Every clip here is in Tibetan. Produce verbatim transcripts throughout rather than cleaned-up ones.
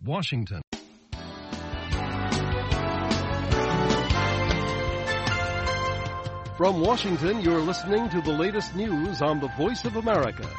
Washington. From Washington, you're listening to the latest news on the Voice of America.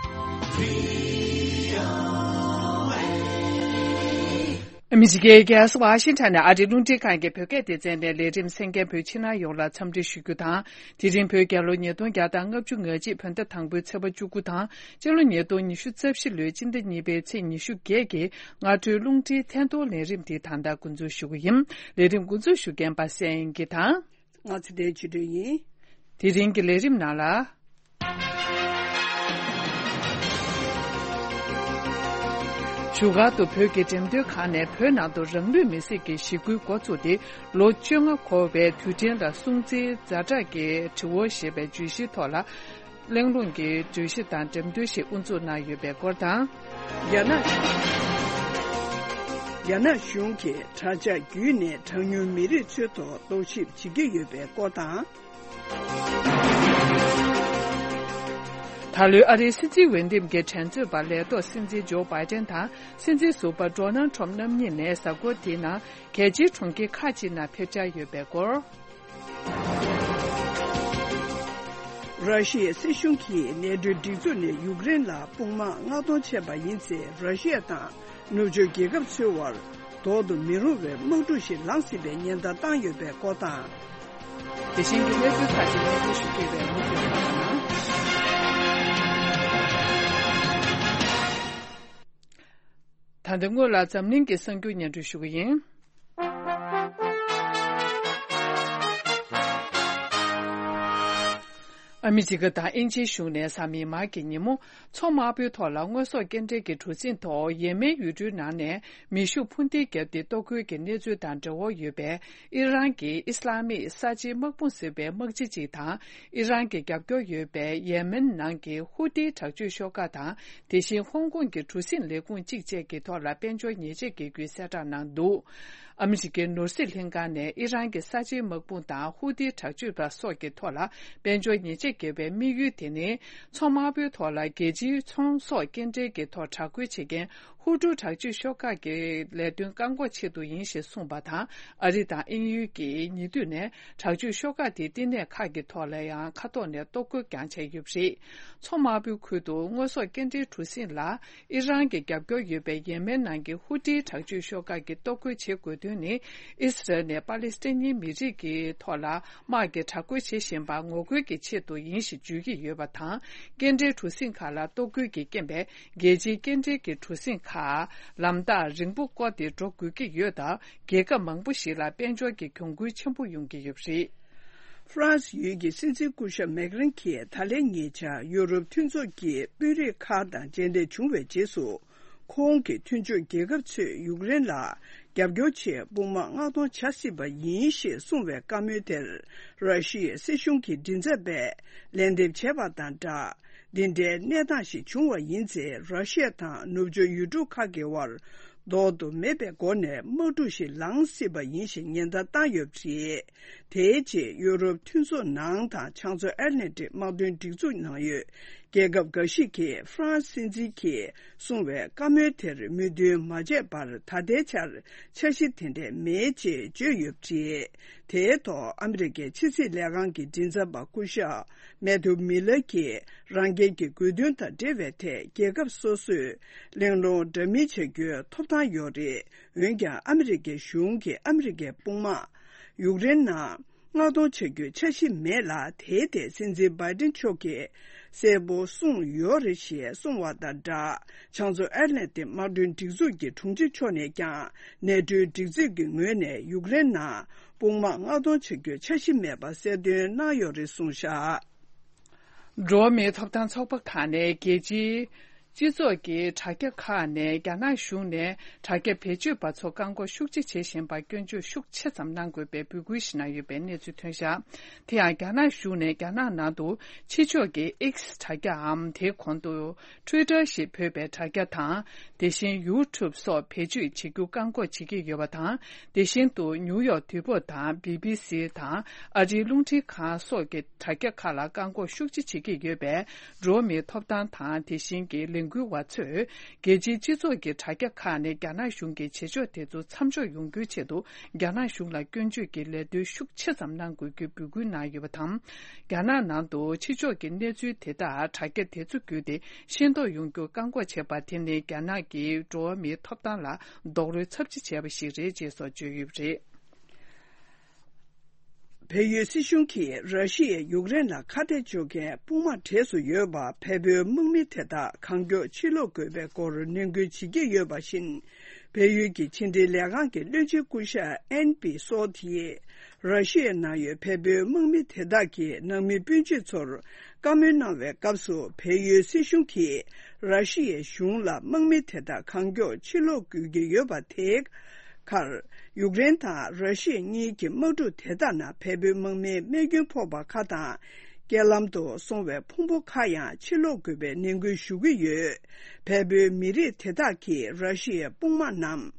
ཨ་མི་རི་ཀའི་རྒྱལ་ས་ཝ་ཤིང་ཊོན་ནས་ཨ་རིའི་རླུང་འཕྲིན་ཁང་གི་བོད་སྐད་སྡེ་ཚན་ནས་ལས་རིམ་གསན་མཁན་བོད་ཕྱི་ནང་ཡོངས་ལ་འཚམས་འདྲི་ཞུ་རྒྱུ་དང་། དེ་རིང་བོད་རྒྱལ་ལོ་ཉིས་སྟོང་བརྒྱ་དང་ལྔ་བཅུ་ང་གཅིག་བོད་ཟླ་དང་པོའི་ཚེས་པ་བཅུ་དགུ་དང་། སྤྱི་ལོ་ཉིས་སྟོང་ཉི་ཤུ་རྩ་བཞི་ལོའི་སྤྱི་ཟླ་གཉིས་པའི་ཚེས་ཉི་ཤུ་བརྒྱད་ཀྱི་སྔ་དྲོའི་རླུང་འཕྲིན་ཐད་གཏོང་ལས་རིམ་འདི་ད་ལྟ་འགོ་འཛུགས་ཞུ་གི་ཡིན། ལས་རིམ་འགོ་འཛུགས་ཞུ་མཁན་པ་སངས་དབྱངས་སྐྱིད་དང་། ང་ཚེ་བརྟན་ཆོས་སྒྲོན་ཡིན། དེ་རིང་གི་ལས་རིམ་ནང་ལ། བཞུགས་སྒར་དུ་བོད་ཀྱི་འགྲེམས་སྟོན་ཁང་ནས་བོད་ནང་དུ་རང་ལུས་མེར་སྲེག་གི་ཞི་རྒོལ་འགོ་བཙུགས་ཏེ་ལོ་བཅོ་ལྔ་འཁོར་བའི་དུས་དྲན་ལ་སྲུང་བརྩིའི་ཛ་དྲག་གི་དྲི་བ་ཞེས་པའི་བརྗོད་གཞིའི་ཐོག་ལ། གླེང་སློང་གི་བརྗོད་གཞི་དང་འགྲེམས་སྟོན་ཞིག་དབུ་འཛུགས་གནང་ཡོད་པའི་སྐོར་དང་། རྒྱ་ནག་རྒྱ་ནག་གཞུང་གིས་དྲ་ཇག་བརྒྱུད་ནས་གྲངས་ཉུང་མི་རིགས་ཚོའི་ཐོག་རྟོག་ཞིབ་བྱེད་ཀྱི་ཡོད་པའི་སྐོར་དང་། ད་ལོའི་ཨ་རིའི་སྲིད་འཛིན་འོས་འདེམས་ཀྱི་འགྲན་རྩོད་པ་ལས་ཐོག་སྲིད་འཛིན་ཇོ་བྷའི་ཏན་དང་སྲིད་འཛིན་ཟུར་པ་ཌོ་ནལ་ཊམ་རྣམ་གཉིས་ནས་གཟའ་འཁོར་དེའི་ནང་རྒྱལ་སྤྱིའི་གྲོང་ཁྱེར་ཁག་ཅིག་ནང་ཕེབས་འཆར་ཡོད་པའི་སྐོར། ར་ཤི་ཡའི་སྲིད་གཞུང་གིས་ནེ་ཊོའི་སྒྲིག་འཛུགས་ནས་ཡུཀ་རེན་ལ་དཔུང་དམག་མངགས་གཏོང་བྱས་པ་ཡིན་ཚེ། ར་ཤི་ཡ་དང་ནུབ་ཕྱོགས་རྒྱལ་ཁབ་ཚོའི་དབར་ལྡོག་ཏུ་མི་རུང་བའི་དམག་འཁྲུག་ཞིག་ལངས་སྲིད་པའི་ཉེན་བརྡ་བཏང་ཡོད་པའི་སྐོར་དང་། དེ་བཞིན་གྱི་གནས་ཚུལ་ཁག་ཅིག་སྙན་སྒྲོན་ཞུ་གི་ཡོད་པས་མུ་མཐུད་གནང་རོགས་གནང་། ད་ལྟ་སྔོན་ལ་འཛམ་གླིང་གི་གསར་འགྱུར་སྙན་སྒྲོན་ཞུ་གི་ཡིན། ཨ་མི་རི་ཀ་དང་དབྱིན་ཇིའི་གཞུང་ནས་གཟའ་མིག་དམར་གྱི་ཉིན་མོ། མཚོ་དམར་པོའི་ཐོག་ལ་དངོས་ཟོག་སྐྱེལ་འདྲེན་གྱི་གྲུ་གཟིངས་ཐོག་ཡེ་མེན་ཡུལ་གྲུའི་ནང་ནས་མེ་ཤུགས་འཕུར་མདེལ་བརྒྱབ་སྟེ་གཏོར་རྒོལ་གྱི་གནས་ཚུལ་དང་འབྲེལ་བ་ཡོད་པའི་ཨི་རན་གྱི་ཨི་སི་ལ་མིག་གསར་བརྗེའི་དམག་དཔུང་ཟེར་བའི་དམག་སྤྱི་གཅིག་དང་། ཨི་རན་གྱི་རྒྱབ་སྐྱོར་ཡོད་པའི་ཡེ་མེན་ནང་གི་ཧུ་ཏིའི་དྲག་སྤྱོད་ཤོག་ཁག་དང་། དེ་བཞིན་ཧོང་ཀོང་གི་གྲུ་གཟིངས་ལས་ཁུངས་གཅིག་བཅས་ཀྱི་ཐོག་ལ་དཔལ་འབྱོར་ཉེས་ཆད་འགེལ་རྒྱུའི་གསལ་བསྒྲགས་གནང་འདུག་ཨ་མི་རི་ཀའི་ནོར་སྲིད་ལྷན་ཁང་ནས་ཨི་རན་གྱི་གསར་བརྗེའི་དམག་དཔུང་དང་ཧུ་ཏི་དྲག་སྤྱོད་པ་སོགས་ཀྱི་ཐོག་ལ་དཔལ་འབྱོར་ཉེས་ཆད་འགེལ་བའི་དམིགས་ཡུལ་དེ་ནི། མཚོ་དམར་པོའི་ཐོག་ལ་རྒྱལ་སྤྱིའི་ཚོང་ཟོག་སྐྱེལ་འདྲེན་གྱི་ཐོག་དྲག་རྒོལ་བྱེད་མཁན་ཧུ་ཏུ་དྲག་སྤྱོད་ཤོག་ཁག་གི་ལས་དོན་བཀག་འགོག་ཆེད་དུ་ཡིན་ཞེས་གསུངས་པ་དང་། ཨ་རི་དང་དབྱིན་ཡུལ་གྱིས་ཉེ་དུས་ནས་དྲག་སྤྱོད་ཤོག་ཁག་དེའི་བསྟི་གནས་ཁག་གི་ཐོག་ལ་ཡང་མཁའ་ཐོག་ནས་གཏོར་རྒོལ་ཀྱང་བྱས་ཡོད་པ་རེད། མཚོ་དམར་པོའི་ཁུལ་དུ་དངོས་ཟོག་སྐྱེལ་འདྲེན་གྲུ་གཟིངས་ལ། ཨི་རན་གྱི་རྒྱབ་སྐྱོར་ཡོད་པའི་ཡེ་མེན་ནང་གི་ཧུ་ཏི་དྲག་སྤྱོད་ཤོག་ཁག་གིས་གཏོར་རྒོལ་བྱེད་དགོས་དོན་ནི། ཨི་སི་རལ་ནས་པ་ལི་སི་ཐན་ནི་མི་རིགས་ཀྱི་ཐོག་ལ་དམག་གི་དྲག་རྒོལ་བྱེད་བཞིན་པ་ངོ་རྒོལ་གྱི་ཆེད་དུ་ཡིན་ཞེས་བརྗོད་ཀྱི་ཡོད་པ་དང་། སྐྱེལ་འདྲེན་གྲུ་གཟིངས་ཁག་ལ་གཏོར་རྒོལ་གྱི་རྐྱེན་པས་རྒྱལ་སྤྱིའི་སྐྱེལ་འདྲེན་གྱི་གྲུ་གཟིངས་ཁག་ལམ་ཐག་རིང་པོ་བསྐོར་ཏེ་འགྲོ་དགོས་ཀྱི་ཡོད་སྟབས། རྒྱལ་ཁབ་མང་པོ་ཞིག་ལ་དཔལ་འབྱོར་གྱི་གྱོང་གུན་ཆེན་པོ་ཡོང་གི་ཡོད་པ་རེད། ཧྥ་རན་སི་ཡུལ་གྱི་སྲིད་འཛིན་སྐུ་ཞབས་མེག་རན་གྱིས་ད་ལན་ཉེ་ཆར་ཡུ་རོབ་མཐུན་ཚོགས་ཀྱི་དཔོན་རིགས་ཁག་དང་མཇལ་འཕྲད་བྱུང་བའི་རྗེས་སུ། ཁོང་གིས་མཐུན་ཕྱོགས་རྒྱལ་ཁབ་ཚོས་ཡུཀ་རེན་ལ་རྒྱབ་སྐྱོར་ཆེད་དཔུང་དམག་མངགས་གཏོང་བྱ་སྲིད་པ་ཡིན་ཞེས་གསུངས་པའི་བཀའ་མོལ་དེར། ར་ཤི་ཡའི་སྲིད་གཞུང་གི་མགྲིན་ཚབ་པས་ལན་འདེབས་བྱས་པ་དང་སྦྲགས། འདི་འདྲའི་གནས་སྟངས་ཤིག་བྱུང་བ་ཡིན་ཚེ། ར་ཤི་ཡ་དང་ནུབ་ཕྱོགས་ཡུལ་གྲུ་ཁག་གི་དབར་ལྡོག་ཏུ་མེད་པའི་སྒོ་ནས་དམག་འཁྲུག་ཞིག་ལངས་སྲིད་པ་ཡིན་ཞེས་ཉེན་བརྡ་བཏང་ཡོད་པ་རེད། དེའི་རྗེས་ཡུ་རོབ་མཐུན་ཚོགས་ནང་དང་བྱང་མཚོ་ཨེཊ་ལན་ཊིག་དམག་དོན་སྒྲིག་འཛུགས་ནང་ཡོད་རྒྱལ་ཁབ་འགའ་ཞིག་གིས་ཧྥ་རན་སི་སྲིད་འཛིན་གྱིས་གསུངས་པའི་བཀའ་མོལ་དེར་མོས་མཐུན་མ་བྱས་པར་ད་ལྟའི་ཆར་འཆར་གཞི་དེ་འདྲ་མེད་ཅེས་བརྗོད་ཡོད་པ་རེད། དེའི་ཐོག་ཨ་མི་རི་ཀའི་ཕྱི་སྲིད་ལས་ཁང་གི་མགྲིན་ཚབ་པ་སྐུ་ཞབས་མེ་ཐུ་མི་ལར་གྱིས། རང་རྒྱལ་གྱི་དགོས་འདུན་དང་འབྲེལ་བའི་ཐད་རྒྱལ་ཁབ་སོ་སོས་གླེང་སློང་འདྲ་མིན་བྱ་རྒྱུའི་ཐོབ་ཐང་ཡོད་རེད། འོན་ཀྱང་ཨ་མི་རི་ཀའི་གཞུང་གིས་ཨ་མི་རི་ཀའི་དཔུང་དམག་ཡུཀ་རེན་ནང་མངགས་གཏོང་བྱ་རྒྱུའི་འཆར་གཞི་མེད་ལ། དེའི་ཐད་སྲིད་འཛིན་བྷའི་ཏིན་མཆོག་གིས་གསལ་པོ་གསུངས་ཡོད་རེད་ཞེས་གསུངས་བ་དང་སྦྲགས། བྱང་མཚོ་ཨེཊ་ལན་ཊིག་དམག་དོན་སྒྲིག་འཛུགས་ཀྱི་དྲུང་ཆེ་མཆོག་ནས་ཀྱང་ནེ་ཊོའི་སྒྲིག་འཛུགས་ཀྱི་ངོས་ནས་ཡུཀ་རེན་ནང་དཔུང་དམག་མངགས་གཏོང་བྱ་རྒྱུའི་འཆར་གཞི་མེད་པ་གསལ་སྟོན་གནང་ཡོད་རེད་གསུངས་བཞག་འགྲོ་བ་མིའི་ཐོབ་ཐང་ཚོགས་པ་ཁག་ནས་རྒྱལ་སྤྱིའི་སྤྱི་ཚོགས་ཀྱི་དྲ་རྒྱ་ཁག་ནས་རྒྱ་ནག་གཞུང་ནས་དྲ་རྒྱ་བེད་སྤྱོད་པ་ཚོ་བཀག་འགོག་ཤུགས་ཆེ་བྱེད་བཞིན་པར་སྐྱོན་བརྗོད་ཤུགས་ཆེ་ཙམ་གནང་དགོས་པའི་འབོད་སྐུལ་ཞིག་གནང་ཡོད་པའི་གནས་ཚུལ་ཐོན་བཞག་དེ་ཡང་རྒྱ་ནག་གཞུང་ནས་རྒྱ་ནག་ནང་དུ་ཕྱི་ཕྱོགས་ཀྱི་X་དྲ་རྒྱའམ་དེའི་གོང་དུ་Twitter་ཞེས་འབོད་པའི་དྲ་རྒྱ་དང་། དེ་བཞིན་YouTube་སོགས་བེད་སྤྱོད་བྱེད་རྒྱུ་བཀག་འགོག་བྱེད་ཀྱི་ཡོད་པ་དང་། དེ་བཞིན་དུ་ནིའུ་ཡོག་དུས་བབ་དང་བི་བི་སི་དང་ཨ་རིའི་རླུང་འཕྲིན་ཁང་སོགས་ཀྱི་དྲ་རྒྱ་ཁག་ལ་བཀག་འགོག་ཤུགས་ཆེ་བྱེད་ཀྱི་ཡོད་པས། འགྲོ་བ་མིའི་ཐོབ་ཐང་དང་དེ་བཞིན་གྱི་ལས་ འགན་འཁུར་བ་ཚོས་རྒྱལ་སྤྱིའི་སྤྱི་ཚོགས་ཀྱི་དྲ་རྒྱ་ཁག་ནས་རྒྱ་ནག་གཞུང་གི་བྱེད་ཕྱོགས་དེ་ཚོ་མཚམས་འཇོག་ཡོང་རྒྱུའི་ཆེད་དུ། རྒྱ་ནག་གཞུང་ལ་སྐྱོན་བརྗོད་ཀྱི་ལད་ཟློས་ཤུགས་ཆེ་ཙམ་གནང་དགོས་རྒྱུའི་འབོད་སྐུལ་གནང་ཡོད་པ་དང་། རྒྱ་ནག་ནང་དུ་ཕྱི་ཕྱོགས་ཀྱི་གནས་ཚུལ་དེ་དག་དྲ་རྒྱ་དེ་ཚོ་བརྒྱུད་དེ་ཤེས་རྟོགས་ཡོང་རྒྱུར་བཀག་འགོག་བྱས་པ་དེ་ནི་རྒྱ་ནག་གི་འགྲོ་བ་མིའི་ཐོབ་ཐང་ལ་རྡོག་རོལ་ཚབས་ཆེ་བྱས་པ་ཞིག་རེད་ཅེས་སོགས་བརྗོད་ཡོད་པ་རེད། བལ་ཡུལ་སྲིད་གཞུང་གིས་ར་ཤི་ཡས་ཡུཀ་རེན་ལ་ཁ་གཏད་གཅོག་མཁན་དཔུང་དམག་གྲས་སུ་ཡོད་པ་བལ་པོའི་དམག་མི་དེ་དག་གང་མགྱོགས་ཕྱིར་ལོག་དགོས་པའི་སྐོར་ནན་སྐུལ་བྱེད་ཀྱི་ཡོད་པ་བཞིན། བལ་ཡུལ་གྱི་ཕྱི་འབྲེལ་ལས་ཁང་གི་བློན་ཆེན་སྐུ་ཞབས་ཨན་པི་སོ་དེས་ར་ཤི་ཡའི་ནང་ཡོད་བལ་པོའི་དམག་མི་དེ་དག་གི་ནང་མི་སྤུན་མཆེད་ཚོར་བཀའ་མོལ་གནང་བའི་སྐབས་སུ། བལ་ཡུལ་སྲིད་གཞུང་གིས་ར་ཤི་ཡའི་གཞུང་ལ་དམག་མི་དེ་དག་གང་མགྱོགས་ཕྱིར་ལོག་དགོས་ཀྱི་ཡོད་པ་དེ། ཁར། ཡུཀ་རེན་དང་ར་ཤི་ཡ་གཉིས་ཀྱི་དམག་འཁྲུག་དེ་དག་ནང་བལ་པོའི་དམག་མིའི་རྨས་སྐྱོན་ཕོག་པ་ཁག་དང་། རྐྱེན་ལམ་དུ་སོང་བའི་ཕུང་པོ་ཁག་ཡང་ཕྱིར་སློག་དགོས་པའི་ནན་སྐུལ་ཞུ་གི་ཡོད། བལ་པོའི་མི་རིགས་དེ་དག་གིས་ར་ཤི་ཡའི་དཔུང་དམག་རྣམས་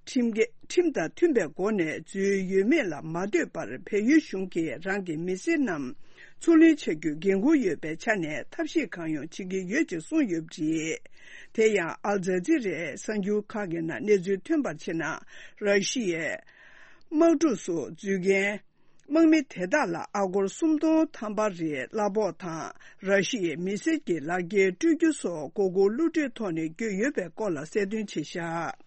ཁྲིམས་ཀྱི་ཁྲིམས་དང་མཐུན་པའི་སྒོ་ནས་འཛུལ་ཡོད་མེད་ལ་མ་ལྟོས་པར། བལ་ཡུལ་གཞུང་གིས་རང་གི་མི་སེར་རྣམས་ཚུར་ལེན་བྱ་རྒྱུའི་འགན་འཁུར་ཡོད་པའི་ཆ་ནས་ཐབས་ཤེས་གང་ཡོང་བྱེད་ཀྱི་ཡོད་ཅེས་གསུངས་ཡོད་པ་རེད། དེ་ཡང་ཨལ་ཛ་ཛི་རའི་གསར་འགྱུར་ཁག་གི་ནང་གནས་ཚུལ་ཐོན་པར་བྱས་ན། ར་ཤི་ཡའི་དམག་འཁྲུག་སུ་འཛུལ་མཁན་དམག་མི་དེ་དག་ལ་ཨ་སྒོར་སུམ་སྟོང་ཐམ་པ་རེའི་གླ་ཕོགས་དང་། ར་ཤི་ཡའི་མི་སེར་གྱི་ལག་འཁྱེར་སྤྲོད་རྒྱུ་སོགས་མགོ་སྐོར་གློད་གྲོལ་ཐོག་ནས་བསྐྱོད་ཡོད་པའི་སྐོར་ལ་གསལ་སྟོན་བྱས་བཞག།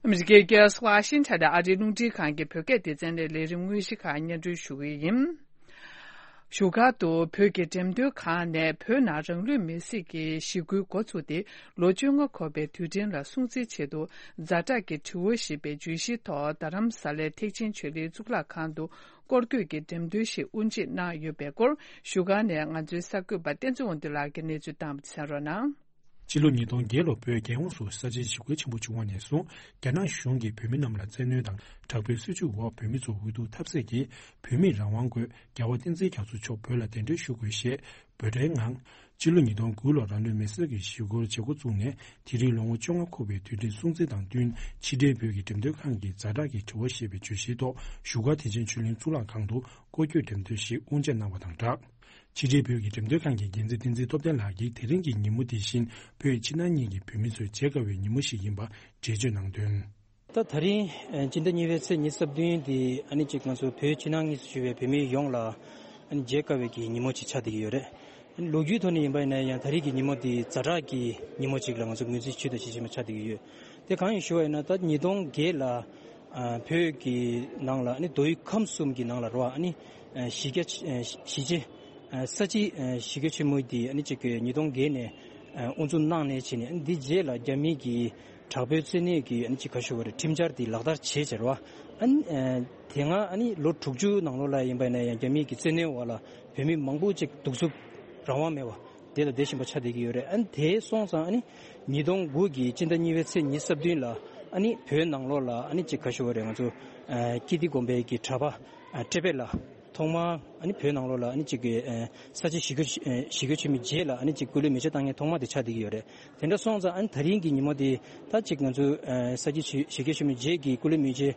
ཨ་མི་རི་ཀའི་རྒྱལ་ས་ཝ་ཤིང་ཊོན་དུ་ཨ་རིའི་རླུང་འཕྲིན་ཁང་གི་བོད་སྐད་སྡེ་ཚན་ནས་ལས་རིམ་དངོས་གཞི་ཁག་སྙན་སྒྲོན་ཞུ་གི་ཡིན། བཞུགས་སྒར་དུ་བོད་ཀྱི་འགྲེམས་སྟོན་ཁང་ནས་བོད་ནང་རང་ལུས་མེར་སྲེག་གི་ཞི་རྒོལ་འགོ་ཚུགས་ཏེ་ལོ་བཅོ་ལྔ་འཁོར་བའི་དུས་དྲན་ལ་སྲུང་བརྩིའི་ཆེད་དུ། ཛ་དྲག་གི་དྲི་བ་ཞེས་པའི་བརྗོད་གཞིའི་ཐོག་རྡ་རམ་ས་ལའི་ཐེག་ཆེན་ཆོས་གླིང་གཙུག་ལག་ཁང་དུ་སྐོར་སྐྱོད་ཀྱི་འགྲེམས་སྟོན་ཞིག་དབུ་འབྱེད་གནང་ཡོད་པའི་སྐོར། བཞུགས་སྒར་ནས་ང་ཚོའི་གསར་འགོད་པ་བསྟན་འཛིན་དབང་འདུས་ལགས་ཀྱིས་གནས་ཚུལ་བཏང་བ་གསན་རོགས་གནང་། ཕྱི་ལོ་ཉིས་སྟོང་བརྒྱད་ལོ་བོད་རྒྱལ་ཡོངས་སུ་ས་བྱི་ཞི་རྒོལ་ཆེན་པོ་བྱུང་བ་ནས་བཟུང་རྒྱ་ནག་གཞུང་གིས་བོད་མི་རྣམས་ལ་བཙན་གནོན་དང་དྲག་པོའི་སྲིད་བྱུས་འོག་བོད་མི་ཚོ་འུ་ཐུག་ཐབས་ཟད་ཀྱིས་བོད་མིས་རང་དབང་དགོས། རྒྱལ་བ་བསྟན་འཛིན་རྒྱ་མཚོ་མཆོག་བོད་ལ་གདན་འདྲེན་ཞུ་དགོས་ཞེས་འབོད་སྒྲའི་ངང་། ཕྱི་ལོ་ཉིས་སྟོང་དགུ་ལོར་རང་ལུས་མེར་སྲེག་གི་ཞི་རྒོལ་བྱེད་འགོ་བཙུགས་ནས་དེ་རིང་ལོ་ངོ་བཅོ་ལྔ་འཁོར་བའི་དུས་དྲན་སྲུང་བརྩི་དང་བསྟུན། ཕྱི་འབྲེལ་བོད་ཀྱི་འགྲེམས་སྟོན་ཁང་གིས་ཛ་དྲག་གི་དྲི་བ་ཞེས་པའི་བརྗོད་གཞིའི་ཐོག་བཞུགས་སྒར་ཐེག་ཆེན་ཆོས་གླིང་གཙུག་ལག་ཁང་དུ་སྐོར་སྐྱོད་འགྲེམས་སྟོན་ཞིག་དབུ་འབྱེད་གནང་བ་དང་སྦྲགས། ཕྱི་འབྲེལ་བོད་ཀྱི་འགྲེམས་སྟོན་ཁང་གི་འགན་འཛིན་བསྟན་འཛིན་སྟོབས་ལྡན་ལགས་ཀྱིས་དེ་རིང་གི་ཉིན་མོ་འདི་བཞིན་བོད་ཕྱི་ནང་གཉིས་ཀྱི་བོད་མི་ཚོའི་བརྗེད་དཀའ་བའི་ཉིན་མོ་ཞིག་ཡིན་པ་འགྲེལ་བརྗོད་གནང་དོན། ད་ད་རིང་སྤྱི་ཟླ་གཉིས་པའི་ཚེས་ཉི་ཤུ་རྩ་བདུན་འདི་ཨ་ནི་གཅིག་ང་ཚོ་བོད་ཕྱི་ནང་གཉིས་སུ་བཞུགས་པའི་བོད་མི་ཡོངས་ལ་ཨ་ནི་བརྗེད་དཀའ་བའི་གི་ཉིན་མོ་ཅིག་ཆགས་བསྡད་ཀྱི་ཡོད་རེད། ལོ་རྒྱུས་ཐོག་ནས་ཡིན་པ་ཡིན་ན་ཡང་ད་རེས་ཀྱི་ཉིན་མོ་འདི་ཛ་དྲག་གི་ཉིན་མོ་ཅིག་ལ་ང་ཚོ་ངོས་འཛིན་ཞུས་དང་ཞུ་བཞིན་པ་ཆགས་བསྡད་ཀྱི་ཡོད། དེ་གང་ཡིན་ཞུ་བ་ཡིན་ན། ད་ཉིས་སྟོང་བརྒྱད་ལ་ཨ་བོད་ཀྱི་ནང་ལ་ཨ་ནི་མདོ་དབུས་ཁམས་གསུམ་གྱི་ནང་ལ་རོ། ཨ་ནི་ཨ་གཞི་རྒྱ་ཆེ་ཨ་གཞིས་བྱེས་ཨ་ས་བྱི་ཨ་ཞི་རྒོལ་ཆེན་མོ་འདི་ཨ་ནི་གཅིག་གི་ཉིས་སྟོང་བརྒྱད་ནས་ཨ་དབུ་འཛུགས་གནང་ནས་བྱས་ནས། ཨ་ནི་འདི་རྗེས་ལ་རྒྱ་མི་གི་དྲག་པོའི་བཙན་གནོན་གྱི་ཨ་ནི་གཅིག་ག་ཞུ་བ་རེད། ཁྲིམས་འཆར་འདི་ལག་བསྟར་བྱས་བྱས་རོ། ཨ་ནི་ཨ་དེ་སྔ་ཨ་ནི་ལོ་དྲུག་ཅུ་ནང་ལོགས་ལ་ཡིན་པ་ཡིན་ན་ཡང་རྒྱ་མི་གི་བཙན་གནོན་འོག་ལ་བོད་མི་མང་པོ་ཅིག་གདུག་རྩུབ་རང་དབང་མེད་པ་དེ་ལ་བསྡད་བཞིན་པ་ཆགས་བསྡད་ཀྱི་ཡོད་རེད། ཨ་ནི་དེ་སོང་ཙང་ཨ་ནི་ཉིས་སྟོང་དགུ་གི་སྤྱི་ཟླ་གཉིས་པའི་ཚེས་ཉི་ཤུ་རྩ་བདུན་ལ་ཨ་ནི་བོད་ནང་ལོགས་ལ་ཨ་ནི་གཅིག་ག་ཞུ་བ་རེད། ང་ཚོ་ཨ་ཀིརྟི་དགོན་པའི་གི་གྲྭ་པ་ཨ་ཊེ་པེ་ལ་ཐོག་མར་ཨ་ནི་བོད་ནང་ལོགས་ལ་ཨ་ནི་གཅིག་གི་ཨ་ས་བྱི་ཞི་རྒོལ་ཨ་ཞི་རྒོལ་ཆེན་མོའི་རྗེས་ལ་ཨ་ནི་གཅིག་སྐུ་ལུས་མེ་མཆོད་བཏང་མཁན་ཐོག་མ་དེ་ཆགས་བསྡད་ཀྱི་ཡོད་རེད། དེ་འདྲ་སོང་ཙང་ཨ་ནི་ད་རིང་གི་ཉིན་མོ་དེ་ད་གཅིག་ང་ཚོ་ཨ་ས་བྱི་ཞི་ཞི་རྒོལ་ཆེན་མོའི་རྗེས་ཀྱི་སྐུ་ལུས་མེ་མཆོད་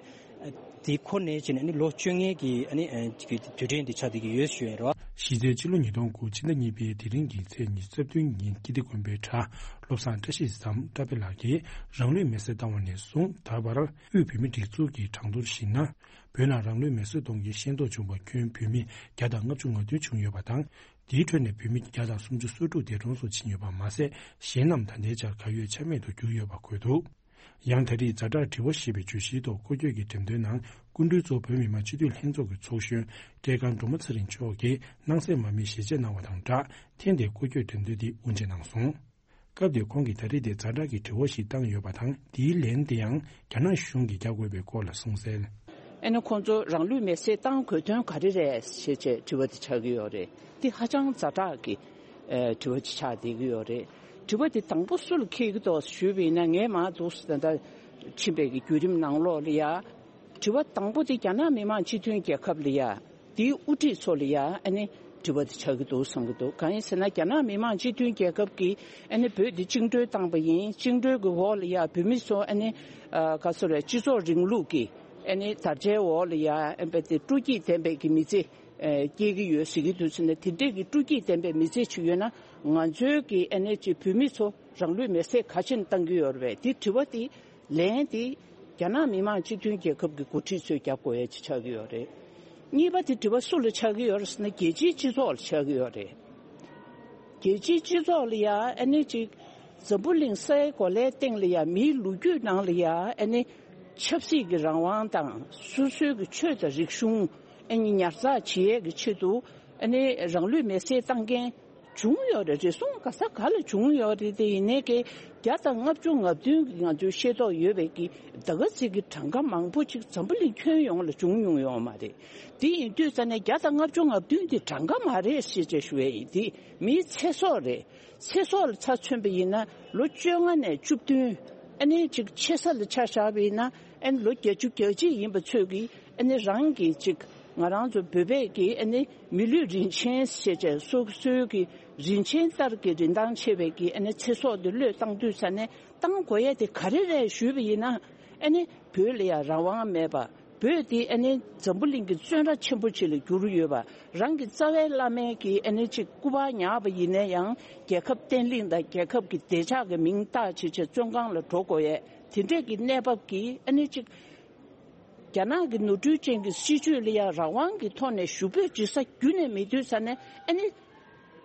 དེ་འཁོར་ནས་བྱས་ནས་ཨ་ནི་ལོ་བཅོ་ལྔའི་གི་ཨ་ནི་ཨ་གི་དུས་དྲན་དེ་ཆགས་བསྡད་ཀྱི་ཡོད་ཞུ་ཡིན་རོ། གཞི་རྩའི་ཕྱི་ལོ་ཉིས་སྟོང་དགུ་ཕྱི་ཟླ་གཉིས་པའི་དེ་རིང་གི་ཚེས་ཉི་ཤུ་རྩ་བདུན་ཉིན་ཀིརྟི་དགོན་པའི་གྲྭ་བློ་བཟང་བཀྲ་ཤིས་སམ་བཀྲ་བྷེ་ལགས་ཀྱིས་རང་ལུས་མེར་སྲེག་བཏང་བ་ནས་བཟུང་ད་བར་དབུས་བོད་མིའི་སྒྲིག་འཛུགས་ཀྱི་གྲངས་ཐོར་གཞིགས་ན། བོད་ནང་རང་ལུས་མེར་སྲེག་གཏོང་རྒྱུའི་ཤེས་རྟོགས་བྱུང་བ་ཁྱོན་བོད་མི་བརྒྱ་དང་ལྔ་བཅུ་ང་བདུན་བྱུང་ཡོད་པ་དང་། དེའི་ཁྲོད་ནས་བོད་མི་བརྒྱ་དང་སུམ་ཅུ་སོ་དྲུག་འདས་གྲོངས་སུ་ཕྱིན་ཡོད་པ་མ་ཟད། གཞན་རྣམས་ད་ལྟའི་ཆར་གར་ཡོད་ཆ་མེད་དུ་གྱུར་ཡོད་པ་འཁོད་འདུག་ཡང་ད་རེས་ཛ་དྲག་དྲི་བ་ཞེས་པའི་བརྗོད་གཞིའི་ཐོག་སྐོར་སྐྱོད་ཀྱི་འགྲེམས་སྟོན་ནང་། སྐུ་མགྲོན་གཙོ་བོ་བོད་མི་མང་སྤྱི་འཐུས་ལྷན་ཚོགས་ཀྱི་ཚོགས་གཞོན་བཀྲས་མཁར་སྒྲོལ་མ་ཚེ་རིང་མཆོག་གིས་སྣང་གསལ་མ་དམིགས་ཞལ་ཆད་གནང་བ་དང་སྦྲགས། ཐེངས་འདིའི་སྐོར་སྐྱོད་འགྲེམས་སྟོན་འདི་དབུ་འབྱེད་གནང་སོང་། སྐབས་དེར་ཁོང་གིས་ད་རེས་དེ་ཛ་དྲག་གི་དྲི་བ་ཞིག་བཏང་ཡོད་པ་དང་། དེའི་ལན་དེ་ཡང་རྒྱ་ནག་གཞུང་གིས་རྒྱག་དགོས་པའི་སྐོར་ལ་གསུངས་གསལ། ཨ་ནི་ཁོང་ཚོ་རང་ལུས་མེར་སྲེག་བཏང་དགོས་དོན་ག་རེ་རེད་ཞེས་བྱས་དྲི་བ་དེ་ཆགས་ཀྱི་ཡོད་རེད། འདི་ཧ་ཅང་ཛ་དྲག་གི་ཨ་དྲི་བ་ཅིག་ཆགས་བསྡད་ཀྱི་ཡོད་རེད། དྲི་བ་དེ་དང་པོ་སུ་ལ་འཁེལ་གྱི་འདུག་ཞུས་པ་ཡིན་ན། ངས་མར་འདུག་སེ་ད་ལྟ་ཕྱིན་པའི་གི་བརྒྱུད་རིམ་ནང་ལོགས་ལ་ཡ། དྲི་བ་དང་པོ་དེ་རྒྱ་ནག་མི་དམངས་སྤྱི་མཐུན་རྒྱལ་ཁབ་ལ་ཡ། དེའི་དབུ་ཁྲིད་ཚོ་ལ་ཡ་ཨ་ནི་དྲི་བ་དེ་ཆགས་ཀྱི་འདུག་བསམ་གྱི་འདུག་གང་ཡིན་ཟེར་ན། རྒྱ་ནག་མི་དམངས་སྤྱི་མཐུན་རྒྱལ་ཁབ་ཀྱིས་ཨ་ནི་བོད་འདི་བཅིངས་འགྲོལ་བཏང་པ་ཡིན། བཅིངས་འགྲོལ་གྱི་འོག་ལ་ཡ་བོད་མི་ཚོ་ཨ་ནི་ཨ་ག་ཚོད་རེད། སྤྱི་ཚོགས་རིང་ལུགས་ཀྱི་ཨ་ནི་དར་ཆའི་འོག་ལ་ཡ་ཨ་ནི་དེ་སྤྲོ་སྐྱིད་ལྡན་པའི་གི་མི་ཚེ་ ཨེ། སྐྱེ་གི་ཡོད་ཟེར་གྱི་འདུག་ཟེར་ནས། དེ་འདྲས་ཀྱི་སྤྲོ་སྐྱིད་ལྡན་པའི་མི་ཚེ་ཅིག་ཡོད་ན། ང་ཚོའི་གི་ཨ་ནེ་ཅིག་བོད་མི་ཚོ་རང་ལུས་མེར་སྲེག་ག་ཕྱིན་བཏང་གི་ཡོད་རེད་པས། དེ་དྲི་བ་དེ་ལན་དེ་རྒྱ་ནག་མི་དམངས་སྤྱི་མཐུན་རྒྱལ་ཁབ་ཀྱི་འགོ་ཁྲིད་ཚོས་རྒྱབ་དགོས་ཡ་ཅིག་ཆགས་ཀྱི་ཡོད་རེད། གཉིས་པ་དེ་དྲི་བ་སུ་ལ་ཆགས་ཀྱི་ཡོད་རེད་ཟེར་ན། རྒྱལ་སྤྱིའི་སྤྱི་ཚོགས་ལ་ཆགས་ཀྱི་ཡོད་རེད། རྒྱལ་སྤྱིའི་སྤྱི་ཚོགས་ལ་ཡ་ཨ་ནེ་ཅིག་འཛམ་བུ་གླིང་སའི་གོ་ལའི་སྟེང་ལ་ཡ་མིའི་ལོ་རྒྱུས་ནང་ལ་ཡ་ཨ་ནེ་ཆབ་སྲིད་ཀྱི་རང་དབང་དང་། སོ་སོའི་གི་ཆོས་དང་རིག་གཞུང་ཨ་ནི་ཉར་ཚགས་བྱེད་ཡས་ཀྱི་ཆེད་དུ་ཨ་ནི་རང་ལུས་མེར་སྲེག་བཏང་མཁན་བྱུང་ཡོད་རེད། རེ་ཟུང་ག་ས་ག་ལ་བྱུང་ཡོད་རེད། དེ་ཡིན་ནའི་གི་བརྒྱ་དང་ལྔ་བཅུ་ང་བདུན་གི་ང་ཚོའི་ཤེས་རྟོགས་ཡོད་པའི་གི་ད་ག་ཚིག་གི་གྲངས་ཀ་མང་པོ་ཅིག་འཛམ་བུ་གླིང་ཁྱོན་ཡོངས་ལ་བྱུང་མྱོང་ཡོད་མ་རེད། དེ་ཡིན་དུས་ཙ་ནས་བརྒྱ་དང་ལྔ་བཅུ་ང་བདུན་དེ་གྲངས་ཀ་མ་རེད་ཞེས་བྱས་ཞུ་ཡས་ཡིན། དེ་མིའི་ཚེ་སྲོག་རེད། ཚེ་སྲོག་ལ་ཆ་མཚོན་པ་ཡིན་ན་ལོ་བཅོ་ལྔ་ནས་བཅུ་བདུན། ཨ་ནི་ཅིག་ཆེ་ས་ལ་ཆ་བཞག་པ་ཡིན་ན་ཨ་ནི་ལོ་བརྒྱད་ཅུ་གྱ་གཅིག་ཡིན་པ་ཚོས་ཀྱིས་ཨ་ནི་རང་གི་ཅིག་ང་རང་ཚོ་བོད་པས་ཀྱིས་ཨ་ནི་མི་ལུས་རིན་ཆེན་ཞེས་བྱས་སོ་སོའི་གི་རིན་ཆེན་ལྟར་གྱི་རིན་ཐང་ཆེ་བའི་གི་ཨ་ནི་ཚེ་སྲོག་དེ་བློས་བཏང་དུས་ཙ་ནས་བཏང་དགོས་ཡས་དེ་ག་རེ་རེད་ཞུས་པ་ཡིན་ན། ཨ་ནི་བོད་ལ་ཡང་རང་དབང་མེད་པ། བོད་དེ་ཨ་ནི་འཛམ་བུ་གླིང་གི་བཙོན་ར་ཆེན་པོ་ཅིག་ལ་གྱུར་ཡོད་པ། རང་གི་རྩ་བའི་བླ་མའི་གི་ཨ་ནི་ཅིག་སྐུ་པར་ཉར་བ་ཡིན་ན་ཡང་རྒྱལ་ཁབ་བརྟན་ལྷིང་དང་རྒྱལ་ཁབ་ཀྱི་བདེ་འཇགས་ཀྱི་མིང་བཏགས་བྱས་བྱས་བཙོན་ཁང་ལ་འགྲོ་དགོས་ཡས་དེ་འདྲས་ཀྱི་གནས་བབ་ཀྱིས། ཨ་ནི་ཅིག་རྒྱ་ནག་གི་ནོར་འཁྲུལ་ཅན་གྱི་སྲིད་བྱུས་ལ་ཡང་རང་དབང་གི་ཐོག་ནས་ཞུ་འབོད་བྱེད་ས་རྒྱུ་ནས་མེད་དུས་ཙ་ནས། ཨ་ནི་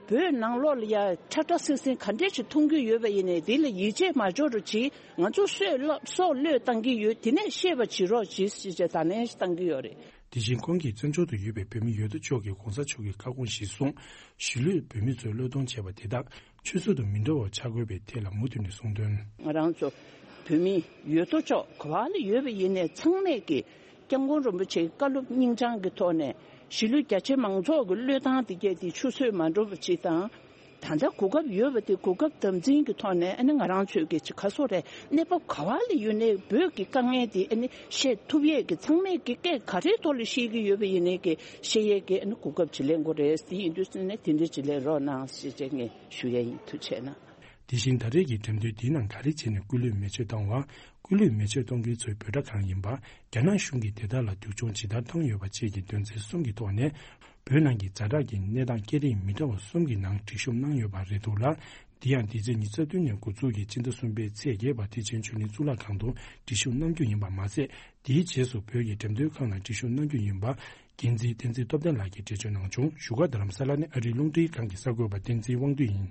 བོད་ནང་ལོགས་ལ་ཡ་ཁྲ་ཁྲ་སིང་སིང་ག་འདྲས་ཞིག་མཐོང་གི་ཡོད་པ་ཡིན་ནའི་དེ་ལ་ཡིད་ཆེས་མ་འཇོག་རོགས་གྱིས། ང་ཚོ་སྲོག་བློ་སྲོག་བློས་བཏང་གི་ཡོད། དེ་ནས་ཤེས་པ་བྱེད་རོགས་གྱིས་ཞེས་བྱས་བརྡ་ལན་ཞིག་བཏང་གི་ཡོད་རེད། དེ་བཞིན་ཁོང་གིས་བཙན་བྱོལ་དུ་ཡོད་པའི་བོད་མི་ཡོད་དོ་ཅོག་གིས་གོང་ས་མཆོག་གི་བཀའ་དགོངས་གཞིར་བཟུང་གཞིས་ལུས་བོད་མི་ཚོས་བློས་གཏོང་བྱས་པ་དེ་དག་ཆུད་ཟོས་དུ་མི་འགྲོ་བ་བྱ་དགོས་པའི་ཐད་ལ་མུ་མཐུད་ནས་གསུངས་དོན། ང་རང་ཚོ་བོད་མི་ཡོད་དོ་ཅོག་ག་བ་ལ་ཡོད་པ་ཡིན་ནའི་ཚང་མས་ཀྱིས་སྐྱབས་མགོན་རིན་པོ་ཆེའི་བཀའ་སློབ་སྙིང་བཅངས་ཀྱི་ཐོག་ནས་གཞིས་ལུས་རྒྱ་ཆེ་མང་ཚོགས་ཀྱི་བློས་བཏང་དེ་གས་དེ་ཆུད་ཟོས་མ་འགྲོ་བ་ཅིག་དང་། ད་ལྟ་གོ་སྐབས་ཡོད་པ་དེ་གོ་སྐབས་དམ་འཛིན་གྱི་ཐོག་ནས་ཨ་ནི་ང་རང་ཚོས་ཀྱི་ཅིག་ག་སོ་རེད། གནས་བབ་ག་བ་ལ་ཡོད་ནའི་བོད་ཀྱི་དཀའ་ངལ་དེ་ཨ་ནི་བཤད་ཐུབ་ཡས་ཀྱི་ཚང་མས་ཀྱི་སྐད་ག་རེའི་ཐོག་ལ་བཤད་ཀྱི་ཡོད་པ་ཡིན་ནའི་ཀྱི་བཤད་ཡས་ཀྱི་ཨ་ནི་གོ་སྐབས་ཅིག་ལེན་དགོས་རེད། དེ་ཡིན་དུས་ཙམ་ནས་དེ་འདྲ་ཅིག་ལེན་རོགས་གནང་ཞེས་བྱས་ངས་ཞུ་ཡས་ཡིན། ཐུགས་རྗེ་གནང་། དེ་བཞིན་ད་རེས་ཀྱི་འགྲེམས་སྟོན་འདིའི་ནང་ག་རེ་བྱས་ནས་སྐུ་ལུས་མེ་མཆོད་བཏང་བ། སྐུ་ལུས་མེ་མཆོད་གཏོང་མཁན་ཚོའི་འབོད་སྒྲ་གང་ཡིན་པ། རྒྱ་ནག་གཞུང་གིས་དེ་དག་ལ་སྡུག་སྦྱོང་ཇི་ལྟར་བཏང་ཡོད་པ་བཅས་ཀྱི་དོན་ཚན་གསུམ་གྱི་ཐོག་ནས། བོད་ནང་གི་ཛ་དྲག་གི་གནས་སྟངས་སྐད་རིགས་མི་འདྲ་བ་གསུམ་གྱི་ནང་སྒྲིག་ཞུགས་གནང་ཡོད་པ་རེད་འདུག་ལ། འདི་ཡང་འདི་ཚེས་ཉི་ཤུ་རྩ་བདུན་ནས་འགོ་འཛུགས་ཀྱིས་སྤྱི་ཟླ་གསུམ་པའི་ཚེས་བརྒྱད་བར་ཐེག་ཆེན་ཆོས་གླིང་གཙུག་ལག་ཁང་དུ་སྒྲིག་ཞུགས་གནང་རྒྱུ་ཡིན་པ་མ་ཟད། དེའི་རྗེས་སུ་བོད་ཀྱི་འགྲེམས་སྟོན་ཁང་ནང་སྒྲིག་ཞུགས་གནང་རྒྱུ་ཡིན་པ། འགན་འཛིན་བསྟན་འཛིན་སྟོབས་ལྡན་ལགས་ཀྱིས་འགྲེལ་བརྗོད་གནང་བྱུང་། བཞུགས་སྒར་རྡ་རམ་ས་ལ་ནས་ཨ་རིའི་རླུང་འཕྲིན་ཁང་གི་གསར་འགོད་པ་བསྟན་འཛིན་དབང་འདུས་ཡིན།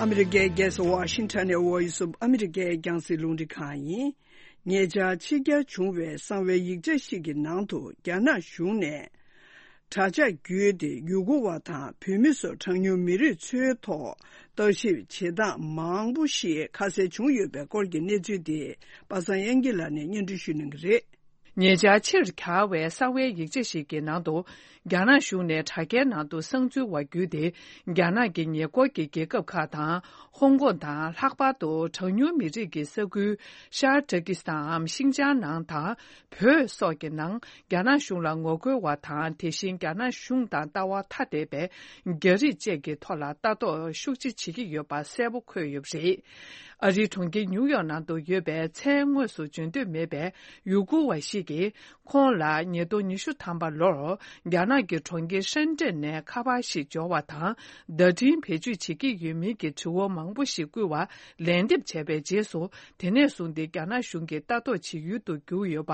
ཨ་མི་རི་ཀའི་རྒྱལ་ས་ཝ་ཤིང་ཊོན་ནས་Voice of America་རྒྱང་སྲིང་རླུང་འཕྲིན་ཁང་ཡིན། ཉེ་ཆར་ཕྱི་གྱར་བྱུང་བའི་གསང་བའི་ཡིག་ཆ་ཞིག་གི་ནང་དུ་རྒྱ་ནག་གཞུང་ནས་དྲ་ཇག་བརྒྱུད་དེ་ཡུ་གུར་བ་དང་བོད་མི་སོགས་གྲངས་ཉུང་མི་རིགས་ཚོའི་ཐོག་ལྟ་ཞིབ་བྱེད་སྟངས་མང་པོ་ཞིག་ཁ་གསལ་བྱུང་ཡོད་པའི་སྐོར་གྱི་གནས་ཚུལ་དེ་པ་སངས་དབྱངས་སྐྱིད་ལགས་ནས་སྙན་སྒྲོན་ཞུ་གནང་གི་རེད། ཉེ་ཆར་ཕྱིར་གྱར་བའི་གསང་བའི་ཡིག་ཆ་ཞིག་གི་ནང་དུ། རྒྱ་ནག་གཞུང་ནས་དྲ་རྒྱའི་ནང་དུ་གསང་འཛུལ་བ་བརྒྱུད་དེ། རྒྱ་ནག་གི་ཉེ་འཁོར་གྱི་རྒྱལ་ཁབ་ཁག་དང་། ཧོང་ཀོང་དང་། ལྷག་པར་དུ་གྲངས་ཉུང་མི་རིགས་ཀྱི་ས་ཁུལ། ཤར་ཏུར་ཀི་སི་ཐན་འམ་ཤིང་ཅང་ནང་དང་། བོད་སོགས་ཀྱི་ནང་། རྒྱ་ནག་གཞུང་ལ་ངོ་རྒོལ་བ་དང་། དེ་བཞིན་རྒྱ་ནག་གཞུང་དང་ལྟ་བ་ཐ་དད་པའི་རྒྱ་རིགས་བཅས་ཀྱི་ཐོག་ལ་ལྟ་རྟོག་ཤུགས་ཆེ་བྱེད་ཀྱི་ཡོད་པ་གསལ་པོ་འཁོད་ཡོད་པ་རེད། ཨ་རིའི་གྲོང་ཁྱེར་ཉིའུ་ཡོག་ནང་དུ་ཡོད་པའི་མཚན་དངོས་སུ་བརྗོད་འདོད་མེད་པའི་ཡུ་གུར་བ་ཞིག་གིས། ཁོང་ལ་ཉིས་སྟོང་ཉི་ཤུ་ཐམ་པ་ལོར་རྒྱ་ནག་གི་གྲོང་ཁྱེར་ཧྲེན་ཀྲེན་ནས་ཁ་པར་ཞིག་འབྱོར་བ་དང་། བརྡ་འཕྲིན་བེད་སྤྱོད་བྱེད་ཀྱི་ཡོད་མིན་གྱི་དྲི་བ་མང་པོ་ཞིག་བསྐུལ་བ་ལན་འདེབས་བྱས་པའི་རྗེས་སུ། དེ་ནས་བཟུང་སྟེ་རྒྱ་ནག་གཞུང་གིས་ལྟ་རྟོག་བྱེད་ཡུལ་དུ་གྱུར་ཡོད་པ་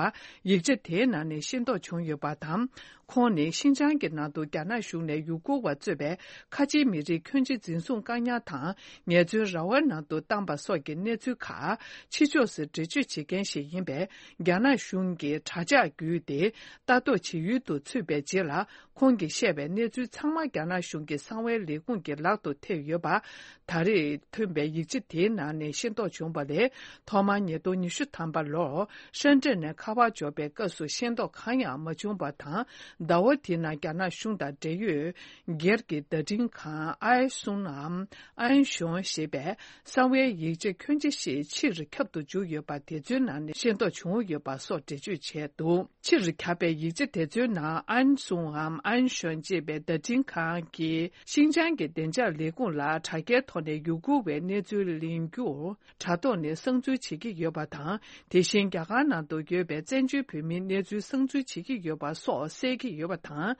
ཡིག་ཆ་དེའི་ནང་ནས་ཤེས་རྟོགས་བྱུང་ཡོད་པ་དང་། ཁོང་ནི་ཤིན་ཅང་གི་ནང་དུ་རྒྱ་ནག་གཞུང་ནས་ཡུ་གུར་བ་གཙོས་པའི་ཁ་ཆེའི་མི་རིགས་ཁྱོན་ཆེ་འཛིན་བཟུང་བཀག་ཉར་དང་ངལ་རྩོལ་ར་བའི་ནང་དུ་བཏང་པ་སོགས་ཀྱི་གནས་ཚུལ་ཁག་ཕྱི་ཕྱོགས་སུ་འགྲེལ་བརྗོད་བྱེད་མཁན་ཞིག་ཡིན་པས། རྒྱ་ནག་གཞུང་གིས་དྲ་ཇག་བརྒྱུད་དེ་ལྟ་རྟོག་བྱེད་ཡུལ་དུ་ཚུད་པའི་རྗེས་ལ། ཁོང་གིས་བཤད་པའི་གནས་ཚུལ་ཚང་མ་རྒྱ་ནག་གཞུང་གི་གསང་བའི་ལས་ཁུངས་ཀྱི་ལག་ཏུ་ཐེབས་ཡོད་པ། ད་རེས་ཐོན་པའི་ཡིག་ཆ་དེའི་ནང་ནས་ཤེས་རྟོགས་བྱུང་བ་ལས། ཐོག་མར་ཉིས་སྟོང་ཉི་ཤུ་ཐམ་པ་ལོར་ཧྲེན་ཀྲེན་ནས་ཁ་པར་འབྱོར་བའི་སྐབས་སུ་ཤེས་རྟོགས་གང་ཡང་མ་བྱུང་བ་དང་། ཟླ་བ་དེའི་ནང་རྒྱ་ནག་གཞུང་དང་འབྲེལ་ཡོད་སྒེར་གྱི་བརྡ་འཕྲིན་ཁང་ཨའེ་སུན་ནམ་ཨན་ཞོན་ཞེས་པས་གསང་བའི་ཡིག་ཆ། ཁྱོན་ཆེ་ཞིག་ཕྱིར་ཁྱབ་ཏུ་འཇུག་ཡོད་པ་དེ་ཚོའི་ནང་ནས་ཤེས་རྟོགས་བྱུང་ཡོད་པ་སོགས་འགྲེལ་བརྗོད་བྱས་འདུག་ཕྱིར་ཁྱབ་པའི་ཡིག་ཆ་དེ་ཚོའི་ནང་ཨན་སུང་འམ་ཨན་ཞོན་ཅེས་པའི་བརྡ་འཕྲིན་ཁང་གིས་ཤིན་ཅང་གི་བདེ་འཇགས་ལས་ཁུངས་ལ་དྲ་རྒྱའི་ཐོག་ནས་ཡུ་གུར་བའི་གནས་ཚུལ་ལེན་རྒྱུར། དྲ་ཐོག་ནས་གསང་འཛུལ་བྱེད་ཀྱི་ཡོད་པ་དང་། དེ་བཞིན་རྒྱ་གར་ནང་དུ་ཡོད་པའི་བཙན་བྱོལ་བོད་མིའི་གནས་ཚུལ་གསང་འཛུལ་བྱེད་ཀྱི་ཡོད་པ་སོགས་གསལ་གྱི་ཡོད་པ་དང་།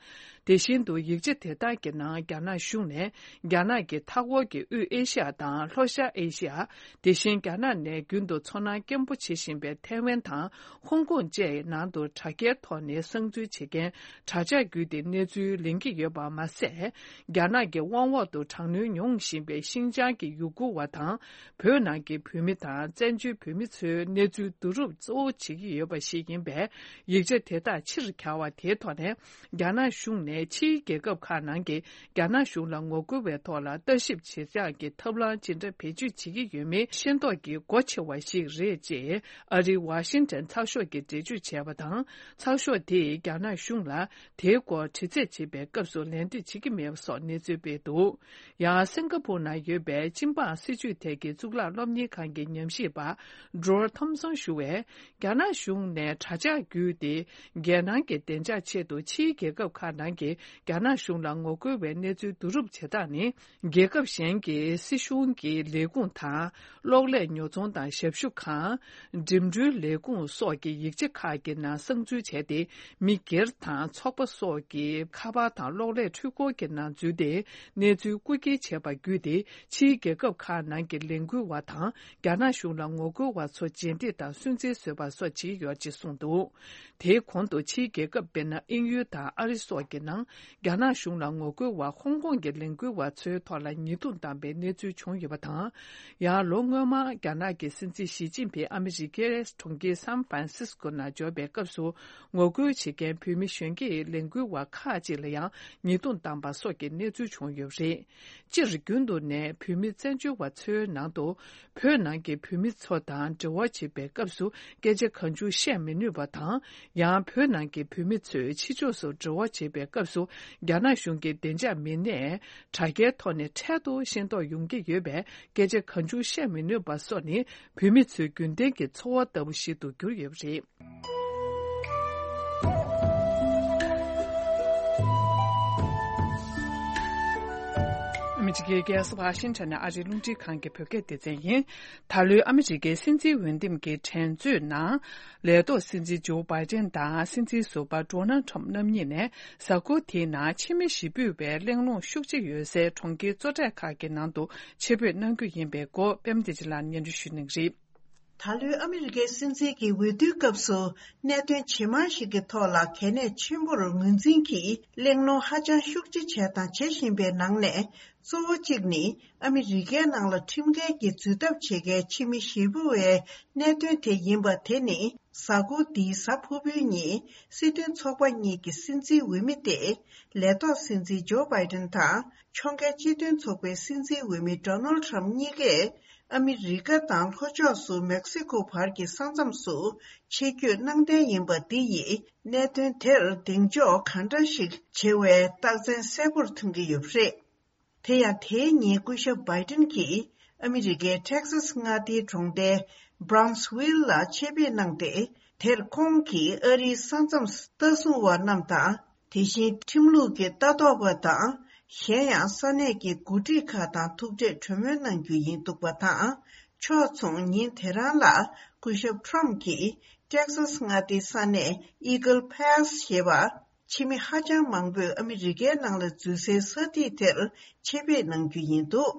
དེ་བཞིན་དུ་ཡིག་ཆ་དེ་དག་གི་ནང་རྒྱ་ནག་གཞུང་ནས་རྒྱ་ནག་གི་མཐའ་འཁོར་གྱི་དབུས་ཨེ་ཤི་ཡ་དང་ལྷོ་ཤར་ཨེ་ཤི་ཡ། དེ་བཞིན་རྒྱ་ནག་ནས་རྒྱུན་དུ་ཚོར་སྣང་སྐྱེན་པོ་བྱེད་བཞིན་པའི་ཐའེ་ཝན་དང་ཧོང་ཀོང་བཅས་ནང་དུ་དྲ་རྒྱའི་ཐོག་ནས་གསང་འཛུལ་བྱེད་མཁན་དྲ་ཇག་བརྒྱུད་དེ་གནས་ཚུལ་ལེན་གྱི་ཡོད་པ་མ་ཟད། རྒྱ་ནག་གི་དབང་འོག་ཏུ་དྲག་གནོན་མྱོང་བཞིན་པའི་ཤིན་ཅང་གི་ཡུ་གུར་བ་དང་། བོད་ནང་གི་བོད་མི་དང་བཙན་བྱོལ་བོད་མི་ཚོའི་གནས་ཚུལ་བསྡུ་རུབ་གཙོ་བོ་བྱེད་ཀྱི་ཡོད་པ་ཞིག་ཡིན་པས། ཡིག་ཆ་དེ་དག་ཕྱིར་གྱར་བ་དེའི་ཐོག་ནས། རྒྱ་ནག་གཞུང་ནས་ཕྱིའི་རྒྱལ་ཁབ་ཁག་ནང་གི་རྒྱ་ནག་གཞུང་ལ་ངོ་རྒོལ་བའི་ཐོག་ལ་ལྟ་ཞིབ་བྱེད་ཡག་གི་ཐབས་ལམ་ཇི་འདྲ་བེད་སྤྱོད་བྱེད་ཀྱི་ཡོད་མེད་ཤེས་རྟོགས་ཀྱི་སྒོ་ཕྱེ་བ་ཞིག་རེད་ཅེས་ཨ་རིའི་ཝ་ཤིང་ཊོན་ཚགས་ཤོག་གིས་འགྲེལ་བརྗོད་བྱས་པ་དང་། ཚགས་ཤོག་དེས་རྒྱ་ནག་གཞུང་ལ། དེའི་སྐོར་དྲི་རྩད་བྱེད་པའི་སྐབས་སུ་ལན་འདེབས་བྱེད་ཀྱི་མེད་པ་སོགས་གནས་ཚུལ་སྤེལ་འདུག་ཡང་སིང་ག་པུར་ནང་ཡོད་པའི་སྤྱི་འབངས་སྲིད་བྱུས་ཐད་ཀྱི་གཙུག་ལག་སློབ་གཉེར་ཁང་གི་ཉམས་ཞིབ་པ་ཌོར་ཐོམ་སོན་ཞུ་བས། རྒྱ་ནག་གཞུང་ནས་དྲ་ཇག་བརྒྱུད་དེ། རྒྱལ་ནང་གི་བདེ་འཇགས་ཆེད་དུ་ཕྱིའི་རྒྱལ་ཁབ་ཁག་ནང་གི་རྒྱ་ནག་གཞུང་ལ་ངོ་རྒོལ་བའི་གནས་ཚུལ་བསྡུ་རུབ་བྱེད་སྟངས་ནི། རྒྱལ་ཁབ་གཞན་གྱི་སྲིད་གཞུང་གི་ལས་ཁུངས་དང་། གློག་ཀླད་ཉོ་ཚོང་དང་ཞབས་ཞུ་ཁང་། འགྲིམ་འགྲུལ་ལས་ཁུངས་སོགས་ཀྱི་ཡིག་ཆ་ཁག་གི་ནང་གསང་འཛུལ་བྱས་ཏེ། མི་སྒེར་དང་ཚོགས་པ་སོགས་ཀྱི་ཁ་པར་དང་གློག་ཀླད་འཕྲུལ་འཁོར་གྱི་ནང་འཛུལ་ཏེ། གནས་ཚུལ་རྐུ་འཁྱེར་བྱས་པ་བརྒྱུད་དེ། ཕྱིའི་རྒྱལ་ཁབ་ཁག་ནང་གི་ལས་འགུལ་བ་དང་། རྒྱ་ནག་གཞུང་ལ་ངོ་རྒོལ་བ་ཚོ་རྗེས་འདེད་དང་སུན་གཙེར་བཟོས་པ་སོགས་བྱས་ཡོད་ཅེས་གསུངས་འདུག་དེའི་གོང་དུ་ཕྱིའི་རྒྱལ་ཁབ་དཔེར་ན་དབྱིན་ཡུལ་དང་ཨ་རི་སོགས་ཀྱི་ནང་། རྒྱ་ནག་གཞུང་ལ་ངོ་རྒོལ་བ་ཧོང་ཀོང་གི་ལས་འགུལ་བ་ཚོའི་ཐོག་ལ་ཉེས་རྡུང་བཏང་པའི་གནས་ཚུལ་བྱུང་ཡོད་པ་དང་། ཡང་ལོ་སྔོན་མ་རྒྱ་ནག་གི་སྲིད་འཛིན་ཞི་ཅིན་ཕིང་ཨ་མི་རི་ཀའི་གྲོང་ཁྱེར་སན་ཧྥ་རན་སིས་ཀོ་ནང་འབྱོར་བའི་སྐབས་སུ། ངོ་རྒོལ་བྱེད་མཁན་བོད་མི་གཞོན་སྐྱེས་ལས་འགུལ་བ་ཁག་ཅིག་ལ་ཡང་ཉེས་རྡུང་བཏང་པ་སོགས་ཀྱི་གནས་ཚུལ་བྱུང་ཡོད་པ་རེད། སྤྱིར་རྒྱུན་དུ་ནས་བོད་མི་བཙན་བྱོལ་བ་ཚོའི་ནང་དུ། བོད་ནང་གི་བོད་མི་ཚོ་དང་འབྲེལ་བ་བྱེད་པའི་སྐབས་སུ་སྐད་ཆ་གང་བྱུང་བཤད་མི་ནུས་པ་དང་། ཡང་བོད་ནང་གི་བོད་མི་ཚོས་ཕྱི་ཕྱོགས་སུ་འབྲེལ་བ་བྱེད་པའི་སྐབས་སུ། རྒྱ་ནག་གཞུང་གི་བདེ་འཇགས་མི་སྣས་དྲ་རྒྱའི་ཐོག་ནས་འཕྲལ་དུ་ཤེས་རྟོགས་ཡོང་གི་ཡོད་པས། སྐད་ཆ་གང་བྱུང་བཤད་མི་ནུས་པ་སོགས་ནི། བོད་མི་ཚོའི་རྒྱུན་ལྡན་གྱི་འཚོ་བ་ལྟ་བུ་ཞིག་ཏུ་གྱུར་ཡོད་པ་རེད། ཨ་མི་རི་ཀའི་རྒྱལ་ས་ཝ་ཤིང་ཊོན་ནས་ཨ་རིའི་རླུང་འཕྲིན་ཁང་གི་བོད་སྐད་སྡེ་ཚན་ཡིན། ད་ལོའི་ཨ་མི་རི་ཀའི་སྲིད་འཛིན་འོས་འདེམས་ཀྱི་འགྲན་རྩོད་ནང་། ལས་ཐོག་སྲིད་འཛིན་ཇོ་བྷའི་ཏན་དང་སྲིད་འཛིན་ཟུར་པ་ཌོ་ནལ་ཊམ་རྣམ་གཉིས་ནས། གཟའ་འཁོར་དེའི་ནང་ཕྱི་མི་ཞི་འབོད་པའི་གླེང་སློང་ཤུགས་ཆེ་ཡོད་སའི་གྲོང་ཁྱེར་གཙོ་གྲས་ཁག་གི་ནང་དུ་ཆེད་ཕེབས་གནང་རྒྱུ་ཡིན་པའི་སྐོར། པད་མ་བདེ་ཆེན་ལགས་སྙན་སྒྲོན་ཞུ་གནང་གི་རེད། ད་ལོའི་ཨ་མི་རི་ཀའི་སྲིད་འཛིན་གྱི་འོས་བསྡུའི་སྐབས་སུ་གནད་དོན་ཇེ་མང་ཞིག་གི་ཐོག་ལ་གལ་གནད་ཆེན་པོར་ངོས་འཛིན་གྱིས་གླེང་སློང་ཧ་ཅང་ཤུགས་ཆེ་བྱས་དང་བྱེད་བཞིན་པའི་ནང་ནས། གཙོ་བོ་གཅིག་ནི་ཨ་མི་རི་ཀའི་ནང་ལ་ཁྲིམས་འགལ་གྱི་འཛུལ་ཐབས་བྱེད་མཁན་ཕྱི་མི་ཞེ་པོ་བའི་གནད་དོན་དེ་ཡིན་པ། དེ་ནི་གཟའ་འཁོར་འདིའི་གཟའ་ཕུར་བུའི་ཉིན་སྲིད་དོན་ཚོགས་པ་གཉིས་ཀྱི་སྲིད་འཛིན་འོས་མི་སྟེ། ལས་ཐོག་སྲིད་འཛིན་ཇོ་བྷའི་ཏན་དང་ཕྱོགས་འགལ་སྤྱི་མཐུན་ཚོགས་པའི་སྲིད་འཛིན་འོས་མི་ཌོ་ནལ་ཊམ་གཉིས་ཀས། ཨ་མི་རི་ཀ་དང་ལྷོ་ཕྱོགས་སུ་མེག་སི་ཀོ་བར་གྱི་ས་མཚམས་སུ་ཆེད་བསྐྱོད་གནང་གཏན་ཡིན་པ་འདི་ཡིས་གནད་དོན་དེར་གདེང་འཇོག་གང་འདྲ་ཞིག་བྱེད་པའི་རྟགས་མཚན་གསལ་པོར་མཐོང་གི་ཡོད་པ་རེད། དེ་ཡང་དེའི་ཉིན་སྐུ་ཞབས་བྷའི་ཏིན་གྱིས་ཨ་མི་རི་ཀའི་ཊེག་སཱས་མངའ་སྡེའི་གྲོང་རྡལ་Brownsville ལ་ཆེད་ཕེབས་གནང་སྟེ། དེར་ཁོང་གིས་ཨ་རིའི་ས་མཚམས་ལྟ་སྲུང་བ་རྣམས་དང་། དེ་བཞིན་ཁྲིམས་ལུགས་ཀྱི་ལྟ་རྟོག་པ་དང་། གཞན་ཡང་ས་གནས་ཀྱི་འགོ་ཁྲིད་ཁག་དང་ཐུག་འཕྲད་གྲོས་མོལ་གནང་རྒྱུ་ཡིན་འདུག་པ་དང་། ཕྱོགས་མཚུངས་ཉིན་དེ་རང་ལ་སྐུ་ཞབས་ཊམ་གྱིས་ཊེག་སཱས་མངའ་སྡེའི་ས་གནས་Eagle Pass ཞེས་པ། ཕྱི་མི་ཧ་ཅང་མང་པོས་ཨ་མི་རི་ཀའི་ནང་ལ་འཛུལ་སའི་ས་ཐིག་དེར་ཆེད་ཕེབས་གནང་རྒྱུ་ཡིན་འདུག་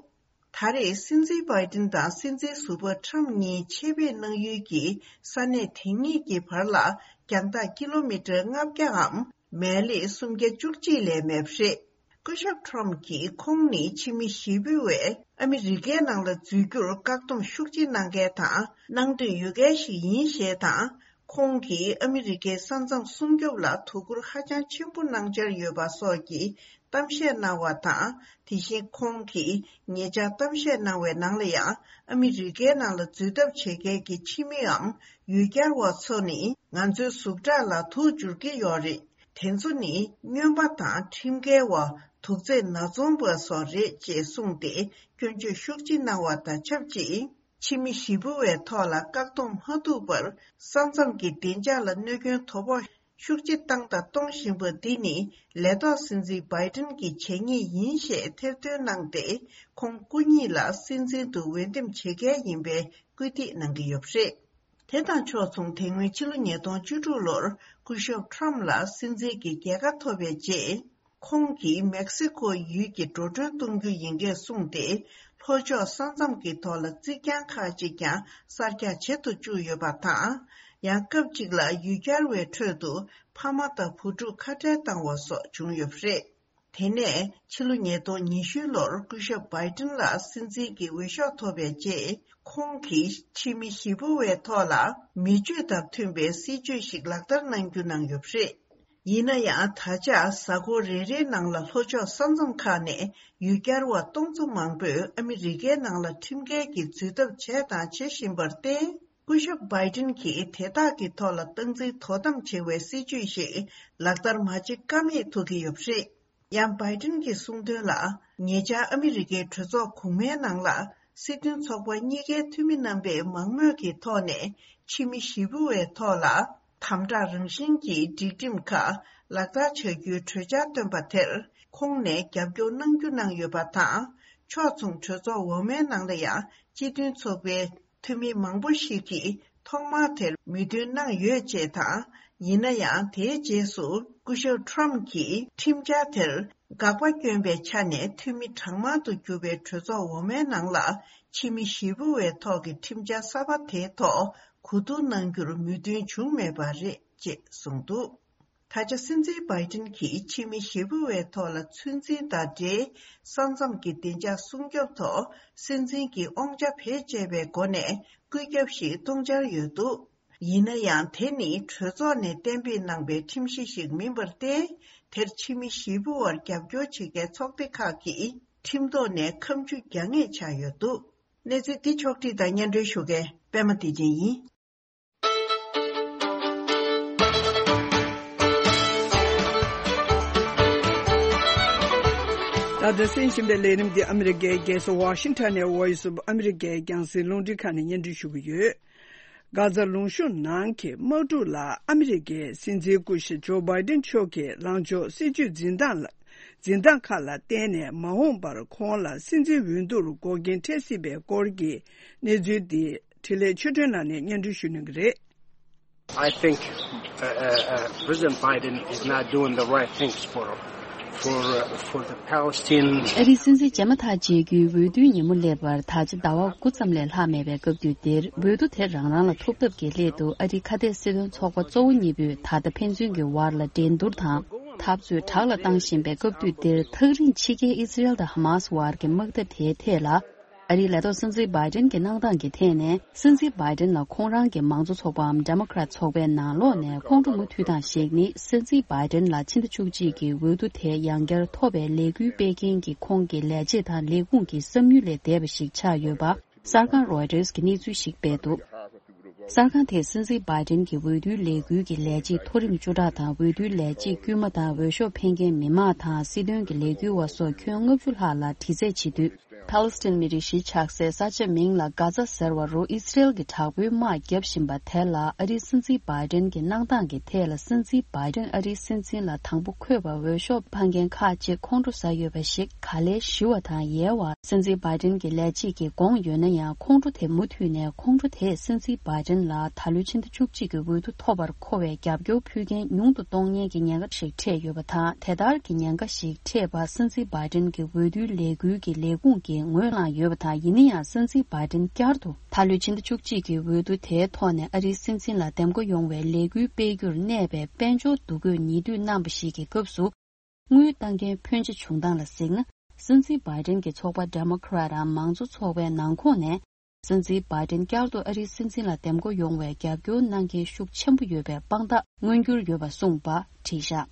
ད་རེས་སྲིད་འཛིན་བྷའི་ཏིན་དང་སྲིད་འཛིན་ཟུར་པ་ཊམ་གཉིས་ཆེད་ཕེབས་གནང་ཡུལ་གྱི་ས་གནས་དེ་གཉིས་ཀྱི་བར་ལ་རྒྱང་ཐག་ཀི་ལོ་མི་ཊར་ལྔ་བརྒྱའམ་མལ་ལེ་སུམ་བརྒྱ་བཅུ་གཅིག་ལས་མེད་པ་རེད། སྐུ་ཞབས་ཊམ་གྱིས་ཁོང་ནི་ཕྱི་མི་ཞེ་པོ་བས་ཨ་མི་རི་ཀའི་ནང་ལ་འཛུལ་རྒྱུར་བཀག་སྡོམ་ཤུགས་ཆེ་གནང་མཁན་དང་གནང་འདོད་ཡོད་མཁན་ཞིག་ཡིན་ཞེས་དང་། ཁོང་གིས་ཨ་མི་རི་ཀའི་ས་མཚམས་སྲུང་སྐྱོབ་ལ་དོ་ཁུར་ཧ་ཅང་ཆེན་པོ་གནང་འཆར་ཡོད་པ་སོགས་ཀྱི་གཏམ་བཤད་གནང་བ་དང་། དེ་བཞིན་ཁོང་གིས་ཉེ་ཆར་གཏམ་བཤད་གནང་བའི་ནང་ལ་ཡང་། ཨ་མི་རི་ཀའི་ནང་ལ་འཛུལ་ཐབས་བྱེད་མཁན་གྱི་ཕྱི་མིའམ་ཡུལ་གྱར་བ་ཚོ་ནི་ང་ཚོའི་ཟུག་དྲག་ལ་དུག་འཇུར་གྱི་ཡོད་རེད། དེ་ཚོ་ནི་སྨྱོན་པ་དང་ཁྲིམས་འགལ་བ། དུག་རྫས་ནག་ཚོང་པ་སོགས་རེད་ཅེས་གསུངས་ཏེ་སྐྱོན་བརྗོད་ཤུགས་ཆེ་གནང་བ་དང་ཆབས་ཅིག་ཕྱི་མི་ཞི་བུ་བའི་ཐོག་ལ་བཀག་སྡོམ་མ་ཐུབ་པར་ས་མཚམས་ཀྱི་བདེ་འཇགས་ལ་གནོད་སྐྱོན་དོ་ཕོག་ཤུགས་ཆེ་བཏང་དང་གཏོང་བཞིན་པ་འདི་ནི་ལས་ཐོག་སྲིད་འཛིན་བྷའི་ཏིན་གྱི་བྱས་ཉེས་ཡིན་ཞེས་ཐེར་འདོན་གནང་སྟེ། ཁོང་སྐུ་ཉིད་ལ་སྲིད་འཛིན་དུ་འོས་འདེམས་བྱེད་མཁན་ཡིན་པའི་སྐུལ་འདེད་གནང་གི་ཡོད་པ་རེད། དེ་དང་ཕྱོགས་མཚུངས། དེ་སྔོན་ཕྱི་ལོ་ཉིས་སྟོང་བཅུ་དྲུག་ལོར་སྐུ་ཞབས་ཁྲམ་ལ་སྲིད་འཛིན་གྱི་རྒྱལ་ཁ་ཐོབ་པའི་རྗེས། ཁོང་གིས་མེག་སི་ཀོ་ཡུལ་གྱི་འགྲོ་གྲོན་གཏོང་རྒྱུ་ཡིན་སྐད་གསུངས་ཏེ། ལྷོ་ཕྱོགས་ས་མཚམས་ཀྱི་ཐོག་ལ་རྩིག་གྱང་ཁག་ཅིག་ཀྱང་གསར་རྒྱག་བྱེད་དུ་བཅུག་ཡོད་པ་དང་། ཡང་སྐབས་གཅིག་ལ་ཡུལ་གྱར་བའི་ཁྲོད་དུ་ཕ་མ་དང་བུ་ཕྲུག་ཁ་བྲལ་བཏང་བ་སོགས་བྱུང་ཡོད་པ་རེད། དེ་ནས་ཕྱི་ལོ་ཉིས་སྟོང་ཉི་ཤུ་ལོར་སྐུ་ཞབས་བྷའི་ཏིན་ལ་སྲིད་འཛིན་གྱི་འོས་ཤོག་ཐོབ་པའི་རྗེས། ཁོང་གིས་ཕྱི་མི་ཞི་བུ་བའི་ཐོག་ལ་མི་སྤྱོད་དང་མཐུན་པའི་སྲིད་ཇུས་ཤིག་ལག་བསྟར་གནང་རྒྱུ་གནང་ཡོད་པ་རེད། ཡིན་ན་ཡང་། ད་ཆ་གཟའ་འཁོར་རེ་རེའི་ནང་ལ་ལྷོ་ཕྱོགས་ས་མཚམས་ཁག་ནས་ཡུལ་གྱར་བ་སྟོང་ཚོ་མང་པོས་ཨ་མི་རི་ཀའི་ནང་ལ་ཁྲིམས་འགལ་གྱི་འཛུལ་ཐབས་བྱས་དང་བྱེད་བཞིན་པར་བརྟེན། སྐུ་ཞབས་བྷའི་ཏིན་གྱིས་དེ་དག་གི་ཐོག་ལ་སྟངས་འཛིན་དོ་དམ་བྱེད་པའི་སྲིད་ཇུས་ཤིག་ལག་བསྟར་མ་བྱེད་ཀ་མེད་ཐུག་གི་ཡོད་པ་རེད། ཡང་། བྷའི་ཏིན་གྱིས་གསུངས་དོན་ལ། ཉེ་ཆར་ཨ་མི་རི་ཀའི་གྲོས་ཚོགས་གོང་མའི་ནང་ལ། སྲིད་དོན་ཚོགས་པ་གཉིས་ཀའི་འཐུས་མི་རྣམ་པས་མང་མོས་ཀྱི་ཐོག་ནས་ཕྱི་མི་ཞི་བུ་བའི་ཐོག་ལ་དམ་དྲག་རང་བཞིན་གྱི་སྒྲིག་ཁྲིམས་ཁག་ལག་བསྟར་བྱ་རྒྱུའི་གྲོས་འཆར་བཏོན་པ་དེར་ཁོང་ནས་རྒྱབ་སྐྱོར་གནང་རྒྱུ་གནང་ཡོད་པ་དང་། ཕྱོགས་མཚུངས་གྲོས་ཚོགས་འོག་མའི་ནང་ལ་ཡང་སྤྱི་མཐུན་ཚོགས་པའི་འཐུས་མི་མང་པོ་ཞིག་གིས་ཐོག་མར་དེར་མོས་མཐུན་གནང་ཡོད་ཅེས་དང་། ཡིན་ན་ཡང་། དེའི་རྗེས་སུ་སྐུ་ཞབས་ཁྲམ་གྱིས་ཁྲིམས་འཆར་དེར་དགག་པ་བསྐྱོན་པའི་ཆ་ནས་འཐུས་མི་གྲངས་མང་དུ་གྱུར་པའི་གྲོས་ཚོགས་འོག་མའི་ནང་ལ་ཕྱི་མི་ཞི་བུ་བའི་ཐོག་གི་ཁྲིམས་འཆར་གསར་པ་དེའི་ཐོག་གོ་བསྡུར་གནང་རྒྱུར་མོས་མཐུན་བྱུང་མེད་པ་རེད་ཅེས་གསུངས་འདུག་ད་ཆ་སྲིད་འཛིན་བྷའི་ཏིན་གྱིས་ཕྱི་མི་ཞི་བུ་བའི་ཐོག་ལ་ཚོད་འཛིན་དང་འབྲེལ། ས་མཚམས་ཀྱི་བདེ་འཇགས་སྲུང་སྐྱོབ་ཐོག་སྲིད་འཛིན་གྱི་དབང་ཆ་བེད་སྤྱད་པའི་སྒོ་ནས་བཀོད་ཁྱབ་ཞིག་གཏོང་འཆར་ཡོད་འདུག་ཡིན་ན་ཡང་། དེ་ནི་གྲོས་ཚོགས་ནས་གཏན་འབེབས་གནང་པའི་ཁྲིམས་གཞི་ཞིག་མིན་པར་བརྟེན། དེར་ཕྱི་མི་ཞི་བུ་བར་རྒྱབ་སྐྱོར་བྱེད་མཁན་ཚོགས་སྡེ་ཁག་གིས་ཁྲིམས་ཐོག་ནས་ཁ་མཆུ་རྒྱག་ངེས་ཆགས་ཡོད་འདུག་གནས་ཚུལ་འདི་ཕྱོགས་བསྒྲིགས་དང་སྙན་སྒྲོན་ཞུ་མཁན་པད་མ་བདེ་ཆེན་ཡིན། ད་དུང་གསན་བཞིན་པའི་ལས་རིམ་འདི་ཨ་མི་རི་ཀའི་རྒྱལ་ས་ཝ་ཤིང་ཊོན་ནས་Voice of America རྒྱང་སྲིང་རླུང་འཕྲིན་ཁང་ནས་སྙན་སྒྲོན་ཞུ་གི་ཡོད། གྷ་ཛ་ལུང་གཤོང་ནང་གི་དམག་འཁྲུག་ལ་ཨ་མི་རི་ཀའི་སྲིད་འཛིན་སྐུ་ཞབས་ཇོ་བྷའི་ཏིན་མཆོག་གི་ལངས་ཕྱོགས་སྲིད་ཇུས་འཛིན་སྟངས་ལ། འཛིན་སྟངས་ཁག་ལ་བརྟེན་ནས་མ་འོངས་པར་ཁོང་ལ་སྲིད་འཛིན་འོས་བསྡུར་འགོག་རྐྱེན་འཕྲད་སྲིད་པའི་སྐོར་གྱི་གནས་ཚུལ་འདི་འཕྲིན་ལས་ཆོས་སྒྲོན་ལགས་ནས་སྙན་སྒྲོན་ཞུ་གནང་གི་རེད། I think uh, uh, uh, President Biden is not doing the right things for for uh, for the Palestinian. ཨ་རིའི་སྲིད་འཛིན་བྱས་མ་ཐག་བྱེད་རྒྱུའི་འོས་བསྡུའི་ཉིན་མོ་སླེབས་པར་ད་ཆ་ཟླ་བ་དགུ་ཙམ་ལས་ལྷག་མེད་པའི་སྐབས་དུས་འདིར་འོས་བསྡུ་དེ་རང་རང་ལ་ཐུག་ཐབས་ཀྱི་སླད་དུ་ཨ་རིའི་ཁ་གཏད་སྲིད་དོན་ཚོགས་པ་གཙོ་བོ་གཉིས་པོས་ད་ལྟ་ཕན་ཚུན་གྱི་བར་ལ་འགྲན་བསྡུར་དང་འཐབ་རྩོད་དྲག་ལ་བཏང་བཞིན་པའི་སྐབས་དུས་འདིར་ཐག་རིང་ཕྱི་རྒྱལ་ཨི་སི་རེལ་དང་ཧ་མཱ་སི་བར་གྱི་དམག་འཐབ་དེའི་ཐད་ལ། ཨ་རིའི་ལས་ཐོག་སྲིད་འཛིན་བྷའི་ཏིན་གྱི་གནང་སྟངས་ཀྱི་ཐད་ནས། སྲིད་འཛིན་བྷའི་ཏིན་ལ་ཁོང་རང་གི་མང་གཙོ་ཚོགས་པའམ་ཌེ་མོ་ཀེ་རེ་ཊི་ཚོགས་པའི་ནང་ལོགས་ནས་ཁོང་ཁྲོ་མུ་མཐུད་སྟངས་ཤིག་ནི། སྲིད་འཛིན་བྷའི་ཏིན་ལ་ཕྱི་ཟླ་བཅུ་གཅིག་གི་འོས་བསྡུ་དེ་ཡང་བསྐྱར་ཐོབ་པའི་ལས་འགུལ་སྤེལ་མཁན་གྱི་ཁོང་གི་ལས་བྱེད་དང་ལས་ཁུངས་ཀྱི་བསམ་ཡུལ་ལས་འདས་པ་ཞིག་ཆགས་ཡོད་པ། གསར་ཁང་རོའི་ཊར་གྱིས་གནས་ཚུལ་ཞིག་སྤེལ་འདུག་གསར་ཁང་དེས་སྲིད་འཛིན་བྷའི་ཏིན་གྱི་འོས་བསྡུའི་ལས་འགུལ་གྱི་ལས་བྱེད་མཐོ་རིམ་བཅུ་ཕྲག་དང་། འོས་བསྡུའི་ལས་བྱེད་དཀྱུས་མ་དང་། འོས་ཤོག་འཕེན་མཁན་མི་མང་དང་། སྲིད་དོན་གྱི་ལས་འགུལ་བ་སོགས་ཁྱོན་ལྔ་བཅུ་ལྷག་ལ་དྲི་རྩད་བྱེད་དུས། ཕཱ་ལེ་སི་ཐན་མི་རིགས་གཞིས་ཆགས་སའི་ས་ཆ་མིང་ལ་གྷ་ཛ་ཟེར་བ་རུ་ཨི་སི་རེལ་གྱི་དྲག་པོའི་དམག་བརྒྱབ་བཞིན་པ་དེ་ལ། ཨ་རིའི་སྲིད་འཛིན་བྷའི་ཏིན་གྱི་གནང་སྟངས་ཀྱི་ཐད་ལ། སྲིད་འཛིན་བྷའི་ཏིན་ཨ་རིའི་སྲིད་འཛིན་ལ་དང་པོ་འཁོད་པ་འོས་ཤོག་འཕངས་མཁན་ཁག་ཅིག་ཁོང་ཁྲོ་ཟ་ཡོད་པ་ཞིག་ག་ལེར་ཞི་བ་དང་ཡལ་བ། སྲིད་འཛིན་བྷའི་ཏིན་གྱི་ལས་བྱེད་ཀྱིས་དགོངས་ཡོད་ན་ཡང་། ཁོང་ཁྲོ་དེ་མུ་མཐུད་ནས། ཁོང་ཁྲོ་དེས་སྲིད་འཛིན་བྷའི་ཏིན་ལ་ད་ལོའི་ཕྱི་ཟླ་བཅུ་གཅིག་གི་འོས་བསྡུ་ཐོབ་པར་མཁོ་བའི་རྒྱབ་སྐྱོར་ཕུལ་མཁན་ཉུང་དུ་གཏོང་ཉེན་གྱི་ཉེན་ཁ་ཞིག་འཕྲད་ཡོད་པ་དང་། དེ་ལྟར་གྱི་ཉེན་ཁ་ཞིག་འཕྲད་པ། སྲིད་འཛིན་བྷའི་ཏིན་གྱི་འོས་བསྡུའི་ལས་འགུལ་གྱི་ལས་ཁུངས་ཀྱིས་ངོས་བླངས་ཡོད་པ་དང་། ཡིན་ན་ཡང་། སྲིད་འཛིན་བྷའི་ཏིན་བསྐྱར་དུ་ད་ལོའི་ཕྱི་ཟླ་བཅུ་གཅིག་གི་འོས་བསྡུ་དེའི་ཐོག་ནས་ཨ་རིའི་སྲིད་འཛིན་ལ་འདེམས་བསྐོ་ཡོང་བའི་ལས་འགུལ་སྤེལ་རྒྱུར་གནས་པའི་དཔལ་འབྱོར་འདུ་འགོད་ཉེ་དུས་གནང་བ་ཞིག་གི་སྐབས་སུ། དངུལ་བཏང་མཁན་ཕོན་ཆེ་བྱུང་སྟངས་ལ་གཟིགས་ན། སྲིད་འཛིན་བྷའི་ཏིན་གྱི་ཚོགས་པ་ཌེ་མོ་ཀེ་རེ་ཊི་རམ་མང་གཙོ་ཚོགས་པའི་ནང་ཁོངས་ནས། སྲིད་འཛིན་བྷའི་ཏིན་བསྐྱར་དུ་ཨ་རིའི་སྲིད་འཛིན་ལ་འདེམས་བསྐོ་ཡོང་བའི་རྒྱབ་སྐྱོར་གནང་མཁན་ཤུགས་ཆེན་པོ་ཡོད་པའི་དཔང་རྟགས་མངོན་གྱུར་ཡོད་པ་གསུངས་པ་བྲིས་བཞག་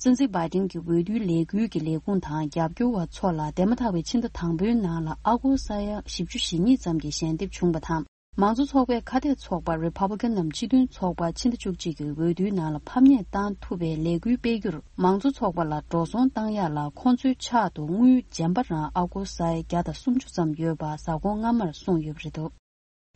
སྲིད་འཛིན་བྷའི་ཏིན་གྱི་འོས་བསྡུའི་ལས་འགུལ་གྱི་ལས་ཁུངས་དང་རྒྱབ་སྐྱོར་བ་ཚོ་ལ་འདས་མ་ཐག་པའི་ཕྱི་ཟླ་དང་པོའི་ནང་ལ་ཨ་སྒོར་ས་ཡ་བཞི་བཅུ་ཞེ་གཉིས་ཙམ་གྱི་ཞལ་འདེབས་བྱུང་བ་དང་། མང་གཙོ་ཚོགས་པའི་ཁ་གཏད་ཚོགས་པ་རི་པབ་ལི་ཀན་ནམ་སྤྱི་མཐུན་ཚོགས་པ་ཕྱི་ཟླ་བཅུ་གཅིག་གི་འོས་བསྡུའི་ནང་ལ་ཕམ་ཉེས་བཏང་ཐུབ་པའི་ལས་འགུལ་སྤེལ་རྒྱུར། མང་གཙོ་ཚོགས་པ་ལ་འགྲོ་སོང་བཏང་ཡག་ལ་ཁོང་ཚོའི་ཕྱག་ཏུ་དངུལ་རྗེན་པ་རང་ཨ་སྒོར་ས་ཡ་བརྒྱ་དང་སུམ་ཅུ་ཙམ་ཡོད་པ་གཟའ་འཁོར་སྔ་མར་གསུངས་ཡོད་པ་རེད་འདུག་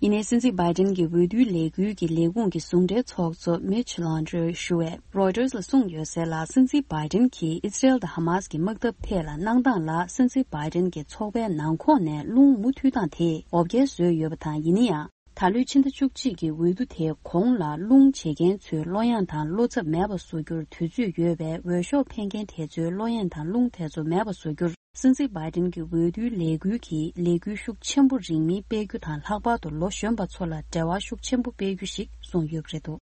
ཡིན་ནའི་སྲིད་འཛིན་བྷའི་ཏིན་གྱི་འོས་བསྡུའི་ལས་འགུལ་གྱི་ལས་ཁུངས་ཀྱི་ཟུང་འབྲེལ་ཚོགས་གཙོ་མིཆ་ལོན་ཌོ་ཞུ་བས་རོའི་ཊར་ལ་གསུངས་ཡོད་གསལ་ལ། སྲིད་འཛིན་བྷའི་ཏིན་གྱིས་ཨི་སི་རེལ་དང་ཧ་མ་སི་ཀྱི་དམག་འཐབ་ཐད་ལ་གནང་སྟངས་ལ། སྲིད་འཛིན་བྷའི་ཏིན་གྱི་ཚོགས་པའི་ནང་ཁོངས་ནས་རླུང་མུ་མཐུད་སྟངས་དེས་འོ་བརྒྱལ་བཟོས་ཡོད་པ་དང་། ཡིན་ན་ཡང་། ད་ལོའི་ཕྱི་ཟླ་བཅུ་གཅིག་གི་འོས་བསྡུ་དེའི་གོང་ལ་རླུང་བྱེད་མཁན་ཚོའི་བློ་ཡང་དང་བློ་འཚབ་མེད་པ་བཟོ་རྒྱུར་དུས་ཚོད་ཡོད་པས། འོས་ཤོག་འཕེན་མཁན་དེ་ཚོའི་བློ་ཡང་དང་རླུང་དེ་ཚོ་མེད་པ་བཟོ་རྒྱུར། སྲིད་འཛིན་བྷའི་ཏིན་གྱི་འོས་བསྡུའི་ལས་འགུལ་གྱིས་ལས་འགུལ་ཤུགས་ཆེན་པོ་རིང་མིན་སྤེལ་རྒྱུ་དང་། ལྷག་པར་དུ་ལོ་གཞོན་པ་ཚོ་ལ་འབྲེལ་བ་ཤུགས་ཆེན་པོ་སྤེལ་རྒྱུ་ཞིག་བཟུང་ཡོད་པ་རེད་འདུག་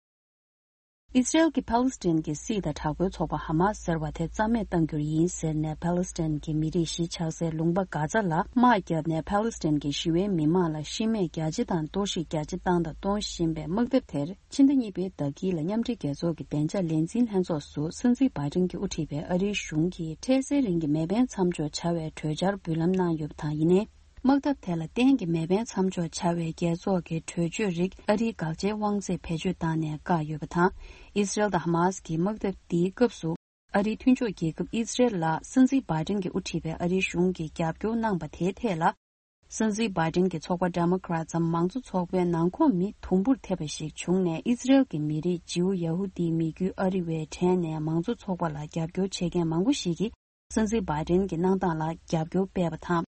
ཨི་སི་རེལ་གྱིས་ཕཱ་ལི་སི་ཐན་གྱི་སྲིད་དང་དྲག་པོའི་ཚོགས་པ་ཧ་མ་སི་ཟེར་བ་དེ་རྩ་མེད་གཏང་རྒྱུར་ཡིན་ཟེར་ནས། ཕཱ་ལི་སི་ཐན་གྱི་མི་རིགས་གཞིས་ཆགས་སའི་ལུང་པ་གྷ་ཛ་ལ་དམག་བརྒྱབ་ནས། ཕཱ་ལི་སི་ཐན་གྱི་ཞི་བའི་མི་མང་ལ་ཤི་རྨས་རྒྱ་ཆེ་དང་གཏོར་བཤིག་རྒྱ་ཆེ་བཏང་དང་གཏོང་བཞིན་པའི་དམག་འཐབ་དེར། ཕྱི་ཟླ་གཉིས་པའི་ཟླ་དཀྱིལ་ལ་མཉམ་འབྲེལ་རྒྱལ་ཚོགས་ཀྱི་བདེ་འཇགས་ལས་འཛིན་ལྷན་ཚོགས་སུ། སྲིད་འཛིན་བྷའི་ཏིན་གྱིས་དབུ་ཁྲིད་པའི་ཨ་རིའི་གཞུང་གིས་འཕྲལ་སེལ་རིང་གི་མེ་འཕེན་མཚམས་འཇོག་བྱ་བའི་གྲོས་འཆར་འབུལ་ལམ་གནང་ཡོད་པ་དང་། ཡིན་ནའི། དམག་འཐབ་དེ་ལ་གཏན་གྱི་མེ་འཕེན་མཚམས་འཇོག་བྱ་བའི་རྒྱལ་ཚོགས་ཀྱི་གྲོས་ཆོད་རིགས་ཨ་རིའི་དགག་བྱའི་དབང་ཚད་བེད་སྤྱོད་བཏང་ནས་བཀག་ཡོད་པ་དང་། ཨི་སི་རེལ་དང་ཧ་མ་སི་ཀྱི་དམག་འཐབ་འདིའི་སྐབས་སུ། ཨ་རིའི་མཐུན་ཕྱོགས་རྒྱལ་ཁབ་ཨི་སི་རེལ་ལ་སྲིད་འཛིན་བྷའི་ཏིན་གྱིས་དབུ་ཁྲིད་པའི་ཨ་རིའི་གཞུང་གིས་རྒྱབ་སྐྱོར་གནང་པ་དེའི་ཐད་ལ། སྲིད་འཛིན་བྷའི་ཏིན་གྱི་ཚོགས་པ་ཌེ་མོ་ཀ་རེ་ཊི་འམ་མང་གཙོ་ཚོགས་པའི་ནང་ཁོངས་མི་དུམ་བུར་ཐེབས་པ་ཞིག་བྱུང་ནས། ཨི་སི་རེལ་གྱི་མི་རིགས་ཇིའུ་ཡ་ཧུ་དིའི་མི་རྒྱུད་ཨ་རི་བའི་གྲས་ནས་མང་གཙོ་ཚོགས་པ་ལ་རྒྱབ་སྐྱོར་བྱེད་མཁན་མང་པོ་ཞིག་གིས། སྲིད་འཛིན་བྷའི་ཏིན་གྱི་གནང་སྟངས་ལ་རྒྱབ་སྐྱོར་སྤེལ་བ་དང་།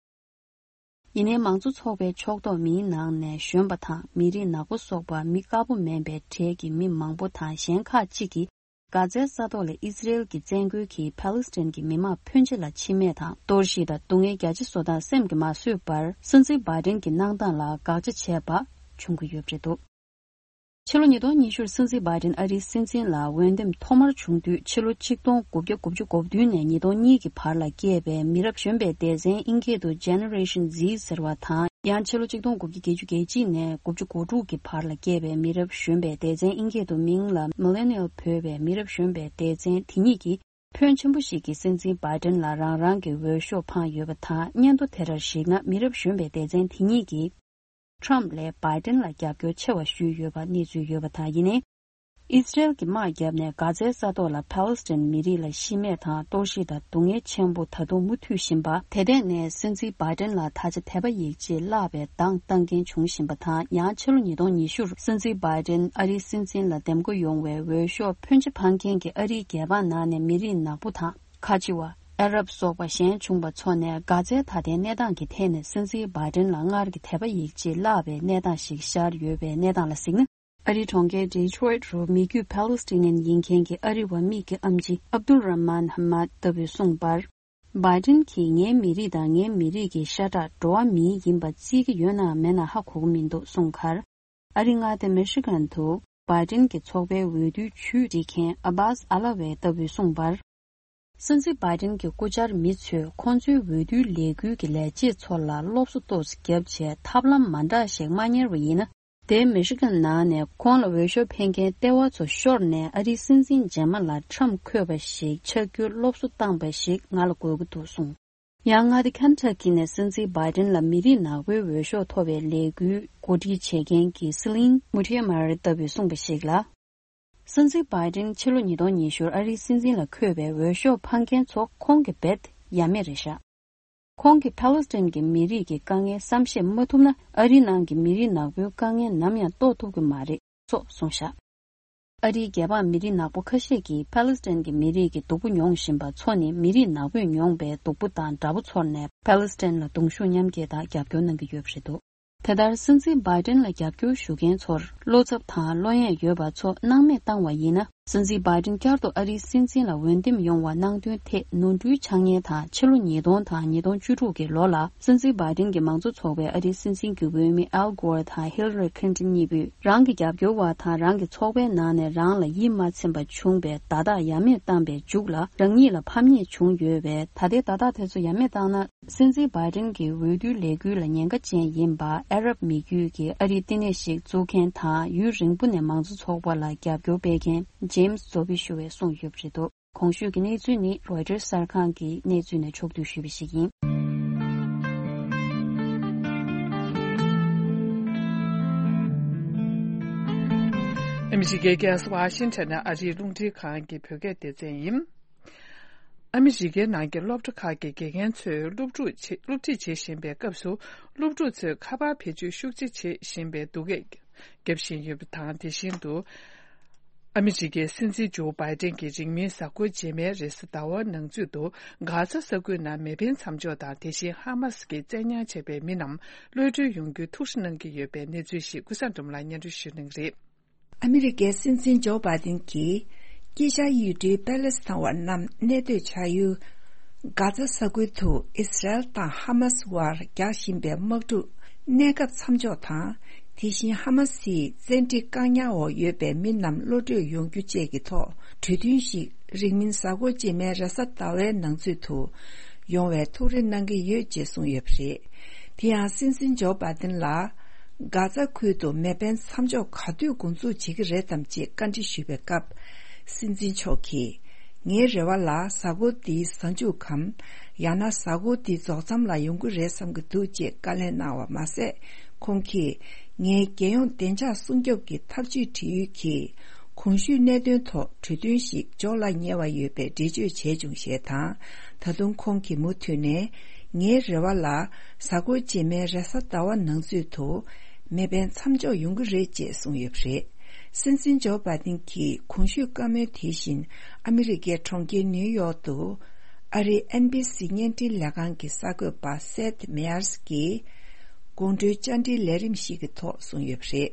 ཡིན་ནའི། མང་གཙོ་ཚོགས་པའི་ཕྱོགས་གཏོགས་མིའི་ནང་ནས་གཞོན་པ་དང་མི་རིགས་ནག་པོ་སོགས་པ་མི་དཀར་པོ་མིན་པའི་གྲས་ཀྱི་མི་མང་པོ་དང་གཞན་ཁག་ཅིག་གིས། གྷ་ཛའི་ས་ཐོག་ལ་ཨི་སི་རེལ་གྱི་བཙན་རྒོལ་གྱིས་ཕཱ་ལི་སི་ཐན་གྱི་མི་མང་ཕོན་ཆེ་ལ་འཆི་རྨས་དང་གཏོར་བཤིག་དང་སྡུག་བསྔལ་རྒྱ་ཆེ་བཟོ་སྟངས་སེམས་ཀྱིས་མ་བཟོད་པར། སྲིད་འཛིན་བྷའི་ཏིན་གྱི་གནང་སྟངས་ལ་དགག་བྱ་བྱས་པ་བྱུང་གི་ཡོད་པ་རེད་འདུག་ཕྱི་ལོ་ཉིས་སྟོང་ཉི་ཤུར་སྲིད་འཛིན་བྷའི་ཏིན་ཨ་རིའི་སྲིད་འཛིན་ལ་འོས་འདེམས་ཐོག་མར་བྱུང་དུས། ཕྱི་ལོ་ཆིག་སྟོང་དགུ་བརྒྱ་དགུ་བཅུ་གོ་བདུན་ནས་ཉིས་སྟོང་གཉིས་ཀྱི་བར་ལ་སྐྱེས་པའི་མི་རབས་གཞོན་པའི་སྡེ་ཚན། ཨིན་སྐད་དུ་Generation Z ཟེར་བ་དང་། ཡང་ཕྱི་ལོ་ཆིག་སྟོང་དགུ་བརྒྱ་བརྒྱད་ཅུ་གྱ་གཅིག་ནས་དགུ་བཅུ་གོ་དྲུག་གི་བར་ལ་སྐྱེས་པའི་མི་རབས་གཞོན་པའི་སྡེ་ཚན། ཨིན་སྐད་དུ་མིང་ལ་Millennial འབོད་པའི་མི་རབས་གཞོན་པའི་སྡེ་ཚན་དེ་གཉིས་ཀྱིས། ཕོན་ཆེན་པོ་ཞིག་གིས་སྲིད་འཛིན་བྷའི་ཏིན་ལ་རང་རང་གི་འོས་ཤོག་འཕངས་ཡོད་པ་དང་། སྙན་ཐོ་དེ་ལྟར་གཞིགས་ན། མི་རབས་གཞོན་པའི་སྡེ་ཚན་དེ་གཉིས་ཀྱིས་ཊམ་ལས་བྷའི་ཏིན་ལ་རྒྱབ་སྐྱོར་ཆེ་བ་ཞུས་ཡོད་པ་གནས་ཚུལ་ཡོད་པ་དང་། ཡིན་ནའི། ཨི་སི་རེལ་གྱིས་དམག་བརྒྱབ་ནས་གྷ་ཛའི་ས་ཐོག་ལ་ཕཱ་ལི་སི་ཐན་མི་རིགས་ལ་ཤི་རྨས་དང་གཏོར་བཤིག་དང་སྡུག་བསྔལ་ཆེན་པོ་ད་དུང་མུ་མཐུད་བཞིན་པ། དེ་ཐད་ནས་སྲིད་འཛིན་བྷའི་ཏིན་ལ་ད་ཆ་དད་པ་ཡིད་ཆེས་བརླག་པའི་གདངས་བཏང་མཁན་བྱུང་བཞིན་པ་དང་། ཡང་ཕྱི་ལོ་ཉིས་སྟོང་ཉི་ཤུར་སྲིད་འཛིན་བྷའི་ཏིན་ཨ་རིའི་སྲིད་འཛིན་ལ་འདེམས་བསྐོ་ཡོང་བའི་འོས་ཤོག་ཕོན་ཆེ་འཕངས་མཁན་གྱི་ཨ་རིའི་རྒྱལ་འབངས་ནང་ནས་མི་རིགས་ནག་པོ་དང་། ཁ་ཆེ་བ། ཨ་རབ་སོགས་པ་ཞན་བྱུང་བ་ཚོ་ནས་གྷ་ཛའི་ད་ལྟའི་གནས་སྟངས་ཀྱི་ཐད་ནས་སྲིད་འཛིན་བྷའི་ཏིན་ལ་སྔར་གྱི་དད་པ་ཡིད་ཆེས་བརླག་པའི་གནས་སྟངས་ཤིག་ཤར་ཡོད་པའི་གནས་སྟངས་ལ་གཟིགས་ན། ཨ་རིའི་གྲོང་ཁྱེར་ཌི་ཊོ་རོའིཊ་རུ་མི་རྒྱུད་ཕཱ་ལི་སི་ཐི་ནན་ཡིན་མཁན་གྱི་ཨ་རི་བ་མིག་གི་ཨེམ་ཆི་ཨབ་དུལ་ར་མན་ཧ་མད་ལྟ་བུས་གསུངས་པར། བྷའི་ཏིན་གྱིས་ངའི་མི་རིགས་དང་ངའི་མི་རིགས་ཀྱི་ཤ་ཁྲག་འགྲོ་བ་མིའི་ཡིན་པ་བརྩི་གི་ཡོད་ནའང་མེད་ན་ཧ་གོ་གི་མི་འདུག་གསུངས་ཁར། ཨ་རི་མངའ་སྡེ་མི་ཤི་གན་དུ་བྷའི་ཏིན་གྱི་ཚོགས་པའི་འོས་བསྡུའི་ཇུས་འབྲི་མཁན་ཨ་བྷཱས་ཨ་ལ་ཝེ་ལྟ་བུས་གསུངས་པར། སྲིད་འཛིན་བྷའི་ཏིན་གྱི་སྐུ་བཅར་མི་ཚོས་ཁོང་ཚོའི་འོས་བསྡུའི་ལས་འགུལ་གྱི་ལས་བྱེད་ཚོ་ལ་སློབ་གསོ་ཏོག་ཙམ་བརྒྱབ་བྱས། ཐབས་ལམ་མ་འདྲ་ཞིག་མ་གཉེར་བ་ཡིན་ན། དེ་མི་ཤི་གན་ནང་ནས་ཁོང་ལ་འོས་ཤོག་འཕེན་མཁན་ལྟེ་བ་ཚོ་ཤོར་ནས། ཨ་རིའི་སྲིད་འཛིན་རྗེས་མ་ལ་ཊམ་འཁོད་པ་ཞིག་ཆགས་རྒྱུའི་སློབ་གསོ་བཏང་པ་ཞིག་ང་ལ་དགོས་ཀྱི་འདུག་གསུངས། ཡང་མངའ་སྡེ་ཁེན་ཊ་ཀི་ནས་སྲིད་འཛིན་བྷའི་ཏིན་ལ་མི་རིགས་ནག་པོའི་འོས་ཤོག་ཐོབ་པའི་ལས་འགུལ་གོ་སྒྲིག་བྱེད་མཁན་གྱི་སི་ལིན་མུ་ཐི་མར་ལྟ་བུས་གསུངས་པ་ཞིག་ལ། སྲིད་འཛིན་བྷའི་ཏིན་ཕྱི་ལོ་ཉིས་སྟོང་ཉི་ཤུར་ཨ་རིའི་སྲིད་འཛིན་ལ་འཁོད་པའི་འོས་ཤོག་འཕངས་མཁན་ཚོ་ཁོང་གི་རྦད་ཡ་མེད་རེད་ཤག་ཁོང་གིས་ཕཱ་ལི་སི་ཐན་གྱི་མི་རིགས་ཀྱི་དཀའ་ངལ་བསམ་ཤེས་མ་ཐུབ་ན། ཨ་རིའི་ནང་གི་མི་རིགས་ནག་པོའི་དཀའ་ངལ་ནམ་ཡང་རྟོགས་ཐུབ་ཀྱི་མ་རེད་སོགས་གསུངས་ཤག་ཨ་རིའི་རྒྱལ་འབངས་མི་རིགས་ནག་པོ་ཁ་ཤས་ཀྱིས་ཕཱ་ལི་སི་ཐན་གྱི་མི་རིགས་ཀྱི་སྡུག་པོ་མྱོང་བཞིན་པ་ཚོ་ནི་མི་རིགས་ནག་པོས་མྱོང་པའི་སྡུག་པོ་དང་འདྲ་པོ་ཚོར་ནས། ཕཱ་ལི་སི་ཐན་ལ་གདུང་ཤུགས་མཉམ་སྐྱེད་དང་རྒྱབ་སྐྱོར་གནང་གི་ཡོད་པ་རེད་འདུག་དེ་ལྟར་སྲིད་འཛིན་བྷའི་ཏིན་ལ་རྒྱབ་སྐྱོར་ཞུ་མཁན་ཚོར་བློ་འཚབ་དང་བློ་གཡེང་ཡོད་པ་ཚོ་སྣང་མེད་བཏང་བ་ཡིན་ན། སྲིད་འཛིན་བྷའི་ཏིན་བསྐྱར་དུ་ཨ་རིའི་སྲིད་འཛིན་ལ་འོས་འདེམས་ཡོང་བ་གནང་དོན་ཐད་ནོར་འཁྲུལ་ཆགས་ཉེན་དང་། ཕྱི་ལོ་ཉིས་སྟོང་དང་ཉིས་སྟོང་བཅུ་དྲུག་གི་ལོ་ལ། སྲིད་འཛིན་བྷའི་ཏིན་གྱི་མང་གཙོ་ཚོགས་པའི་ཨ་རིའི་སྲིད་འཛིན་གྱི་འོས་མི་ཨལ་གྷོར་དང་ཧིལ་རི་ཁིན་ཏིན་གཉིས་པོས། རང་གི་རྒྱབ་སྐྱོར་བ་དང་རང་གི་ཚོགས་པའི་ནང་ནས་རང་ལ་ཡིད་མ་ཚིམ་པ་བྱུང་བའི་བརྡ་རྟགས་ཡ་མེད་བཏང་པའི་མཇུག་ལ། རང་ཉིད་ལ་ཕམ་ཉེས་བྱུང་ཡོད་པས། ད་ལྟའི་བརྡ་རྟགས་དེ་ཚོ་ཡ་མེད་བཏང་ན། སྲིད་འཛིན་བྷའི་ཏིན་གྱི་འོས་བསྡུའི་ལས་འགུལ་ལ་ཉེན་ཁ་ཅན་ཡིན་པ། ཨ་རབ་མི་རྒྱུད་ཀྱི་ཨ་རིའི་བསྟི་གནས་ཤིག་བཙུགས་མཁན་དང་། ཡུན་རིང་པོ་ནས་མང་གཙོ་ཚོགས་པ་ལ་རྒྱབ་སྐྱོར་སྤེལ་མཁན་ཇེམ་སི་ཛོ་བི་ཞུ་བས་གསུངས་ཡོད་པ་རེད་འདུག་གོང་ཞུས་ཀྱི་གནས་ཚུལ་ནི་རོའི་ཊར་གསར་ཁང་གི་གནས་ཚུལ་ནས་ཕྱོགས་བསྡུས་ཞུས་པ་ཞིག་ཡིན། ཨ་མི་རི་ཀའི་རྒྱལ་ས་ཝ་ཤིང་ཊོན་ནས་ཨ་རིའི་རླུང་འཕྲིན་ཁང་གི་བོད་སྐད་སྡེ་ཚན་ཡིན། ཨ་མི་རི་ཀའི་ནང་གི་སློབ་གྲྭ་ཁག་གི་དགེ་རྒན་ཚོས་སློབ་ཕྲུག་ཆེ་སློབ་ཁྲིད་བྱེད་བཞིན་པའི་སྐབས་སུ། སློབ་ཕྲུག་ཚོས་ཁ་པར་བེད་སྤྱོད་ཤུགས་ཆེ་བྱེད་བཞིན་པའི་སྡུག་སྐད་བརྒྱབ་བཞིན་ཡོད་པ་དང་། དེ་བཞིན་དུ། ཨ་མི་རི་ཀའི་སྲིད་འཛིན་ཇོ་བྷའི་ཏན་གྱིས་རིང་མིན་གཟའ་འཁོར་རྗེས་མའི་རེས་གཟའ་ཟླ་བ་ནང་ཚུད་དུ། གྷ་ཛ་ས་ཁུལ་ནང་མེ་འཕེན་མཚམས་འཇོག་དང་། དེ་བཞིན་ཧ་མ་སི་ཀྱིས་བཙན་ཉར་བྱས་པའི་མི་རྣམས་གློད་གྲོལ་ཡོང་རྒྱུའི་ཐུགས་ཁུར་གནང་གི་ཡོད་པའི་གནས་ཚུལ་ཞིག་ཀུན་བཟང་སྒྲོལ་མ་ལགས་སྙན་སྒྲོན་ཞུ་གནང་གི་རེད། ཨ་མི་རི་ཀའི་སྲིད་འཛིན་ཇོ་བྷའི་ཏིན་གྱིས། དཀྱིལ་ཤར་ཡུལ་གྲུའི་པེ་ལེ་སི་ཐན་བ་རྣམས་གནས་སྡོད་བྱ་ཡུལ། གྷ་ཛ་ས་ཁུལ་དུ་ཨིས་ར་ཨེལ་དང་ཧ་མ་སི་བར་རྒྱག་བཞིན་པའི་དམག་འཁྲུག་གནས་སྐབས་མཚམས་འཇོག་དང་། དེ་བཞིན་ཧ་མ་སིའི་བཙན་ཁྲིད་བཀག་ཉར་འོག་ཡོད་པའི་མི་རྣམས་གློད་གྲོལ་ཡོང་རྒྱུ་བཅས་ཀྱི་ཐོག་གྲོས་མཐུན་ཞིག་རིང་མིན་གཟའ་འཁོར་རྗེས་མའི་རེས་གཟའ་ཟླ་བའི་ནང་ཚུད་དུ་ཡོང་བའི་ཐུགས་རེ་གནང་གི་ཡོད་ཅེས་གསུངས་ཡོད་པ་རེད། དེ་ཡང་སྲིད་འཛིན་ཇོ་བྷའི་ཏིན་ལ། གྷ་ཛ་ཁུལ་དུ་མེ་འཕེན་མཚམས་འཇོག་ག་དུས་འགོ་འཛུགས་བྱེད་ཀྱི་རེད་དམ་ཅེས་བཀའ་འདྲི་ཞུས་པའི་སྐབས། སྲིད་འཛིན་མཆོག་གིས། ངའི་རེ་བ་ལ་གཟའ་འཁོར་འདིའི་གཟའ་མཇུག་གམ། ཡང་ན་གཟའ་འཁོར་འདི་རྫོགས་མཚམས་ལ་ཡོང་གི་རེད་བསམ་གྱི་འདུག་ཅེས་བཀའ་ལན་གནང་བ་མ་ཟད། ཁོང་གིས། ངའི་རྒྱལ་ཡོངས་བདེ་འཇགས་སྲུང་སྐྱོབ་ཀྱི་ཐབས་ཇུས་འབྲེལ་ཡོད་ཀྱིས། གོང་ཞུས་གནད་དོན་ཐོག་གྲོས་མཐུན་ཞིག་འཇོག་ལ་ཉེ་བ་ཡོད་པའི་འགྲེལ་བརྗོད་བྱས་བྱུང་ཞེས་དང་། ད་དུང་ཁོང་གིས་མུ་མཐུད་ནས། ངའི་རེ་བ་ལ། གཟའ་འཁོར་རྗེས་མའི་རེས་གཟའ་ཟླ་བ་ནང་ཚུད་དུ། མེ་འཕེན་མཚམས་འཇོག་ཡོང་གི་རེད་ཅེས་གསུངས་ཡོད་པ་རེད། སྲིད་འཛིན་ཇོ་བྷའི་ཏིན་གྱིས་གོང་ཞུས་བཀའ་མོལ་དེ་བཞིན། ཨ་མི་རི་ཀའི་གྲོང་ཁྱེར་ནིའུ་ཡོག་ཏུ། ཨ་རིའི་ཨེན་བྷི་སི་བརྙན་འཕྲིན་ལས་ཁང་གི་གསར་འགོད་པ་སེད་མེ་ཡར་སི་གིས། དགོང་དྲོའི་བཅར་འདྲིའི་ལས་རིམ་ཞིག་གི་ཐོག་གསུངས་ཡོད་པ་རེད།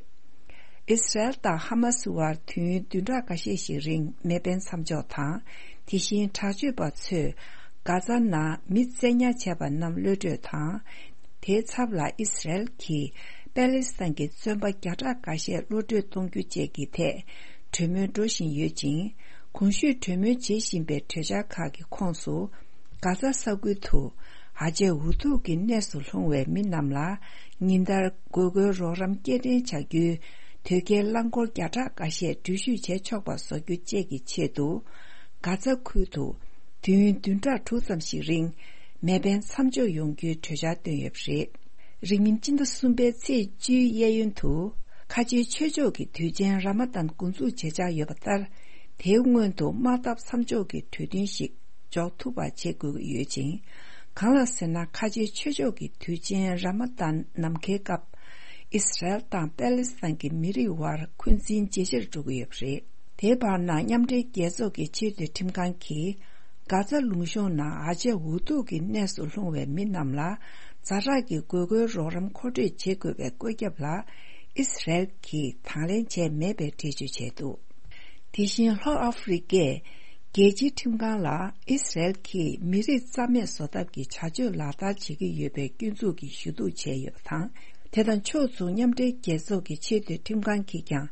ཨིས་ར་ཨེལ་དང་ཧ་མ་སི་བར་དུས་ཡུན་བདུན་ཕྲག་འགའ་ཤས་ཤིག་རིང་མེ་འཕེན་མཚམས་འཇོག་དང་། དེ་བཞིན་དྲག་སྤྱོད་པ་ཚོས་གྷ་ཛ་ནང་མི་བཙན་ཉར་བྱས་པ་རྣམས་གློད་གྲོལ་དང་། དེའི་ཚབ་ལ་ཨིས་ར་ཨེལ་གྱིས་པེ་ལེ་སི་ཐན་གྱི་བཙོན་པ་བརྒྱ་ཕྲག་འགའ་ཤས་གློད་གྲོལ་གཏོང་རྒྱུ་བཅས་ཀྱི་ཐད་གྲོས་མོལ་འགྲོ་བཞིན་ཡོད་ཅིང་། གོང་ཞུས་གྲོས་མོལ་བྱེད་བཞིན་པའི་གྲོས་འཆར་ཁག་གི་ཁོངས་སུ། གྷ་ཛ་ས་ཁུལ་དུ་ཨ་ཅེ་འུ་ཐུག་གི་གནས་སུ་ལྷུང་བའི་མི་རྣམས་ལ་ཉིན་ལྟར་དགོས་མཁོའི་རོགས་རམ་སྐྱེལ་འདྲེན་བྱ་རྒྱུའི་དོས་སྐྱེལ་རླངས་འཁོར་བརྒྱ་ཕྲག་འགའ་ཤས་འགྲུལ་བཞུད་བྱེད་ཆོག་པ་བཟོ་རྒྱུ་བཅས་ཀྱི་ཆེད་དུ། གྷ་ཛ་ཁུལ་དུ་དུས་ཡུན་བདུན་ཕྲག་དྲུག་ཙམ་ཞིག་རིང་མེ་འཕེན་མཚམས་འཇོག་ཡོང་རྒྱུའི་གྲོས་འཆར་བཏོན་ཡོད་པ་རེད། རིང་མིན་སྤྱི་ཟླ་གསུམ་པའི་ཚེས་བཅུའི་གཡས་གཡོན་དུ། ཁ་ཆེའི་ཆོས་ཕྱོགས་ཀྱི་དུས་ཆེན་ར་མ་དཱན་འགོ་འཛུགས་བྱེད་འཆར་ཡོད་པ་ལྟར། དེའི་སྔོན་དུ་དམག་འཐབ་མཚམས་འཇོག་གི་གྲོས་མཐུན་ཞིག་འཇོག་ཐུབ་པ་བྱེད་དགོས་ཀྱི་ཡོད་ཅིང་། གང་ལ་ཟེར་ན། ཁ་ཆེའི་ཆོས་ཕྱོགས་ཀྱི་དུས་ཆེན་ར་མ་དཱན་ནམ་མཁའི་སྐབས། ཨིས་ར་ཨེལ་དང་པེ་ལེ་སི་ཐན་གྱི་མི་རིགས་དབར་འཁོན་འཛིན་ཇེ་ཆེར་འགྲོ་གི་ཡོད་པ་རེད། དེའི་བར་ན། མཉམ་འབྲེལ་རྒྱལ་ཚོགས་ཀྱི་ཆེས་མཐོའི་ཁྲིམས་ཁང་གིས། གྷ་ཛ་ལུང་གཤོང་ནང་ཨ་ཅེ་འུ་ཐུག་གི་གནས་སུ་ལྷུང་བའི་མི་རྣམས་ལ། ཛ་དྲག་གི་དགོས་མཁོའི་རོགས་རམ་མཁོ་སྤྲོད་བྱེད་དགོས་པའི་བཀོད་ཁྱབ་ལ། ཨིས་ར་ཨེལ་གྱིས་དང་ལེན་བྱས་མེད་པའི་འགྲེལ་བརྗོད་བྱས་འདུག་དེ་བཞིན་ལྷོ་ཨ་ཧྥེ་རི་ཀས་རྒྱལ་སྤྱིའི་ཁྲིམས་ཁང་ལ་ཨིས་ར་ཨེལ་གྱིས་མི་རིགས་རྩ་མེད་བཟོ་ཐབས་ཀྱི་བྱ་སྤྱོད་ལག་བསྟར་བྱེད་ཀྱི་ཡོད་པའི་སྐྱོན་འཛུགས་ཀྱི་ཞུ་གཏུག་བྱས་ཡོད་པ་དང་། དེ་དང་ཕྱོགས་མཚུངས། མཉམ་འབྲེལ་རྒྱལ་ཚོགས་ཀྱི་ཆེས་མཐོའི་ཁྲིམས་ཁང་གིས་ཀྱང་།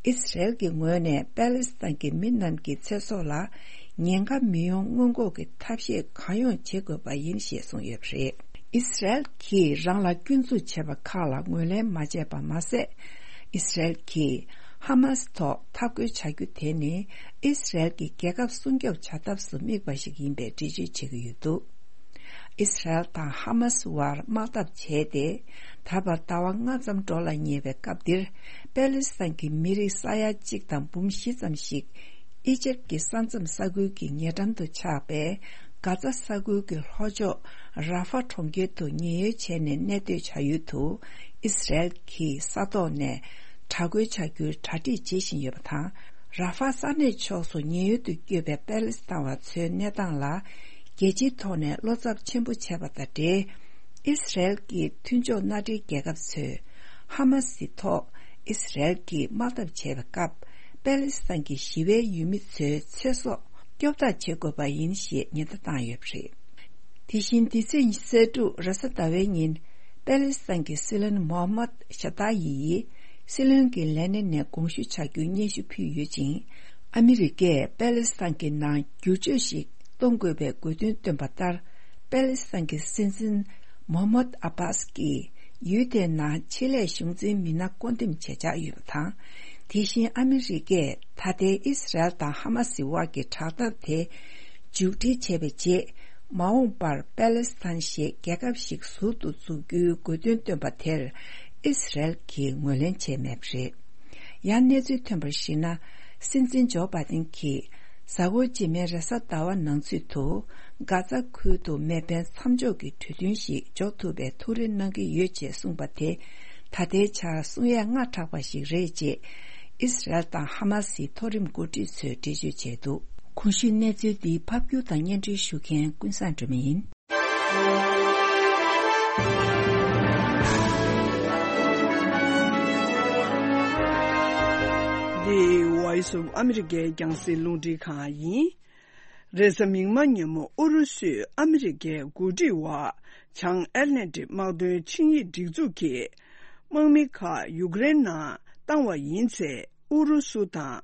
ཨིས་ར་ཨེལ་གྱི་ངོས་ནས་པེ་ལེ་སི་ཐན་གྱི་མི་རྣམས་ཀྱི་ཚེ་སྲོག་ལ་ཉེན་ཁ་མི་ཡོང་སྔོན་འགོག་གི་ཐབས་ཤེས་གང་ཡོང་བྱེད་དགོས་པ་ཡིན་ཞེས་གསུངས་ཡོད་པ་རེད། ཨིས་ར་ཨེལ་གྱིས་རང་ལ་སྐྱོན་འཛུགས་བྱས་པ་ཁག་ལ་ངོས་ལེན་མ་བྱས་པ་མ་ཟད། ཨིས་ར་ཨེལ་གྱིས་ཧ་མ་སི་ཐོག་འཐབ་རྒོལ་བྱ་རྒྱུ་དེ་ནི་ཨིས་ར་ཨེལ་གྱི་རྒྱལ་ཁབ་སྲུང་སྐྱོབ་བྱ་ཐབས་སུ་དམིགས་པ་ཞིག་ཡིན་པའི་འགྲེལ་བརྗོད་བྱེད་ཀྱི་ཡོད་འདུག་ཨིས་ར་ཨེལ་དང་ཧ་མ་སི་བར་དམག་འཐབ་བྱས་ཏེ། ད་བར་ཟླ་བ་ལྔ་ཙམ་འགྲོ་ལ་ཉེ་བའི་སྐབས་འདིར། པེ་ལེ་སི་ཐན་གྱི་མི་རིགས་ས་ཡ་གཅིག་དང་འབུམ་བཞི་ཙམ་ཞིག་ཨི་ཇེབ་ཀྱི་ས་མཚམས་ས་ཁུལ་གྱི་ཉེ་འགྲམ་དུ་ཆགས་པའི་གྷ་ཛ་ས་ཁུལ་གྱི་ལྷོ་ཕྱོགས་ར་ཧྥ་གྲོང་ཁྱེར་དུ་ཉེན་གཡོལ་བྱས་ནས་གནས་སྡོད་བྱ་ཡུལ་དུ་ཨིས་ར་ཨེལ་གྱིས་ས་ཐོག་ནས་དྲག་རྒོལ་བྱ་རྒྱུའི་གྲ་སྒྲིག་བྱེད་བཞིན་ཡོད་པ་དང་། ར་ཧྥ་ས་གནས་ཕྱོགས་སུ་ཉེན་གཡོལ་དུ་བསྐྱོད་པའི་པེ་ལེ་སི་ཐན་བ་ཚོའི་གནས་སྟངས་ལ་རྒྱལ་སྤྱིའི་ཐོག་ནས་བློ་འཚབ་ཆེན་པོ་བྱས་པ་དང་འབྲེལ། ཨིས་ར་ཨེལ་གྱི་མཐུན་ཕྱོགས་མནའ་འབྲེལ་རྒྱལ་ཁབ་ཚོས་ཧ་མ་སི་ཐོག་ཨིས་ར་ཨེལ་གྱིས་དམག་འཐབ་བྱས་པའི་སྐབས། པེ་ལེ་སི་ཐན་གྱི་ཞི་བའི་ཡུལ་མི་ཚོའི་ཚེ་སྲོག་སྐྱོབ་ཐབས་བྱེད་དགོས་པ་ཡིན་ཞེས་ཉེན་བརྡ་བཏང་ཡོད་པ་རེད། དེ་བཞིན་འདི་ཚེས་ཉི་ཤུ་རྩ་དྲུག་རེས་གཟའ་ཟླ་བའི་ཉིན། པེ་ལེ་སི་ཐན་གྱི་སྲིད་བློན་མོ་ཧམ་མད་ཤ་ཏཱ་ཡི་ཡིས་སྲིད་བློན་གྱི་ལས་གནས་ནས་དགོངས་ཞུ་བྱ་རྒྱུའི་སྙན་ཞུ་ཕུལ་ཡོད་ཅིང་། ཨ་མི་རི་ཀས་པེ་ལེ་སི་ཐན་གྱི་ནང་བསྒྱུར་བཅོས་ཤིག་གཏོང་དགོས་པའི་དགོས་འདུན་བཏོན་པ་ལྟར། པེ་ལེ་སི་ཐན་གྱི་སྲིད་འཛིན་མོ་ཧམ་མད་ཨ་བྷ་སི་ཀྱིས་ཡུལ་དེའི་ནང་ཆེད་ལས་གཞུང་འཛིན་མི་སྣ་བསྐོ་འདེམས་བྱེད་འཆར་ཡོད་པ་དང་། དེ་བཞིན་ཨ་མི་རི་ཀས་ད་ལྟའི་ཨིས་ར་ཨེལ་དང་ཧ་མ་སི་དབར་གྱི་དྲག་འཐབ་དེ་མཇུག་སྒྲིལ་བྱས་པའི་རྗེས། མ་འོངས་པར་པེ་ལེ་སི་ཐན་ཞེས་རྒྱལ་ཁབ་ཞིག་ཟུར་དུ་འཛུགས་རྒྱུའི་དགོས་འདུན་བཏོན་པ་དེར་ཨིས་ར་ཨེལ་གྱིས་ངོས་ལེན་བྱས་མེད་པ་རེད། ཡང་གནས་ཚུལ་ཐོན་པར་གཞིགས་ན། སྲིད་འཛིན་ཇོ་བྷ་དིན་གྱིས། གཟའ་འཁོར་རྗེས་མའི་རེས་གཟའ་ཟླ་བ་ནང་ཚུད་དུ། གྷ་ཛ་ཁུལ་དུ་མེ་འཕེན་མཚམས་འཇོག་གི་གྲོས་མཐུན་ཞིག་འཇོག་ཐུབ་པའི་ཐུགས་རེ་གནང་གི་ཡོད་ཅེས་གསུངས་པ་དེ། ད་ལྟའི་ཆར་གསུང་ཡས་སྔ་དྲགས་པ་ཞིག་རེད་ཅེས། ཨིས་རལ་དང་ཧ་མ་སིའི་མཐོ་རིམ་འགོ་ཁྲིད་ཚོས་འགྲེལ་བརྗོད་བྱས་འདུག་གོང་ཞུས་གནས་ཚུལ་འདི་ཕབ་སྒྱུར་དང་སྙན་སྒྲོན་ཞུ་མཁན་ཀུན་བཟང་སྒྲོལ་མ་ཡིན། འདི་Voice of America རྒྱང་སྲིང་རླུང་འཕྲིན་ཁང་ཡིན། རེས་གཟའ་མིག་དམར་ཉིན་མོ་ཨུ་རུ་སུས་ཨ་མི་རི་ཀའི་འགོ་ཁྲིད་འོག་བྱང་ཨེཊ་ལན་ཊིག་དམག་དོན་ཆིངས་ཡིག་སྒྲིག་འཛུགས་ཀྱི་དམག་མི་ཁག་ཡུཀ་རེན་ནང་བཏང་བ་ཡིན་ཚེ། ཨུ་རུ་སུ་དང་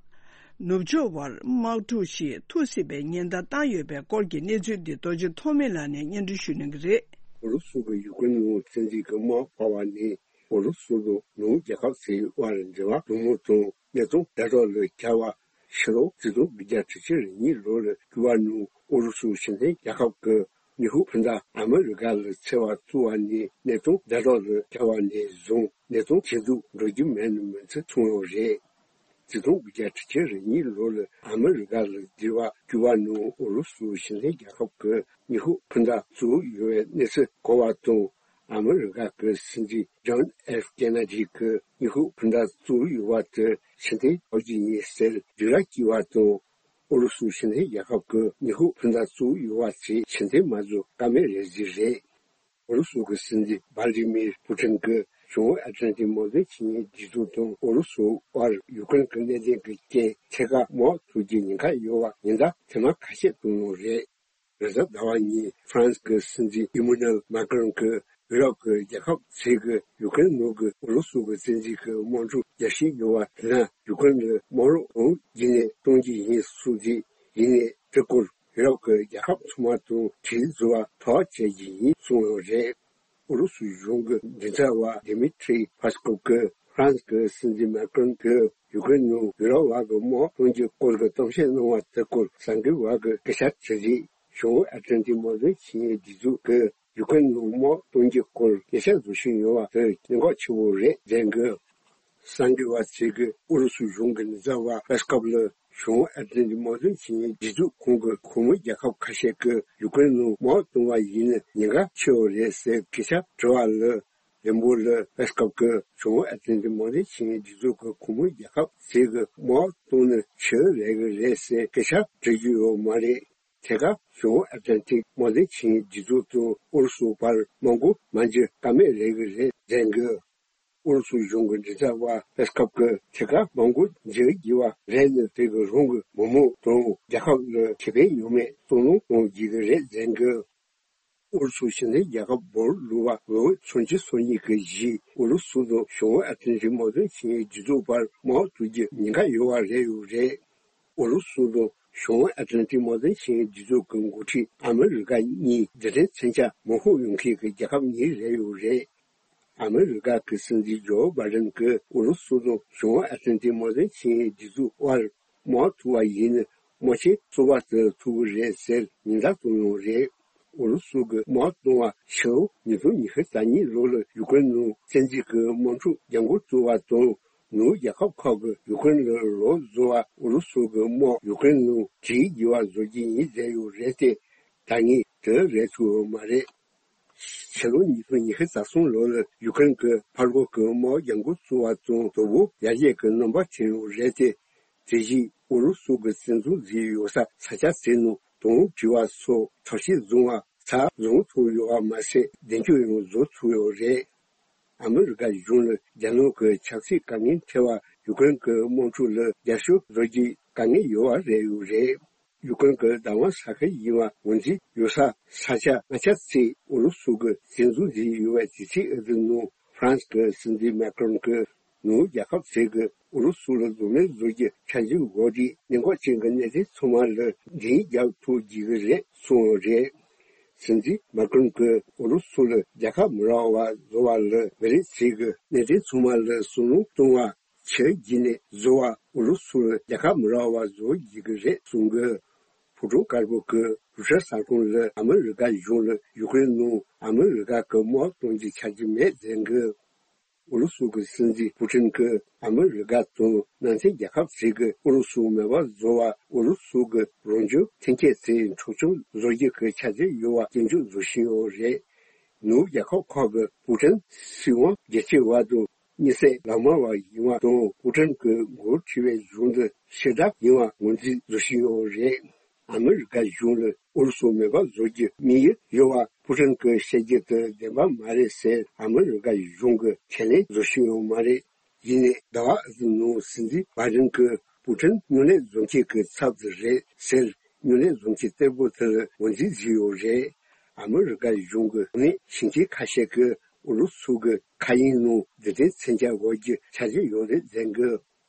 ནུབ་ཕྱོགས་བར་དམག་འཁྲུག་ཞིག་ཐུག་སྲིད་པའི་ཉེན་བརྡ་བཏང་ཡོད་པའི་སྐོར་གྱི་གནས་ཚུལ་འདི་རྡོ་རྗེ་ཐོགས་མེད་ལགས་ནས་སྙན་སྒྲོན་ཞུ་གནང་གི་རེད། ཨུ་རུ་སུ་གི་ཡུཀ་རེན་ནང་བཙན་འཛུལ་གྱི་དམག་འཕར་བ་ནི། ཨུ་རུ་སུ་དང་ནུབ་རྒྱལ་ཁབ་ཚོའི་དབར་འབྲེལ་བ་རྡུལ་མོ་དང་གནས་སྟངས་ཛ་དྲག་ལ་གྱུར་བ། ཕྱི་ལོ་ཆིག་སྟོང་དགུ་བརྒྱ་དྲུག་ཅུ་རེ་གཉིས་ལོ་ལ་ཀྱུ་བ་ནང་ཨུ་རུ་སུ་ཕྱི་འཐེན་རྒྱལ་ཁབ་ཀྱི་ཉི་ཧུ་ཕུ་ད་ཨ་མི་རི་ཀ་ལ་འཚོལ་བ་བཙུགས་པ་ནས། གནས་སྟངས་ཛ་དྲག་ལ་གྱུར་བ་ནས་བཟུང་གནས་སྟངས་ཇེ་སྡུག་འགྲོ་རྒྱུ་མེད་ན་མི་འཚམ་གསུངས་ཡོད་རེད། ཆིག་སྟོང་དགུ་བརྒྱ་དྲུག་ཅུ་རེ་གཉིས་ལོ་ལ་ཨ་མི་རི་ཀ་ལ་འབྲེལ་བ་ཀྱུ་བ་ནང་ཨུ་རུ་སུ་ཕྱི་འཐེན་རྒྱལ་ཁབ་ཀྱི་ཉི་ཧུ་ཕུ་ད་བཙུགས་ཡོད་པའི་གནས་ཚུལ་གོ་བ་དང་། ཨ་མི་རི་ཀ་གི་སྲིད་འཛིན་ཇོན་ཨེཕ་ཀེ་ན་ཌི་གིས་ཉི་ཧུ་ཕུ་ད་བཙུགས་ཡོད་པ་དེ་ཕྱིར་འཐེན་བྱེད་རྒྱུ་ཡིན་ཟེར་བསྒྱུར་བཅོས་བྱས་པ་དང་། ཨུ་རུ་སུ་ཕྱི་འཐེན་རྒྱལ་ཁབ་ཀྱིས་ཉི་ཧུ་ཕུ་ད་བཙུགས་ཡོད་པ་དེ་ཕྱིར་འཐེན་མ་བཟོ་ཀ་མེད་རེད་ཟེར་རེད། ཨུ་རུ་སུ་གི་སྲིད་འཛིན་ཝ་ལ་ཏི་མིར་པུ་ཏིན་གྱིས་བྱང་ཨེཊ་ལན་ཏིག་དམག་དོན་ཆིངས་ཡིག་སྒྲིག་འཛུགས་དང་ཨུ་རུ་སུ་དབར་ཡུཀ་རེན་གྱི་གནད་དོན་གྱི་རྐྱེན་ཐད་ཀར་དམག་འཁྲུག་རྒྱུའི་ཉེན་ཁ་ཡོད་པ་ཉེན་བརྡ་ཐེངས་མ་ཁ་ཤས་བཏང་ཡོད་རེད། རེས་གཟའ་ཟླ་བ་ཉིན་ཧྥ་རན་སི་གི་སྲིད་འཛིན་ཨི་མ་ནུ་ཨེལ་མཱ་ཀྲོན་གྱིས་ཡུ་རོབ་ཀྱི་རྒྱལ་ཁབ་ཚོས་ཀྱིས་ཡུཀ་རེན་ནང་གི་ཨུ་རུ་སུ་གི་བཙན་འཛུལ་གྱི་དམག་འཁྲུག་རྒྱས་བཤད་ཡོད་པ་དེ་ན། ཡུཀ་རེན་ལ་དམག་རོགས་གང་བྱས་ནས་གཏོང་རྒྱུ་ཡིན་གསུངས་ཏེ། ཡིན་ནའི་དེ་སྐོར་ཡུ་རོབ་ཀྱི་རྒྱལ་ཁབ་ཚང་མ་དང་གྲོས་བཟོ་བར་ཐུགས་ཁུར་བྱེད་རྒྱུ་ཡིན་གསུངས་ཡོད་རེད། ཨུ་རུ་སུའི་གཞུང་གི་མགྲིན་ཚབ་པ་ཌི་མི་ཏྲི་པེ་སི་ཀོབ་ཀྱིས་ཧྥ་རན་སི་གི་སྲིད་འཛིན་མཱ་ཀྲོན་གྱིས་ཡུཀ་རེན་ནང་ཡུ་རོབ་བར་གྱི་དམག་གཏོང་རྒྱུའི་སྐོར་གྱི་གཏམ་བཤད་གནང་བ་དེ་སྐོར་གསར་འགོད་པ་གིས་སྐད་ཆ་དྲིས་རྗེས། བྱང་ཨེཊ་ལན་ཏིག་དམག་དོན་ཆིངས་ཡིག་སྒྲིག་འཛུགས་ཀྱིས་ཡུཀ་རེན་ནང་དམག་གཏོང་རྒྱུའི་སྐོར་སྐད་ཆ་བཟོ་བཞིན་ཡོད་པ་དེ་གནད་འགག་ཆེ་བོ་རེད་ཟེར་གི། གསར་འགོད་པ་ཚོས་ཀྱིས་ཨུ་རུ་སུའི་གཞུང་གི་མགྲིན་ཚབ་པ་པེ་སི་ཀོབ་ལ་བྱང་ཨེཊ་ལན་ཏིག་དམག་དོན་ཆིངས་ཡིག་སྒྲིག་འཛུགས་ཁང་གི་གོང་མའི་རྒྱལ་ཁབ་ཁ་ཤས་ཀྱིས་ཡུཀ་རེན་ནང་དམག་གཏོང་བ་ཡིན་ན་ཉེན་ཁ་ཆེ་བ་རེད་ཟེར་སྐད་ཆ་དྲི་བ་ལ། ལན་འབོར་ལ་པེ་སི་ཀོབ་ཀྱིས་བྱང་ཨེཊ་ལན་ཏིག་དམག་དོན་ཆིངས་ཡིག་སྒྲིག་འཛུགས་ཀྱི་གོང་མའི་རྒྱལ་ཁབ་ཚོས་ཀྱིས་དམག་གཏོང་ན་ཆེ་རེད་གི་རེད་ཟེར་སྐད་ཆ་དྲི་རྒྱུ་ཡོད་མ་རེད། ཐད་ཀར་བྱང་ཨེཊ་ལན་ཏིག་དམག་དོན་ཆིངས་ཡིག་སྒྲིག་འཛུགས་དང་ཨུ་རུ་སུ་བར་དམག་འགོ་མ་འཛུགས་ཀ་མེད་རེད་གི་རེད་ཟེར་གི། ཨུ་རུ་སུ་གཞུང་གི་མགྲིན་ཚབ་པ་པེ་སི་ཀོབ་ཀྱིས་ཐད་ཀར་དམག་འགོ་འཛུགས་དགོས་པ་རེད་ན། དེ་གི་རང་གི་མི་མང་དང་རྒྱལ་ཁབ་ལ་ཁེ་ཕན་ཡོད་མེད་གཙོ་རྣོན་གཏོང་དགོས་ཀྱི་རེད་ཟེར་གི། ཨུ་རུ་སུ་ཕྱི་འཐེན་རྒྱལ་ཁབ་འབོར་ལུས་པ་ལོ་ངོ་སུམ་ཅུ་སོ་གཉིས་ཀྱི་གཞིས་ཨུ་རུ་སུ་དང་བྱང་ཨ་ཐན་རིག་དམག་དོན་ཆིངས་ཡིག་སྒྲིག་འཛུགས་བར་དམག་འཁྲུག་རྒྱུའི་ཉེན་ཁ་ཡོད་པ་རེད་ཡོད་རེད། ཨུ་རུ་སུ་དང་བྱང་ཨ་ཐན་རིག་དམག་དོན་ཆིངས་ཡིག་སྒྲིག་འཛུགས་ཀྱི་འགོ་ཁྲིད་ཨ་མི་རི་ཀ་གཉིས་རྡུལ་ཕྲན་མཚོན་ཆ་མ་ཕོག་ཡོང་མཁན་གྱི་རྒྱལ་ཁབ་གཉིས་རེད་ཡོད་རེད། ཨ་མི་རི་ཀ་གི་སྲིད་འཛིན་ཇོ་བྷའི་ཌེན་གྱིས་ཨུ་རུ་སུ་དང་བྱང་ཨ་ཐན་རིག་དམག་དོན་ཆིངས་ཡིག་སྒྲིག་འཛུགས་དབར་དམག་འཁྲུག་པ་ཡིན་ན་དམག་ཆེན་གསར་པ་དེ་ཐུག་གི་རེད་ཟེར་ཉེན་བརྡ་བཏང་ཡོད་རེད། ཨུ་རུ་སུ་གི་དམག་གཏོང་བ་ཕྱི་ལོ་ཉིས་སྟོང་ཉི་ཤུ་རྩ་གཉིས་ལོ་ལ་ཡུ་ཀེ་རེན་ནང་བཙན་འཛུལ་གྱི་དམག་འཁྲུག་རྒྱབ་འགོ་བཙུགས་པ་དང་། ནུབ་རྒྱལ་ཁབ་ཁག་གིས་ཡུ་ཀེ་རེན་ལ་ལོག་བཟོ་བར་ཨུ་རུ་སུ་གི་དམག་ཡུ་ཀེ་རེན་ནང་བྲོས་དགོས་པ་བཟོ་རྒྱུ་ཡིན་ཟེར་ཡོད་རེད་དེ། ད་ངས་དེ་རེད་ཐུབ་ཡོད་མ་རེད། ཕྱི་ལོ་ཉིས་སྟོང་ཉི་ཤུ་རྩ་གསུམ་ལོ་ལ་ཡུ་ཀེ་རེན་གྱི་ཕར་རྒོལ་གྱི་དམག་རྒྱབ་འགོ་བཙུགས་པ་དང་དོ་པོ་ཡར་རྒྱས་ཀྱི་རྣམ་པ་ཐོན་ཡོད་རེད་དེ། དེ་བཞིན་ཨུ་རུ་སུ་གི་བཙན་འཛུལ་མཛད་ཡོད་ས་ས་ཆ་དེ་ནང་དོམ་བྲིས་པ་སོགས་དྲག་སྐྱེད་བཟུང་བ་ཚར་བཟུང་ཐུབ་ཡོད་པ་མ་ཟད་མདུན་སྐྱོད་ཡང་བཟོ་ཐུབ་ཡོད་རེད། ཨ་མི་རི་ཀ་གཞུང་ལ་རྒྱ་ནག་གི་ཆབ་སྲིད་དཀའ་ངལ་འཕྲད་པ་ཡུ་ཀེ་རེན་གྱི་དམག་འཁྲུག་ལ་རྒྱབ་སྐྱོར་བཟོ་རྒྱུའི་དཀའ་ངལ་ཡོད་པ་རེད་ཡོད་རེད། ཡུ་ཀེ་རེན་གྱི་བདག་དབང་ས་ཁུལ་ཡིན་པ་ངོས་འཛིན་ཡོད་ས་ས་ཆ་ལྔ་ཆ་ཙམ་ཨུ་རུ་སུ་གིས་བཙན་འཛུལ་བྱས་ཡོད་པའི་དུས་ཚོད་འདི་ནང་ཧྥ་རན་སི་གི་སྲིད་འཛིན་མེ་ཀྲོན་གྱིས་ནུབ་རྒྱལ་ཁབ་ཚོས་ཀྱིས་ཨུ་རུ་སུ་ལ་གདོང་ལེན་བཟོ་རྒྱུ་འཆར་གཞི་འགོད་དེ། གནད་འགག་ཅན་གྱི་གནད་དོན་ཚང་མ་ལ་མགྲིན་རྒྱག་ཐུབ་རྒྱུ་གི་རེད་གསུངས་ཡོད་རེད། སྲིད་འཛིན་མེ་ཀྲོན་གྱིས་ཨུ་རུ་སུ་ལ་རྒྱལ་ཁ་མི་རག་པ་བཟོ་བ་ལ་མི་རིགས་ཚོས་ཀྱིས་གནད་དོན་ཚང་མ་ལ་བསམ་བློ་གཏོང་བ་ཕྱིར་བརྗེས་ནས་བཟོ་བ་ཨུ་རུ་སུར་རྒྱལ་ཁ་མི་རག་པ་བཟོ་བགྱིད་ཀྱི་རེད་གསུངས་ཀྱི། ཕོ་བྲང་དཀར་པོ་གི་རུ་ཤར་གསར་ཁང་ལ་ཨ་མི་རི་ཀ་གཞུང་ལ་ཡུ་ཀེ་རེན་ནང་ཨ་མི་རི་ཀ་གི་དམག་གཏོང་རྒྱུའི་འཆར་གཞི་མེད་ཟེར་གི། ཨུ་རུ་སུ་གི་སྲིད་འཛིན་པུ་ཊིན་གྱིས་ཨ་མི་རི་ཀ་དང་ནང་ཚན་རྒྱལ་ཁབ་ཚོས་ཀྱིས་ཨུ་རུ་སུ་མེད་པར་བཟོ་བ། ཨུ་རུ་སུ་གི་རང་བྱུང་ཐོན་སྐྱེད་ཚོས་འཁྲུག་ཆ་བཟོ་རྒྱུ་གི་འཆར་གཞི་ཡོད་པ་སྐྱོན་བརྗོད་བཟོ་བཞིན་ཡོད་རེད། ནུབ་རྒྱལ་ཁབ་ཁག་གིས་པུ་ཊིན་སྲིད་དབང་རྒྱ་ཆེ་བ་དང་། མི་སེར་ལག་དམར་བ་ཡིན་པ་དང་། པུ་ཊིན་གྱི་འགོ་ཁྲིད་པའི་གཞུང་འདི་ཕྱི་དགྲ་ཡིན་པ་ངོས་འཛིན་བཟོ་བཞིན་ཡོད་རེད། ཨ་མི་རི་ཀ་གཞུང་ལ་ཨུ་རུ་སུ་མེད་པ་བཟོ་རྒྱུའི་དམིགས་ཡུལ་ཡོད་པ་པུ་ཊིན་གྱིས་བཤད་རྒྱུ་དེ་བདེན་པ་མ་རེད་ཟེར་ཨ་མི་རི་ཀ་གཞུང་གིས་ཁས་ལེན་བཟོ་བཞིན་ཡོད་མ་རེད། ཡིན་ནའི་ཟླ་བ་འདིའི་ནང་སྲིད་འཛིན་བྷའི་ཌེན་གྱིས་པུ་ཊིན་སྨྱུང་གནས་བཟུང་བྱེད་ཀྱི་ཚབ་ཏུ་རེད་ཟེར། སྨྱུང་གནས་བཟུང་བྱེད་གཏེར་སྦོམ་དེ་ལ་ངོས་འཛིན་བྱས་ཡོད་རེད། ཨ་མི་རི་ཀ་གཞུང་གི་གོ་གནས་ཞིང་ཆེན་ཁ་ཤས་ཀྱིས་ཨུ་རུ་སུ་གི་མཁའ་དབྱིངས་ནང་རྡུལ་ཕྲན་མཚོན་ཆ་འགོད་རྒྱུའི་འཆར་གཞི་ཡོད་རེད་ཟེར་གི།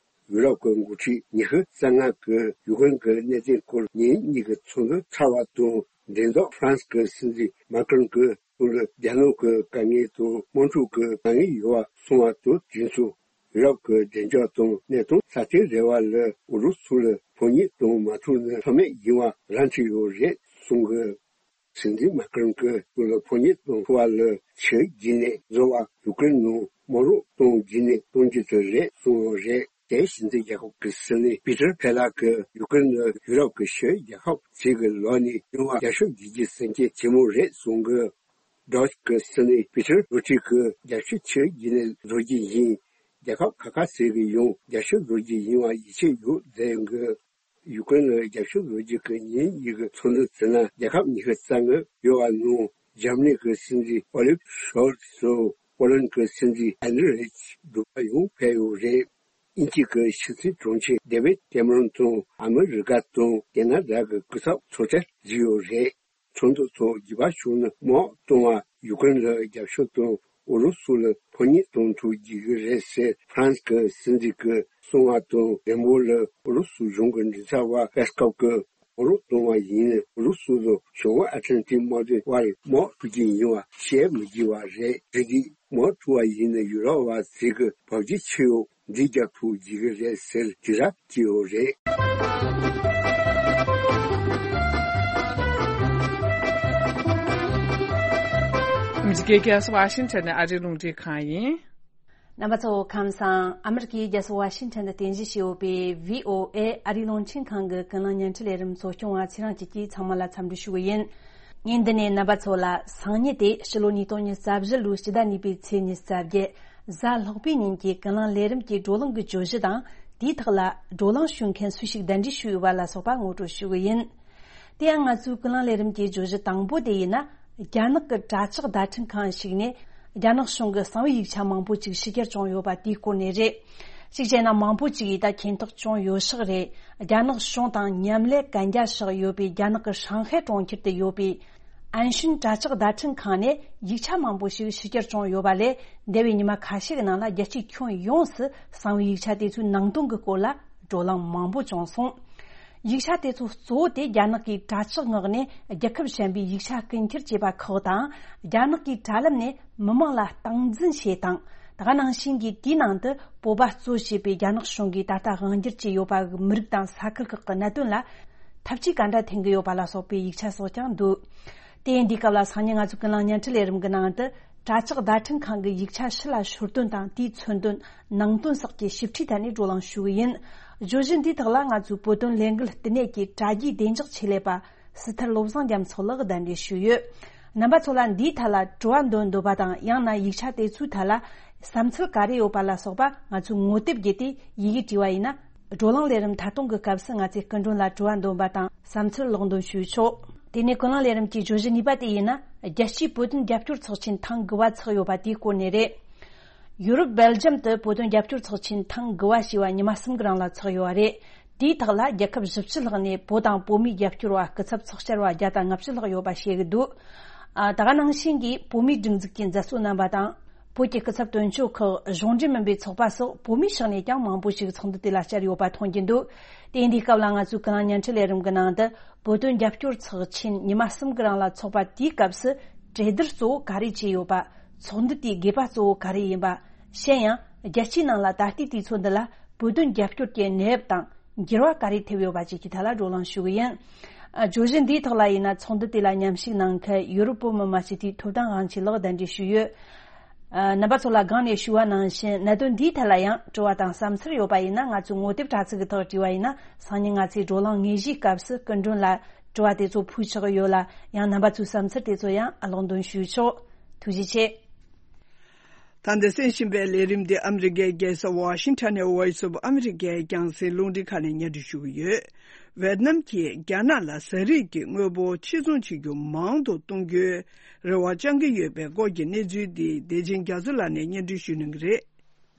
ཡུ་རོབ་ཀྱི་འགོ་ཁྲིད་ཉི་ཤུ་རྩ་ལྔ་གིས་ཡུ་ཀེ་རེན་གྱི་གནད་དོན་སྐོར་ཉིན་གཉིས་ཀྱི་ཚོགས་འདུ་ཚར་བ་དང་། མགྲིན་ཐོག་ཧྥ་རན་སི་གི་སྲིད་འཛིན་མཱ་ཀྲོན་གྱིས་ཁོང་ལ་རྒྱ་ནག་གི་དཀའ་ངལ་དང་དམག་འཁྲུག་གི་དཀའ་ངལ་ཡོད་པ་གསུངས་པ་དང་། དུས་མཚུངས་ཡུ་རོབ་ཀྱི་བདེ་འཇགས་དང་གནས་སྟངས་སྲ་བརྟན་རེ་བ་ལ་ཨུ་རུ་སུ་ལ་ཕོ་ཉ་གཏོང་མ་ཐུབ་ན་ལྷོད་མེད་ཡིན་པ་ར་འཕྲོད་ཡོད་རེད་གསུངས་གི། སྲིད་འཛིན་མཱ་ཀྲོན་གྱིས་ཁོང་ལ་ཕོ་ཉ་གཏོང་ཐུབ་པ་ལ་ཆུའི་རྒྱུན་ནས་བཟོ་བ། ཡུ་ཀེ་རེན་ནང་དམག་རོགས་གཏོང་རྒྱུ་ནས་གཏོང་རྒྱུ་དེ་རེད་གསུངས་ཡོད་རེད། དེ་སྲིད་འཛིན་རྒྱལ་ཁབ་ཀྱི་སྲིད་བློན་པི་ཏར་ཕེ་ལགས་ཀྱིས་ཡུ་ཀེ་རེན་ནི་ཡུ་རོབ་ཀྱི་ཕྱི་རྒྱལ་ཁབ་ཅིག་གི་ལོགས་ནས་ཡོང་བ་རྒྱབ་སྐྱོར་བྱེད་རྒྱུའི་སེམས་ཅན་ཆེན་མོ་རེད་གསུངས་གི། ཌོ་ཅི་གི་སྲིད་བློན་པི་ཏར་རུ་ཏི་གིས་རྒྱབ་ཤོག་ཆུའི་རྒྱུན་ནས་བཟོ་རྒྱུ་ཡིན། རྒྱལ་ཁབ་ཁག་ཁག་ཅིག་གིས་ཡང་རྒྱབ་ཤོག་བཟོ་རྒྱུ་ཡིན་པ་ཡིད་ཆེས་ཡོད་ཟེར་གི། ཡུ་ཀེ་རེན་ལ་རྒྱབ་སྐྱོར་བཟོ་རྒྱུ་གི་ཉིན་གཉིས་ཀྱི་ཚོགས་འདུ་དེ་ནང་རྒྱལ་ཁབ་ཉི་ཤུ་རྩ་ལྔ་ཡོད་པ་ནང་འཇར་མ་ནི་གི་སྲིད་འཛིན་ཨོ་ལིབ་ཤོལ་ཚ་དང་པོ་ལན་གྱི་སྲིད་འཛིན་ཧན་རི་རིཆ་འགྲུལ་པ་ཡང་ཕེབས་ཡོད་རེད། དབྱིན་ཇི་གི་ཕྱི་སྲིད་དྲུང་ཆེ་ཌེ་ཝིད་ཀེ་མེ་རོན་དང་ཨ་མི་རི་ཀ་དང་ཁེ་ན་ཌ་གི་སྐུ་ཚབ་ཚོགས་བཅར་བྱས་ཡོད་རེད། ཚོགས་འདུ་ཐོག་རྒྱུད་པ་བྱུང་ན་དམག་གཏོང་བ། ཡུ་ཀེ་རེན་ལ་རྒྱབ་སྐྱོར་དང་ཨུ་རུ་སུ་ལ་ཕོ་ཉ་གཏོང་ཐུབ་རྒྱུ་རེད་ཟེར་ཧྥ་རན་སི་གི་སྲིད་འཛིན་གྱིས་གསུངས་པ་དང་། རིམ་པ་ལ་ཨུ་རུ་སུ་གཞུང་གི་མགྲིན་ཚབ་པ་པེ་སི་ཀོབ་ཀྱིས་དམག་རོགས་གཏོང་བ་ཡིན་ན་ཨུ་རུ་སུ་དང་བྱང་ཨ་ཊ་ལན་ཏིག་དམག་དོན་བར་དམག་འཁྲུག་རྒྱུ་ཡིན་པ་བཤད་མི་དགོས་པ་རེད། དེ་དུས་དམག་འཁྲུག་པ་ཡིན་ན་ཡུ་རོབ་པ་ཚོས་ཀྱི་བབ་ཅོལ་ཆེ་བོ་འདི་རྒྱག་ཐུབ་ཀྱི་རེད་ཟེར་དྲི་ར་བསྐྱལ་ཡོད་རེད། ཨ་མི་རི་ཀའི་རྒྱལ་ས་ཝ་ཤིང་ཊོན་ནས་ཨ་རིའི་རླུང་འཕྲིན་ཁང་ཡིན། རྣམ་པ་ཚོ་ཁམས་བཟང་། ཨ་མི་རི་ཀའི་རྒྱལ་ས་ཝ་ཤིང་ཊོན་དུ་རྟེན་གཞི་བྱས་ཡོད་པའི་བྷི་ཨོ་ཨེ་ཨ་རིའི་རླུང་འཕྲིན་ཁང་གི་ཀུན་གླེང་བརྙན་འཕྲིན་ལས་རིམ་གཙོ་སྐྱོང་བ་ཚེ་རིང་སྐྱིད་ཀྱིས་ཚང་མ་ལ་འཚམས་འདྲི་ཞུ་གི་ཡིན། ངས་འདི་ནས་རྣམ་པ་ཚོ་ལ་སང་ཉིན་ཏེ་ཕྱི་ལོ་ཉིས་སྟོང་ཉི་ཤུ་རྩ་བཞི་ལོའི་སྤྱི་ཟླ་གཉིས་པའི་ཚེས་ཉི་ཤུ་རྩ་བརྒྱད་གཟའ་ལྷག་པའི་ཉིན་གྱི་ཀུན་གླེང་ལས་རིམ་གྱི་བགྲོ་གླེང་གི་བརྗོད་གཞི་དང་། དེའི་ཐོག་ལ་བགྲོ་གླེང་ཞུ་མཁན་སུ་ཞིག་གདན་འདྲེན་ཞུས་ཡོད་པ་ལ་སོགས་པ་ངོ་སྤྲོད་ཞུ་གི་ཡིན། དེ་ཡང་ང་ཚོའི་ཀུན་གླེང་ལས་རིམ་གྱི་བརྗོད་གཞི་དང་པོ་དེ་ཡིན་ན། རྒྱ་ནག་གི་དྲ་ལྕགས་བརྡ་འཕྲིན་ཁང་ཞིག་ནས་རྒྱ་ནག་གཞུང་གི་གསང་བའི་ཡིག་ཆ་མང་པོ་ཅིག་ཕྱི་གྱར་བྱུང་ཡོད་པ་དེའི་སྐོར་ནས་རེད། གཅིག་བྱས་ན་མང་པོ་ཅིག་གིས་ད་མཁྱེན་རྟོགས་བྱུང་ཡོད་ཤག་རེད། རྒྱ་ནག་གཞུང་དང་མཉམ་ལས་གན་རྒྱ་བཞག་ཡོད་པའི་རྒྱ་ནག་གི་ཧྲང་ཧའེ་གྲོང་ཁྱེར་དུ་ཡོད་པའི་ཨན་ཤིན་དྲ་ལྕགས་བརྡ་འཕྲིན་ཁང་ནས་ཡིག་ཆ་མང་པོ་ཞིག་ཕྱི་གྱར་བྱུང་ཡོད་པ་ལས། འདས་པའི་ཉི་མ་ཁ་ཤས་ཀྱི་ནང་ལ་རྒྱལ་སྤྱིའི་ཁྱོན་ཡོངས་སུ་གསང་བའི་ཡིག་ཆ་དེ་ཚོའི་ནང་དོན་གྱི་སྐོར་ལ་བགྲོ་གླེང་མང་པོ་བྱུང་སོང་། ཡིག་ཆ་དེ་ཚོ་གཙོ་བོ་དེ་རྒྱ་ནག་གི་དྲ་ལྕགས་ངོས་ནས་རྒྱལ་ཁབ་གཞན་པའི་ཡིག་ཆ་རྐུ་འཁྱེར་བྱས་པ་ཁག་དང་། རྒྱ་ནག་གི་དྲ་ལམ་ནས་མི་མང་ལ་སྟངས་འཛིན་བྱེད་སྟངས། ད་ག་ནང་བཞིན་གྱི་དེའི་ནང་དུ་བོད་པ་གཙོ་བྱས་པའི་རྒྱ་ནག་གཞུང་གིས་ད་ལྟ་དབང་སྒྱུར་བྱས་ཡོད་པ་གི་མི་རིགས་དང་ས་ཁུལ་ཁག་གི་གནད་དོན་ལ་ཐབས་ཇུས་ག་འདྲ་འཐེན་གྱི་ཡོད་པ་ལ་སོགས་པའི་ཡིག་ཆ་སོགས་ཀྱང་འདུག་དེ་ཡིན་དུས་སྐབས་ལ་སང་ཉིན་ང་ཚོའི་ཀུན་གླེང་བརྙན་འཕྲིན་ལས་རིམ་གྱི་ནང་དུ། དྲ་ལྕགས་བརྡ་འཕྲིན་ཁང་གི་ཡིག་ཆ་ཕྱི་ལ་ཤོར་དོན་དང་དེའི་མཚོན་དོན། ནང་དོན་སོགས་ཀྱི་ཞིབ་ཕྲའི་ཐད་ནས་བགྲོ་གླེང་ཞུ་གི་ཡིན། བརྗོད་གཞི་འདིའི་ཐོག་ལ་ང་ཚོའི་བོད་དོན་ལས་འགུལ་བསྟི་གནས་ཀྱི་དྲ་རྒྱའི་བདེ་འཇགས་ཆེད་ལས་པ་སྲིད་ཐར་བློ་བཟང་རྒྱ་མཚོ་ལགས་གདན་འདྲེན་ཞུས་ཡོད། རྣམ་པ་ཚོ་ལ་འདིའི་ཐད་ལ་དྲི་བ་འདོན་འདོད་པ་དང་། ཡང་ན་ཡིག་ཆ་དེ་ཚོའི་ཐད་ལ་བསམ་ཚུལ་ག་རེ་ཡོད་པ་ལ་སོགས་པ་ང་ཚོས་ངོ་དེབ་བརྒྱུད་དེ་ཡི་གེ་བྲིས་པ་ཡིན་ན། བགྲོ་གླེང་ལས་རིམ་མཐའ་སྟོང་གི་སྐབས་སུ་ང་ཚོས་སྐུ་མགྲོན་ལ་དྲི་བ་འདོན་པ་དང་བསམ་ཚུལ་ཀློག་འདོན་ཞུས་ཆོག་དེ་ནས་ཀུན་གླེང་ལས་རིམ་གྱི་བརྗོད་གཞི་གཉིས་པ་དེ་ཡིན་ན། རྒྱལ་སྤྱིའི་བོད་དོན་རྒྱབ་སྐྱོར་ཚོགས་ཆེན་ཐེངས་དགུ་པ་ཚོགས་ཡོད་པ་དེའི་སྐོར་ནས་རེད། ཡུ་རོབ་སྦེལ་ཇམ་དུ་བོད་དོན་རྒྱབ་སྐྱོར་ཚོགས་ཆེན་ཐེངས་དགུ་པ་ཞེས་པ་ཉི་མ་གསུམ་གྱི་རིང་ལ་ཚོགས་ཡོད་པ་རེད། དེའི་ཐོག་ལ་རྒྱལ་ཁབ་བཞི་བཅུ་ལྷག་ནས་བོད་དང་བོད་མིའི་རྒྱབ་སྐྱོར་བ་སྐུ་ཚབ་ཚོགས་བཅར་བ་བརྒྱ་དང་ལྔ་བཅུ་ལྷག་ཡོད་པ་བཤད་ཀྱི་འདུག་ཨ། ད་ག་ནང་བཞིན་གྱི་བོད་མིའི་སྒྲིག་འཛུགས་ཀྱི་མཛད་གཙོ་རྣམ་པ་དང་། བོད་ཀྱི་སྐུ་ཚབ་དོན་གཅོད་ཁག་གཞུང་འབྲེལ་མིན་པའི་ཚོགས་པ་སོགས་བོད་མིའི་ཕྱོགས་ནས་ཀྱང་མང་པོ་ཞིག་ཚོགས་འདུ་དེ་ལ་བཅར་ཡོད་པ་མཐོང་རྒྱུ་འདུག་དེ་ཡིན་དུས་སྐབས་ལ་ང་ཚོའི་ཀུན་གླེང་བརྙན་འཕྲིན་ལས་རིམ་གྱི་ནང་དུ་བོད་དོན་རྒྱབ་སྐྱོར་ཚོགས་ཆེན་ཉི་མ་གསུམ་གྱི་རིང་ལ་ཚོགས་པ་དེའི་སྐབས་སུ་གྲོས་བསྡུར་གཙོ་བོ་ག་རེ་བྱས་ཡོད་པ། ཚོགས་འདུ་དེའི་དགོས་པ་གཙོ་བོ་ག་རེ་ཡིན་པ། གཞན་ཡང་རྒྱལ་སྤྱིའི་ནང་ལ་ད་ལྟའི་དུས་ཚོད་འདི་ལ་བོད་དོན་རྒྱབ་སྐྱོར་གྱི་གནས་བབ་དང་འགྱུར་བ་ག་རེ་ཐེབས་ཡོད་པ་བཅས་ཀྱི་ཐད་ལ་བགྲོ་གླེང་ཞུ་གི་ཡིན། ཨ། བརྗོད་གཞི་འདིའི་ཐོག་ལ་ཡིན་ན་ཚོགས་འདུ་དེ་ལ་མཉམ་ཞུགས་གནང་མཁན་ཡུ་རོབ་བོད་མི་མང་སྤྱི་འཐུས་ཐོབ་ཐང་དབང་ཆེན་ལགས་གདན་འདྲེན་ཞུས་ཡོད། ཨ། རྣམ་པ་ཚོ་ལ་སྒང་ནས་ཞུ་བ་ནང་བཞིན། གནད་དོན་འདིའི་ཐད་ལ་ཡང་དྲི་བ་དང་བསམ་ཚུལ་ཡོད་པ་ཡིན་ན། ང་ཚོའི་ངོ་དེབ་དྲ་ཚིགས་ཀྱི་ཐོག་བྲིས་པ་ཡིན་ན། སང་ཉིན་ང་ཚོའི་བགྲོ་གླེང་དངོས་གཞིའི་སྐབས་སུ་སྐུ་མགྲོན་ལ་དྲི་བ་དེ་ཚོ་ཕུལ་ཆོག་གི་ཡོད་ལ། ཡང་རྣམ་པ་ཚོའི་བསམ་ཚུལ་དེ་ཚོ་ཡང་ཀློག་འདོན་ཞུས་ཆོག་ཐུགས་རྗེ་ཆེ། ད་འདི་གསན་བཞིན་པའི་ལས་རིམ་འདི་ཨ་མི་རི་ཀའི་རྒྱལ་ས་ཝ་ཤིང་ཊོན་ནས་Voice of America་རྒྱང་སྲིང་རླུང་འཕྲིན་ཁང་ནས་སྙན་སྒྲོན་ཞུ་གི་ཡོད། ཝེ་ཏི་ནམ་གྱིས་རྒྱ་ནག་ལ་ཟ་རིགས་ཀྱི་དངོས་པོ་ཕྱིར་ཚོང་བྱེད་རྒྱུ་མང་དུ་གཏོང་རྒྱུའི་རེ་བ་བཅང་གི་ཡོད་པའི་སྐོར་གྱི་གནས་ཚུལ་འདི་བདེ་ཆེན་རྒྱ་མཚོ་ལགས་ནས་སྙན་སྒྲོན་ཞུ་གནང་གི་རེད།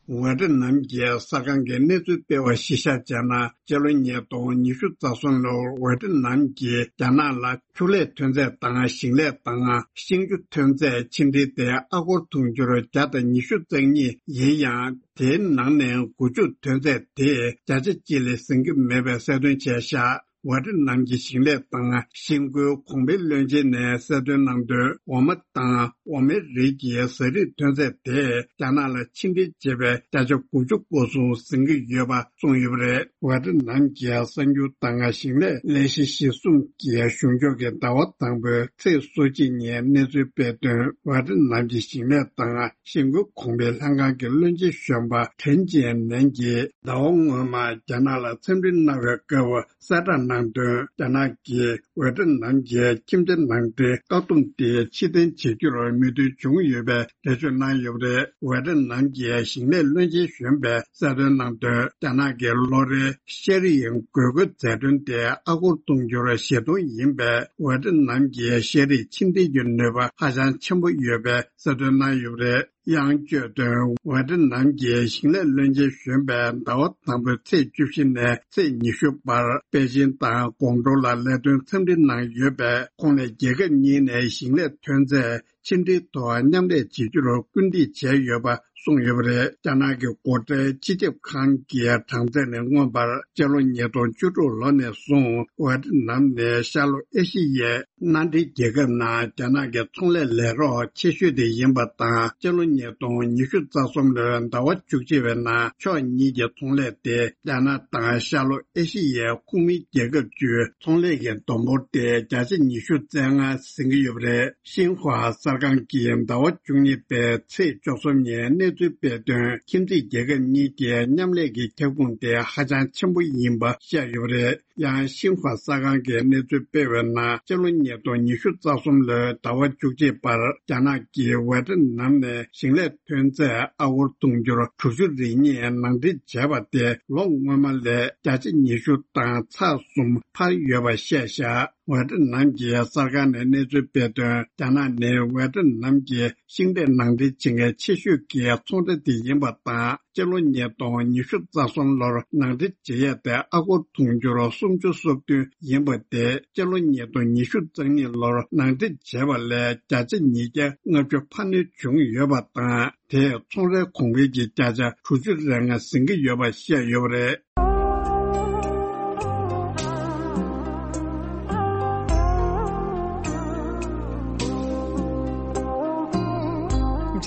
ཝེ་ཏི་ནམ་གྱི་གསར་ཁང་གིས་གནས་ཚུལ་སྤེལ་བ་གཞིར་བཞག་བྱས་ན། སྤྱི་ལོ་ཉིས་སྟོང་ཉི་ཤུ་རྩ་གསུམ་ལོར་ཝེ་ཏི་ནམ་གྱིས་རྒྱ་ནག་ལ་ཕྱུགས་ལས་ཐོན་རྫས་དང་ཞིང་ལས་དང་ཤིང་ཆུ་ཐོན་རྫས་ཕྱི་འབྲེལ་དེ་ཨ་སྒོར་དུང་ཕྱུར་བརྒྱ་དང་ཉི་ཤུ་རྩ་གཉིས་ཡིན་ཡང་། དེའི་ནང་ནས་དགུ་བཅུ་ཐོན་རྫས་དེས་བརྒྱ་ཆ་གཅིག་ལས་ཟིན་གྱི་མེད་པའི་གསལ་སྟོན་བྱས་བཞག་ཝེ་ཏི་ནམ་གྱི་ཞིང་ལས་དང་ཤིང་བཀོལ་གོང་འཕེལ་བློན་ཆེན་ནས་གསལ་སྟོན་གནང་དོན། འོ་མ་དང་འོ་མའི་རིགས་ཀྱི་ཟ་རིགས་ཐོན་རྫས་དེ་རྒྱ་ནག་ལ་ཕྱི་འབྲེལ་བྱེད་པའི་བརྒྱ་ཆ་དགུ་བཅུ་གོ་གསུམ་ཟིན་གྱི་ཡོད་པ་གསུངས་ཡོད་པ་རེད། ཝེ་ཏི་ནམ་གྱི་གསར་འགྱུར་དང་ཞིང་ལས་ལས་གཞི་གཞི་བཟུང་གི་གཞུང་ཕྱོགས་ཀྱི་ཟླ་བ་དང་པོའི་ཚེས་སོ་གཅིག་ཉིན་གནས་ཚུལ་སྤེལ་དོན། ཝེ་ཏི་ནམ་གྱི་ཞིང་ལས་དང་ཤིང་བཀོལ་གོང་འཕེལ་ལྷན་ཁང་གི་བློན་ཆེན་གཞོན་པ་ཁྲེན་ཅིན་ནན་གྱིས་ཟླ་བ་སྔོན་མ་རྒྱ་ནག་ལ་འཚམས་འདྲི་གནང་བའི་སྐབས། གསལ་བསྒྲགས་གནང་དོན། རྒྱ་ནག་གིས་ཝེ་ཏི་ནམ་གྱི་ཁྱིམ་ཚང་ནང་འདྲེན་བཀག་སྡོམ་དེ་ཕྱིར་འཐེན་བྱེད་རྒྱུར་མོས་མཐུན་བྱུང་ཡོད་པའི་འགྲེལ་བརྗོད་གནང་ཡོད་པ་རེད། ཝེ་ཏི་ནམ་གྱི་ཞིང་ལས་བློན་ཆེན་གཞོན་པས་གསལ་སྟོན་གནང་དོན། རྒྱ་ནག་གི་ལོ་རེའི་ཤ་རིགས་དགོས་མཁོའི་འཛད་གྲོན་དེ་ཨ་སྒོར་དུང་ཕྱུར་བཞི་སྟོང་ཡིན་པས། ཝེ་ཏི་ནམ་གྱི་ཤ་རིགས་ཕྱིར་འཐེན་གྱི་ནུས་པ་ཧ་ཅང་ཆེན་པོ་ཡོད་པའི་གསལ་སྟོན་གནང་ཡོད་པ་རེད། ཡང་བརྗོད་དོན། ཝེ་ཏི་ནམ་གྱི་ཞིང་ལས་བློན་ཆེན་གཞོན་པས་ཟླ་བ་དང་པོའི་ཚེས་བཅུ་བཞི་ནས་ཚེས་ཉི་ཤུ་བར་པེ་ཅིན་དང་ཀོང་ཀྲོའུ་ལ་ལས་དོན་འཚམས་འདྲི་གནང་ཡོད་པས། ཁོང་ནས་རྒྱལ་ཁབ་གཉིས་ནས་ཞིང་ལས་ཐོན་རྫས་ཕྱིར་འཐེན་ཐོག་མཉམ་ལས་བྱེད་རྒྱུར་སྐུལ་འདེད་བྱས་ཡོད་པ་གསུངས་ཡོད་པ་རེད། རྒྱ་ནག་གི་སྒོ་ཁྲལ་སྤྱི་ཁྱབ་ཁང་གི་གྲངས་ཚད་ནས་མངོན་པར་སྤྱི་ལོ་ཉིས་སྟོང་བཅུ་དྲུག་ལོ་ནས་བཟུང་ཝེ་ཏི་ནམ་ནི་ཤར་ལྷོ་ཨེ་ཤི་ཡའི་མནའ་འབྲེལ་རྒྱལ་ཁབ་ནང་རྒྱ་ནག་གི་ཚོང་ལས་ལས་རོགས་ཆེ་ཤོས་དེ་ཡིན་པ་དང་། སྤྱི་ལོ་ཉིས་སྟོང་ཉི་ཤུ་རྩ་གསུམ་ལོའི་ཟླ་བ་བཅུ་གཅིག་པའི་ནང་ཕྱོགས་གཉིས་ཀྱི་ཚོང་ལས་དེ་རྒྱ་ནག་དང་ཤར་ལྷོ་ཨེ་ཤི་ཡའི་ཁོངས་མིའི་རྒྱལ་ཁབ་བཅུའི་ཚོང་ལས་ཀྱི་བསྡོམས་འབོར་དེ་བརྒྱ་ཆ་ཉི་ཤུ་རྩ་ལྔ་ཟིན་གྱི་ཡོད་པ་རེད། ཤིན་ཧྭ་གསར་ཁང་གིས་ཟླ་བ་བཅུ་གཉིས་པའི་ཚེས་བཅུ་གསུམ་ཉིན་གནས་ཚུལ་སྤེལ་དོན། ཁྱིམ་མཚེས་རྒྱལ་ཁབ་གཉིས་ཀྱི་མཉམ་ལས་ཀྱི་ཁྱབ་ཁོངས་དེ་ཧ་ཅང་ཆེན་པོ་ཡིན་པ་བཤད་ཡོད་པ་རེད། ཡང་ཤིན་ཧྭ་གསར་ཁང་གིས་གནས་ཚུལ་སྤེལ་བའི་ནང་སྤྱི་ལོ་ཉིས་སྟོང་ཉི་ཤུ་རྩ་གསུམ་ལོའི་ཟླ་བ་བཅུ་གཅིག་བར་རྒྱ་ནག་གིས་ཝེ་ཏི་ནམ་ནས་ཞིང་ལས་ཐོན་རྫས་ཨ་སྒོར་དུང་ཕྱུར་དྲུག་ཅུ་རེ་གཉིས་ནང་འདྲེན་བྱས་པ་དེ་ལོ་སྔོན་མ་ལས་བརྒྱ་ཆ་ཉི་ཤུ་དང་ཚེག་གསུམ་འཕར་ཡོད་པ་བཤད་བཞག་ཝེ་ཏི་ནམ་གྱི་གསར་ཁང་ནས་གནས་ཚུལ་སྤེལ་དོན། རྒྱ་ནག་ནི་ཝེ་ཏི་ནམ་གྱི་ཤིང་འབྲས་ནང་འདྲེན་བྱེད་མཁན་ཆེ་ཤོས་ཀྱི་ཚོང་ར་དེ་ཡིན་པ་དང་། སྤྱི་ལོ་ཉིས་སྟོང་ཉི་ཤུ་རྩ་གསུམ་ལོར་ནང་འདྲེན་བྱེད་ཡས་དེ་ཨ་སྒོར་དུང་ཕྱུར་སུམ་ཅུ་སོ་བདུན་ཡིན་པ་དེ་སྤྱི་ལོ་ཉིས་སྟོང་ཉི་ཤུ་རྩ་གཉིས་ལོར་ནང་འདྲེན་བྱས་པ་ལས་བརྒྱ་ཆ་ཉིས་བརྒྱ་ལྔ་བཅུ་འཕར་སྣོན་བྱུང་ཡོད་པ་དང་། དེས་ཚོང་རའི་གོང་འཕེལ་གྱི་བརྒྱ་ཆ་དྲུག་ཅུ་རེ་ལྔ་ཟིན་གྱི་ཡོད་པ་བཤད་ཡོད་པ་རེད།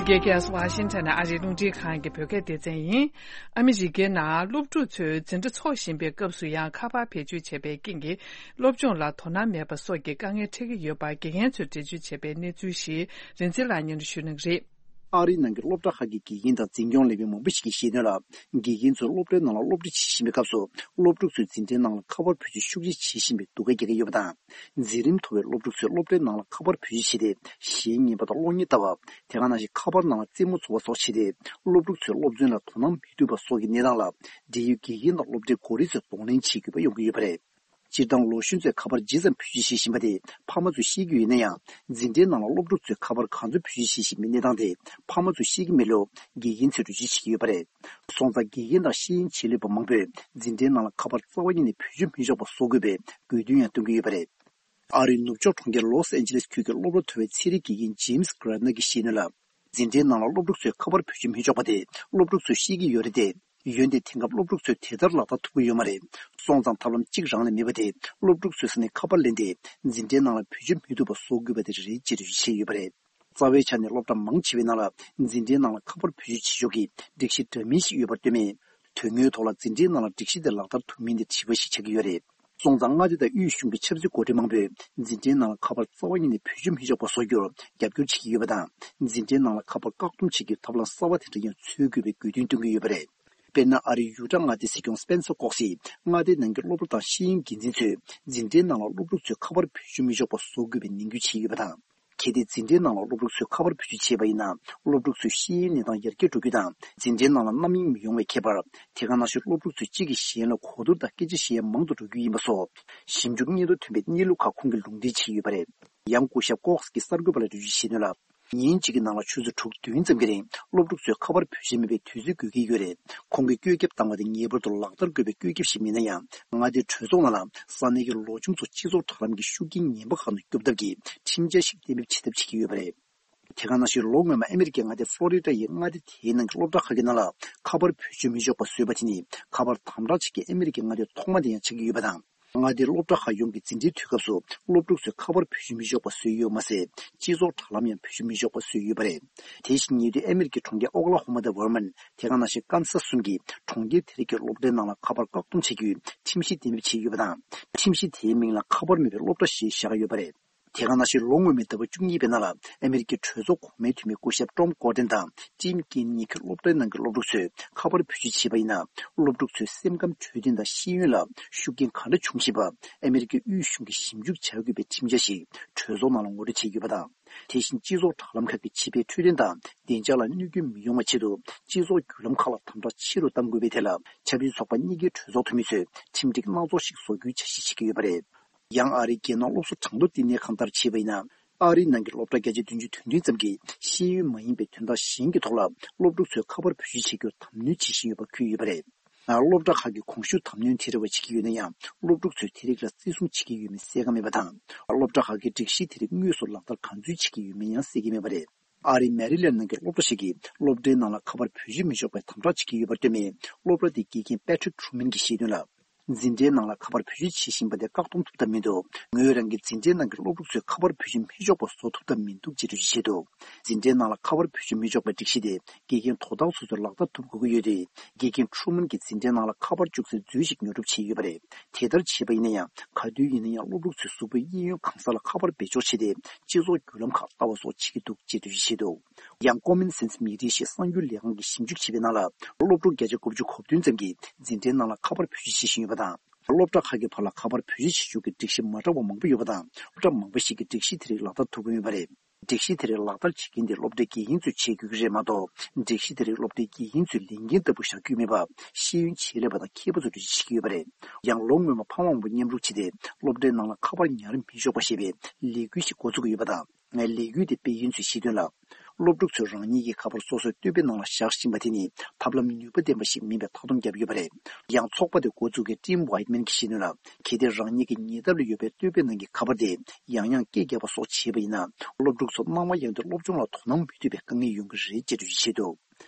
འདི་གའི་ཁ་སང་ཝ་ཤིང་ཊོན་ཨ་རིའི་རླུང་འཕྲིན་ཁང་གི་བོད་སྐད་སྡེ་ཚན་ཡིན། ཨ་མི་རི་ཀའི་ནང་སློབ་ཕྲུག་ཚོས་འཛིན་གྲྭ་འཚོགས་བཞིན་པའི་སྐབས་སུ་ཡང་ཁ་པར་བེད་སྤྱོད་བྱས་པའི་རྐྱེན་གྱིས་སློབ་སྦྱོང་ལ་དོ་སྣང་མེད་པ་སོགས་ཀྱི་དཀའ་ངལ་འཕྲད་ཀྱི་ཡོད་པ་དགེ་རྒན་ཚོས་འགྲེལ་བརྗོད་བྱས་པའི་གནས་ཚུལ་ཞིག་རིན་འཛིན་ལགས་སྙན་སྒྲོན་ཞུ་གནང་གི་རེད། ཨ་རིའི་ནང་གི་སློབ་གྲྭ་ཁག་གི་དགེ་རྒན་དང་འཛིན་སྐྱོང་ལས་མི་མང་པོ་ཞིག་གིས་བཤད་དོན་ལ། དགེ་རྒན་ཚོས་སློབ་གྲྭའི་ནང་ལ་སློབ་ཁྲིད་བྱེད་བཞིན་པའི་སྐབས་སུ། སློབ་ཕྲུག་ཚོས་འཛིན་གྲྭའི་ནང་ལ་ཁ་པར་བེད་སྤྱོད་ཤུགས་ཆེ་བྱེད་བཞིན་པའི་སྡུག་སྐད་རྒྱག་གི་ཡོད་པ་དང་། འཛིན་རིམ་མཐོ་བའི་སློབ་ཕྲུག་ཚོས་སློབ་གྲྭའི་ནང་ལ་ཁ་པར་བེད་སྤྱོད་བྱས་ཏེ། གཞས་ཉན་པ་དང་གློག་བརྙན་ལྟ་བ། དེ་ག་ནང་བཞིན་ཁ་པར་ནང་ལ་རྩེད་མོ་རྩེ་བ་སོགས་བྱས་ཏེ། སློབ་ཕྲུག་ཚོའི་སློབ་ཚན་ལ་དོ་སྣང་མི་ཐུབ་པ་སོགས་ཀྱི་གནས་སྟངས་ལ། འབྲེལ་ཡོད་དགེ་རྒན་དང་སློབ་གྲྭའི་འགོ་ཁྲིད་ཚོས་གདོང་ལེན་བྱེད་དགོས་པ་ཡོང་གི་ཡོད་པ་རེད། སྤྱིར་བཏང་ལོ་གཞོན་ཚོས་ཁ་པར་ཇི་ཙམ་བེད་སྤྱོད་བྱེད་བཞིན་པ་དེ་ཕ་མ་ཚོས་ཤེས་ཀྱི་ཡོད་ན་ཡང་། འཛིན་གྲྭའི་ནང་ལ་སློབ་ཕྲུག་ཚོས་ཁ་པར་ག་ཚོད་བེད་སྤྱོད་བྱེད་བཞིན་པའི་གནས་སྟངས་དེ་ཕ་མ་ཚོས་ཤེས་ཀྱི་མེད་ལུགས་དགེ་རྒན་ཚོས་འགྲེལ་བརྗོད་བྱེད་ཀྱི་ཡོད་པ་རེད། སོང་ཙང་དགེ་རྒན་དང་ཤེས་ཡོན་ཆེད་ལས་པ་མང་པོས་འཛིན་གྲྭའི་ནང་ལ་ཁ་པར་རྩ་བ་ཉིད་ནས་བེད་སྤྱོད་མི་ཆོག་པ་བཟོ་དགོས་པའི་དགོས་འདུན་ཡང་བཏོན་གྱི་ཡོད་པ་རེད། ཨ་རིའི་ནུབ་ཕྱོགས་གྲོང་ཁྱེར་ལོས་ཨན་ཇི་ལེས་ཁུལ་གྱི་སློབ་གྲྭ་མཐོ་བའི་ཚན་རིག་དགེ་རྒན་ཇེམ་སི་གྷ་ར་ནར་གྱིས་བཤད་དོན་ལ། འཛིན་གྲྭའི་ནང་ལ་སློབ་ཕྲུག་ཚོས་ཁ་པར་བེད་སྤྱོད་མི་ཆོག་པ་དེ་སློབ་ཕྲུག་ཚོས་ཤེས་ཀྱི་ཡོད་རེད་དེ། འོན་ཏེ་དེང་སྐབས་སློབ་ཕྲུག་ཚོས་དེ་ལྟར་ལག་བསྟར་ཐུབ་ཀྱི་ཡོད་མ་རེད། སོང་ཙང་ཐབས་ལམ་གཅིག་རང་ལས་མེད་པ་དེ་སློབ་ཕྲུག་ཚོའི་ས་ནས་ཁ་པར་ལེན་ཏེ་འཛིན་གྲྭའི་ནང་ལ་བེད་སྤྱོད་མི་ཐུབ་པ་བཟོ་དགོས་པ་དེ་རེད་ཅེས་འགྲེལ་བརྗོད་བྱས་ཡོད་པ་རེད། རྩ་བའི་ཆ་ནས་སློབ་གྲྭ་མང་ཆེ་བའི་ནང་ལ་འཛིན་གྲྭའི་ནང་ལ་ཁ་པར་བེད་སྤྱོད་བྱེད་ཕྱོགས་ཀྱི་སྒྲིག་གཞི་འདྲ་མིན་ཞིག་ཡོད་པར་ལྟོས་མེད། དོན་དངོས་ཐོག་ལ་འཛིན་གྲྭའི་ནང་ལ་སྒྲིག་གཞི་དེ་ལག་བསྟར་ཐུབ་མིན་དེ་དྲི་བ་ཞིག་ཆགས་ཀྱི་ཡོད་རེད། སོང་ཙང་མངའ་སྡེ་དང་དབུས་གཞུང་གི་ཆབ་སྲིད་འགོ་ཁྲིད་མང་པོས་འཛིན་གྲྭའི་ནང་ལ་ཁ་པར་རྩ་བ་ཉིད་ནས་བེད་སྤྱོད་མི་ཆོག་པ་བཟོ་རྒྱུར་རྒྱབ་སྐྱོར་བྱེད་ཀྱི་ཡོད་པ་དང་། འཛིན་གྲྭའི་ནང་ལ་ཁ་པར་བཀག་སྡོམ་བྱེད་རྒྱུའི་ཐབས་ལམ་གསར་བ་དེ་འདྲ་ཡང་འཚོལ་དགོས་པའི་དགོས་འདུན་བཏོན་གྱི་ཡོད་པ་རེད། དཔེར་ན། ཨ་རིའི་ཡུ་ཊ་མངའ་སྡེའི་སྲིད་སྐྱོང་སྤེན་སར་ཀོག་སིས་མངའ་སྡེའི་ནང་གི་སློབ་གྲྭ་དང་ཤེས་ཡོན་འགན་འཛིན་ཚོས་འཛིན་གྲྭའི་ནང་ལ་སློབ་ཕྲུག་ཚོས་ཁ་པར་བེད་སྤྱོད་མི་ཆོག་པ་བཟོ་དགོས་པའི་ནན་སྐུལ་བྱས་ཡོད་པ་དང་། གལ་ཏེ་འཛིན་གྲྭའི་ནང་ལ་སློབ་ཕྲུག་ཚོས་ཁ་པར་བེད་སྤྱོད་བྱས་པ་ཡིན་ན། སློབ་ཕྲུག་ཚོའི་ཤེས་ཡོན་གནས་སྟངས་ཡར་རྒྱས་འགྲོ་རྒྱུ་དང་། འཛིན་གྲྭའི་ནང་ལ་རྣམ་གཡེང་མི་ཡོང་བའི་ཁྱད་པར། དེ་ག་ནང་བཞིན་སློབ་ཕྲུག་ཚོས་གཅིག་གིས་གཞན་ལ་གོ་བསྡུར་དང་སྐད་ཆ་བཤད་ཡ་མང་དུ་འགྲོ་རྒྱུ་ཡིན་པ་སོགས། ཞིབ་འཇུག་སྙིང་སྟོབས་ཐོན་པའི་གནས་ལུགས་ཁག་ཁོང་གིས་ལུང་འདྲེན་བྱས་ཡོད་པ་རེད། ཡང་སྐུ་ཞབས་ཀོག་སི་གིས་གསར་འགོད་པ་ལ་འགྲེལ་བརྗོད་བྱས་དོན་ལ། ཉིན་གཅིག་གི་ནང་ལ་ཆུ་ཚོད་དྲུག་བདུན་ཙམ་གྱི་རིང་སློབ་ཕྲུག་ཚོས་ཁ་པར་བེད་སྤྱོད་མེད་པའི་དུས་ཚོད་དགོས་ཀྱི་ཡོད་རེད། ཁོང་གིས་བཀོད་ཁྱབ་བཏང་བ་དེ་ངེས་པར་དུ་ལག་བསྟར་དགོས་པའི་བཀོད་ཁྱབ་ཞིག་མིན་ན་ཡང་། མངའ་སྡེའི་གྲོས་ཚོགས་ནང་ལ་ས་གནས་ཀྱི་ལོ་ཆུང་ཚོ་སྤྱི་ཚོགས་དྲ་ལམ་གྱི་ཤུགས་རྐྱེན་ངན་པ་ཁག་ནས་སྐྱོབ་ཐབས་ཀྱི་ཁྲིམས་འཆར་ཞིག་གཏན་འབེབས་བྱེད་ཐབས་བྱེད་ཀྱི་ཡོད་པ་རེད། དེ་ག་ནང་བཞིན་ལོ་སྔོན་མ་ཨ་མེ་རི་ཀའི་མངའ་སྡེ་ཕློ་རི་ཌ་ཡི་མངའ་སྡེ་དེའི་ནང་གི་སློབ་གྲྭ་ཁག་གི་ནང་ལ་ཁ་པར་བེད་སྤྱོད་མི་ཆོག་པ་བཟོས་པ་དེ་ནི་ཁ་པར་དམ་དྲག་བྱེད་མཁན་ཨ་མེ་རི་ཀའི་མངའ་སྡེ་ཐོག་མ་དེ་ཡང་ཆགས་ཀྱི་ཡོད་པ་དང་། མངའ་སྡེའི་སློབ་གྲྭ་ཁག་ཡོངས་ཀྱི་འཛིན་གྲྭའི་དུས་སྐབས་སུ་སློབ་ཕྲུག་ཚོས་ཁ་པར་བེད་སྤྱོད་མི་ཆོག་པ་བཟོས་ཡོད་མ་ཟད། སྤྱི་ཚོགས་དྲ་ལམ་ཡང་བེད་སྤྱོད་མི་ཆོག་པ་བཟོས་ཡོད་པ་རེད། དེ་བཞིན་ཉེ་དུས་ཨ་མེ་རི་ཀའི་གྲོང་ཁྱེར་ཨོ་ཀ་ལ་ཧོ་མ་དང་ཝར་མན། དེ་ག་ནང་བཞིན་ཀན་སཱ་སི་གསུམ་གྱི་གྲོང་ཁྱེར་དེ་རིགས་ཀྱི་སློབ་གྲྭའི་ནང་ལ་ཁ་པར་བཀག་སྡོམ་བྱེད་རྒྱུའི་ཁྲིམས་གཞི་གཏན་འབེབས་བྱས་ཡོད་པ་དང་། ཁྲིམས་གཞི་དེའི་མིང་ལ་ཁ་པར་མེད་པའི་སློབ་གྲྭ་ཞེས་བཞག་ཡོད་པ་རེད། དེ་ག་ནང་བཞིན་ལོ་སྔོན་མའི་ཟླ་བ་བཅུ་གཉིས་པའི་ནང་ལ་ཨ་མེ་རི་ཀའི་གྲོས་ཚོགས་གོང་མའི་འཐུས་མི་སྐུ་ཞབས་ཀྲོམ་ཀོར་ཏན་དང་ཊིམ་ཀིན་གཉིས་ཀྱིས་སློབ་གྲྭའི་ནང་གི་སློབ་ཕྲུག་ཚོས་ཁ་པར་བེད་སྤྱོད་བྱས་པ་ཡིན་ན། སློབ་ཕྲུག་ཚོའི་སེམས་ཁམས་འཕྲོད་བསྟེན་དང་ཤེས་ཡོན་ལ་ཤུགས་རྐྱེན་ག་འདྲ་བྱུང་བཞིན་པ་ཨ་མེ་རི་ཀའི་དབུས་གཞུང་གིས་ཞིབ་འཇུག་བྱ་དགོས་པའི་ཁྲིམས་འཆར་ཞིག་གྲོས་ཚོགས་ནང་ལ་ངོ་སྤྲོད་བྱས་ཡོད་པ་དང་། དེ་བཞིན་སྤྱི་ཚོགས་དྲ་ལམ་ཁག་གི་བྱིས་པའི་འཕྲོད་བསྟེན་དང་བདེ་འཇགས་ལ་གནོད་སྐྱོན་མི་ཡོང་བ་ཆེད་དུ་སྤྱི་ཚོགས་བརྒྱུད་ལམ་ཁག་ལ་དམ་དྲག་ཆེ་རུ་གཏང་དགོས་པའི་ཐད་ལ་ཆབ་སྲིད་ཚོགས་པ་གཉིས་ཀའི་གྲོས་ཚོགས་འཐུས་མི་ཚོས་ཁྲིམས་སྒྲིག་སྣ་ཚོགས་ཤིག་བཟོ་རྒྱུའི་འཆར་གཞི་བྱེད་ཀྱི་ཡོད་པ་རེད། ཡང་ཨ་རིའི་རྒྱལ་ནང་སློབ་གསོ་གྲངས་ཐོ་བསྟི་གནས་ཁང་ལྟར་བྱས་པ་ཡིན་ན། ཨ་རིའི་ནང་གི་སློབ་གྲྭ་བརྒྱ་ཆ་བདུན་ཅུ་དོན་བདུན་ཙམ་གྱིས་ཤེས་ཡོན་མ་ཡིན་པའི་དོན་དག་གཞན་གྱི་ཐོག་ལ་སློབ་ཕྲུག་ཚོས་ཁ་པར་བེད་སྤྱོད་བྱེད་རྒྱུར་དམ་གནོན་བྱེད་བཞིན་ཡོད་པ་འཁོད་ཡོད་པ་རེད། སློབ་གྲྭ་ཁག་གིས་གོང་ཞུས་དམ་གནོན་དེ་འདྲ་བ་བྱེད་ཀྱི་ཡོད་ན་ཡང་། སློབ་ཕྲུག་ཚོས་དེ་རིགས་ལ་བརྩི་སྲུང་བྱེད་ཀྱི་ཡོད་མེད་གསལ་ཁ་མེད་པ་དང་། སློབ་གྲྭ་ཁག་གིས་སྒྲིག་གཞི་དེ་རིགས་དངོས་སུ་ལག་བསྟར་ག་ཚོད་བྱེད་ཀྱི་ཡོད་མེད་ཡང་གསལ་གྱི་མེད་པ་རེད། ཨ་རིའི་མེ་རི་ལན་ནང་གི་སློབ་གྲྭ་ཞིག་གིས་སློབ་གྲྭའི་ནང་ལ་ཁ་པར་བེད་སྤྱོད་མི་ཆོག་པའི་དམ་དྲག་བྱེད་ཀྱི་ཡོད་པར་ལྟོས་མེད། སློབ་གྲྭ་དེའི་དགེ་རྒན་པེ་ཊི་རིག་ཁྲུ་མན་གྱིས་བཤད་དོན་ལ། འཛིན་གྲྭའི་ནང་ལ་ཁ་པར་བེད་སྤྱོད་བྱེད་བཞིན་པ་དེ་བཀག་སྡོམ་ཐུབ་ཐབས་མི་འདུག་ངོས་རང་གིས་འཛིན་གྲྭའི་ནང་གི་སློབ་ཕྲུག་ཚོས་ཁ་པར་བེད་སྤྱོད་མི་ཆོག་པ་བཟོ་ཐུབ་ཐབས་མི་འདུག་ཅེས་འགྲེལ་བརྗོད་བྱས་འདུག་འཛིན་གྲྭའི་ནང་ལ་ཁ་པར་བེད་སྤྱོད་མི་ཆོག་པའི་སྒྲིག་གཞི་དེ་དགེ་རྒན་དོ་བདག་སོ་སོས་ལག་བསྟར་ཐུབ་དགོས་ཀྱི་ཡོད་དུས། དགེ་རྒན་ཁྲུ་མན་གྱིས་འཛིན་གྲྭའི་ནང་ལ་ཁ་པར་བཅུག་སའི་མཛོད་ཞིག་ཉོ་སྒྲུབ་བྱས་ཡོད་པ་རེད། དེ་ལྟར་བྱས་པ་ཡིན་ན་ཡང་། ག་དུས་ཡིན་ན་ཡང་སློབ་ཕྲུག་ཚོས་གཟུགས་པོའི་གཡས་གཡོན་གང་ས་ལ་ཁ་པར་སྦས་འཇོག་བྱས་ཏེ། སྤྱི་ཚོགས་བརྒྱུད་ལམ་ཁག་ལྟ་བ་སོགས་བྱེད་ཀྱི་འདུག་ཅེས་འགྲེལ་བརྗོད་བྱས་འདུག་ཡང་ཀོ་མན་སེན་སི་མི་ཌི་ཞེས་གསར་འགྱུར་ལས་ཁང་གིས་ཞིབ་འཇུག་བྱས་པའི་ནང་ལ། སློབ་ཕྲུག་བརྒྱ་ཆ་དགུ་བཅུ་གོ་བདུན་ཙམ་གྱིས་འཛིན་གྲྭའི་ནང་ལ་ཁ་པར་བེད་སྤྱོད་བྱེད་བཞིན་ཡོད་པ་དང་། སློབ་གྲྭ་ཁག་གི་བར་ལ་ཁ་པར་བེད་སྤྱོད་བྱེད་ཕྱོགས་ཀྱི་སྒྲིག་གཞི་མ་འདྲ་བ་མང་པོ་ཡོད་པ་དང་། སློབ་གྲྭ་མང་པོ་ཞིག་གིས་སྒྲིག་གཞི་དེ་རིགས་ལག་བསྟར་ཐུབ་ཀྱི་མེད་པ་རེད། སྒྲིག་གཞི་དེ་རིགས་ལག་བསྟར་བྱེད་མཁན་དེ་སློབ་གྲྭའི་དགེ་རྒན་ཚོས་བྱེད་དགོས་ཀྱི་རེད་མ་གཏོགས། སྒྲིག་གཞི་དེ་རིགས་སློབ་གྲྭའི་དགེ་རྒན་ཚོས་ལས་འགན་ལྟ་བུ་བཞག་རྒྱུ་མེད་པ། ཤེས་ཡོན་ཆེད་ལས་པ་དང་མཁས་པ་ཚོས་འགྲེལ་བརྗོད་བྱེད་ཀྱི་ཡོད་པ་རེད། ཡང་ལོ་སྔོན་མ་ཕ་མ་མང་པོ་མཉམ་རུབ་བྱས་ཏེ། སློབ་གྲྭའི་ནང་ལ་ཁ་པར་ཉར་མི་ཆོག་པ་ཞེས་པའི་ལས་འགུལ་ཞིག་འགོ་འཛུགས་ཀྱི་ཡོད་པ་དང་། ལས་འགུལ་དེ་སྤེལ་མཁན་ཚོས་བཤད་དོན་ལ། སློབ་ཕྲུག་ཚོས་རང་ཉིད་ཀྱི་ཁ་པར་སོ་སོའི་ལྟོས་དཔེ་ནང་ལ་བཞག་བཞིན་པ་དེ་ནི། ཐབས་ལམ་ནུས་པ་ལྡན་པ་ཞིག་མིན་པའི་མཐའ་སྡོམ་བརྒྱབ་ཡོད་པ་རེད། ཡང་ཚོགས་པ་དེ་འགོ་འཛུགས་མཁན་ཊིམ་ཝའིཊ་མན་གྱིས་བཤད་དོན་ལ། གལ་ཏེ་རང་ཉིད་ཀྱི་ཉེ་འདབས་ལ་ཡོད་པའི་ལྟོས་དཔེ་ནང་གི་ཁ་པར་དེ་ཡང་ཡང་སྐད་རྒྱབ་པ་སོགས་བྱས་པ་ཡིན་ན། སློབ་ཕྲུག་ཚོ་སྣང་བ་ཡངས་ཏེ་སློབ་སྦྱོང་ལ་དོ་སྣང་མི་ཐུབ་པའི་དཀའ་ངལ་ཡོང་གི་རེད་ཅེས་འགྲེལ་བརྗོད་བྱས་འདུག་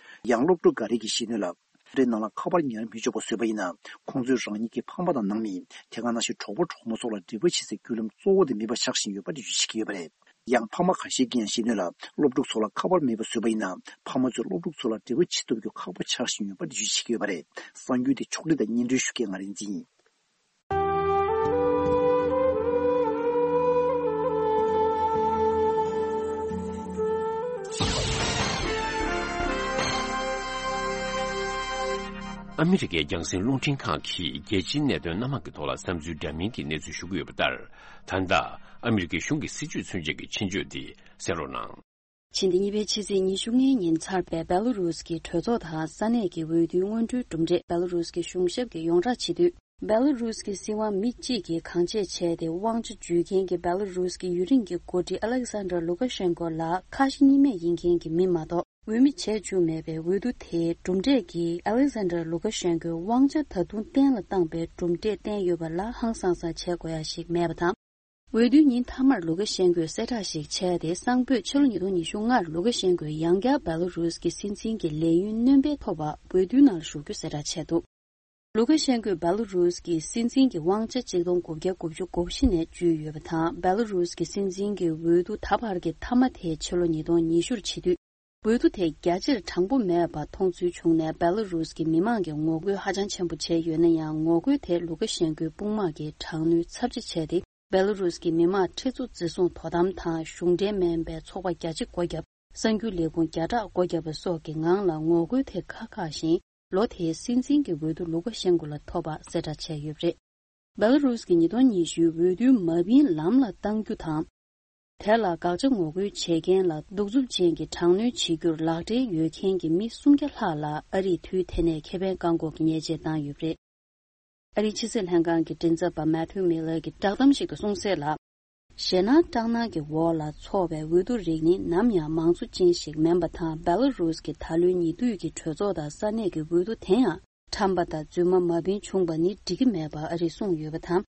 ཡང་སློབ་ཕྲུག་འགའ་རེ་གིས་བཤད་དོན་ལ། སློབ་གྲྭའི་ནང་ལ་ཁ་པར་ཉར་མི་ཆོག་པ་བཟོས་པ་ཡིན་ན། ཁོང་ཚོས་རང་ཉིད་ཀྱི་ཕ་མ་དང་ནང་མི། དེ་ག་ནང་བཞིན་གྲོགས་པོ་གྲོགས་མོ་སོགས་ལ་འབྲེལ་བ་བྱེད་སའི་བརྒྱུད་ལམ་གཙོ་བོ་དེ་མེད་པ་ཆགས་བཞིན་ཡོད་པ་འགྲེལ་བརྗོད་བྱེད་ཀྱི་ཡོད་པ་རེད། ཡང་ཕ་མ་ཁ་ཤས་ཀྱིས་ཡང་བཤད་དོན་ལ། སློབ་ཕྲུག་ཚོ་ལ་ཁ་པར་མེད་པ་བཟོས་པ་ཡིན་ན། ཕ་མ་ཚོས་སློབ་ཕྲུག་ཚོ་ལ་འབྲེལ་བ་བྱེད་ཐུབ་རྒྱུ་ཁག་པོ་ཆགས་བཞིན་ཡོད་པ་འགྲེལ་བརྗོད་བྱེད་ཀྱི་ཡོད་པ་རེད། གསར་འགྱུར་དེ་ཕྱོགས་སྒྲིག་དང་སྙན་སྒྲོན་ཞུ་མཁན་ང་རིག་འཛིན་ཡིན། ཨ་མི་རི་ཀའི་རྒྱང་སྲིང་རླུང་འཕྲིན་ཁང་གིས་རྒྱལ་སྤྱིའི་གནད་དོན་སྣ་མང་གི་ཐོག་ལ་བསམ་ཚུལ་འདྲ་མིན་གྱི་གནས་ཚུལ་ཞུ་གི་ཡོད་པ་ལྟར། ད་ལྟ་ཨ་མི་རི་ཀའི་གཞུང་གི་སྲིད་བྱུས་མཚོན་བྱེད་ཀྱི་ཆེད་བརྗོད་འདི་གསན་རོགས་གནང་། ཕྱི་ཟླ་གཉིས་པའི་ཕྱི་ཚེས་ཉི་ཤུ་ལྔའི་ཉིན་ཚར་བའི་བེ་ལ་རུས་ཀྱི་གྲོས་ཚོགས་དང་ས་གནས་ཀྱི་འོས་བསྡུའི་སྔོན་འགྲོའི་གྲུབ་འབྲས་བེ་ལ་རུས་ཀྱི་གཞུང་ཞབས་ཀྱིས་ཡོངས་བསྒྲགས་བྱེད་དུས། བེ་ལ་རུས་ཀྱི་སྲིད་དབང་མི་གཅིག་གིས་གང་བྱས་བྱས་ཏེ་དབང་ཆ་འཇུས་མཁན་གྱི་བེ་ལ་རུས་ཀྱི་ཡུན་རིང་གི་འགོ་ཁྲིད་ཨ་ལེག་སན་ཌར་ལུ་ཀ་ཤན་ཀོ་ལགས་ཁ་ཞེ་གཉིས་མེད་ཡིན་མཁན་གྱི་མི་མ་གཏོགས། འོས་མི་བྱས་བཅུག་མེད་པའི་འོས་བསྡུ་དེའི་གྲུབ་འབྲས་ཀྱིས་ཨ་ལེག་སན་ཌར་ལུ་ཀ་ཤན་ཀོའི་དབང་ཆ་ད་དུང་གཏན་ལ་བཏང་པའི་གྲུབ་འབྲས་བསྟན་ཡོད་པ་ལ་ཧང་སང་སང་བྱེད་དགོས་ཡ་ཞིག་མེད་པ་དང་། འོས་བསྡུའི་ཉིན་མཐའ་མར་ལུ་ཀ་ཤན་ཀོས་གསལ་བསྒྲགས་ཤིག་བྱས་ཏེ། གསང་ཕོད་ཕྱི་ལོ་ཉིས་སྟོང་ཉི་ཤུ་ལྔར་ལུ་ཀ་ཤན་ཀོས་ཡང་བསྐྱར་བེ་ལ་རུས་ཀྱི་སྲིད་འཛིན་གྱི་ལས་ཡུན་སྣོན་སྤེལ་ཐོབ་པ་འོས་བསྡུའི་ནང་ཞུགས་རྒྱུ་གསལ་བསྒྲགས་བྱས་འདུག་ལུ་ཀ་ཤན་ཀོས་བེ་ལ་རུས་ཀྱི་སྲིད་འཛིན་གྱི་དབང་ཆ་གཅིག་སྟོང་དགུ་བརྒྱ་དགུ་བཅུ་གོ་བཞི་ནས་བརྒྱུད་ཡོད་པ་དང་། བེ་ལ་རུས་ཀྱི་སྲིད་འཛིན་གྱི་འོས་བསྡུ་ད་བར་གྱི་མཐའ་མ་དེ་ཕྱི་ལོ་ཉིས་སྟོང་ཉི་ཤུར་བྱེད་དུས། འོས་བསྡུ་དེ་རྒྱ་ཆེར་དྲང་པོ་མེད་པ་མཐོང་ཚུལ་བྱུང་ནས། སྦེ་ལ་རུས་ཀྱི་མི་མང་གིས་ངོ་རྒོལ་ཧ་ཅང་ཆེན་པོ་བྱས་ཡོད་ན་ཡང་། ངོ་རྒོལ་དེ་ལུ་ཀ་ཤན་ཀོའི་དཔུང་དམག་གིས་དྲག་གནོན་ཚབས་ཆེ་བྱས་ཏེ། སྦེ་ལ་རུས་ཀྱི་མི་དམངས་ཁྲི་ཚོ་འཛིན་བཟུང་དོ་དམ་དང་། གཞུང་འབྲེལ་མིན་པའི་ཚོགས་པ་བརྒྱ་ཆ་སྒོ་བརྒྱབ། གསར་འགྱུར་ལས་ཁུངས་བརྒྱ་ཕྲག་སྒོ་བརྒྱབ་པ་སོགས་ཀྱི་ངང་ལ་ངོ་རྒོལ་དེ་ཁ་ཁག་བཞིན། ལོ་དེའི་སྲིད་འཛིན་གྱི་འོས་བསྡུ་ལུ་ཀ་ཤན་ཀོ་ལ་ཐོབ་པ་གསལ་བསྒྲགས་བྱས་ཡོད་པ་རེད། སྦེ་ལ་རུས་ཀྱི་ཉིས་སྟོང་ཉི་ཤུའི་འོས་བསྡུའི་མ་བིན་ལམ་ལ་གཏང་རྒྱུ་དང་། དེ་ལ་དགག་བྱ་ངོ་རྒོལ་བྱེད་མཁན་ལ་གདུག་རྩུབ་ཅན་གྱི་དྲག་གནོན་བྱེད་རྒྱུར་ལག་འབྲེལ་ཡོད་མཁན་གྱི་མི་སུམ་བརྒྱ་ལྷག་ལ་ཨ་རིས་དུས་དེ་ནས་ཁེ་ཕན་བཀག་འགོག་གི་ཉེས་ཆད་བཏང་ཡོད་པ་རེད། ཨ་རིའི་ཕྱི་སྲིད་ལྷན་ཁང་གི་མགྲིན་ཚབ་པ་མེ་ཐིའུ་མི་ལར་གྱིས་བསྒྲགས་གཏམ་ཞིག་ཏུ་གསུངས་གསལ་ལ། ཞེད་སྣང་སྐྲག་སྣང་གི་འོག་ལ་འཚོགས་པའི་འོས་བསྡུ་རིགས་ནི་ནམ་ཡང་མང་གཙོ་ཅན་ཞིག་མིན་པ་དང་། སྦེ་ལ་རུས་ཀྱི་ད་ལོའི་ཉེ་དུས་ཀྱི་གྲོས་ཚོགས་དང་ས་གནས་ཀྱི་འོས་བསྡུ་དེ་ཡང་ཁྲམ་པ་དང་རྫུན་མ་མ་བིན་བྱུང་པ་ནི་འགྲིག་གི་མེད་པ་ཨ་རིས་གསུངས་ཡོད་པ་དང་།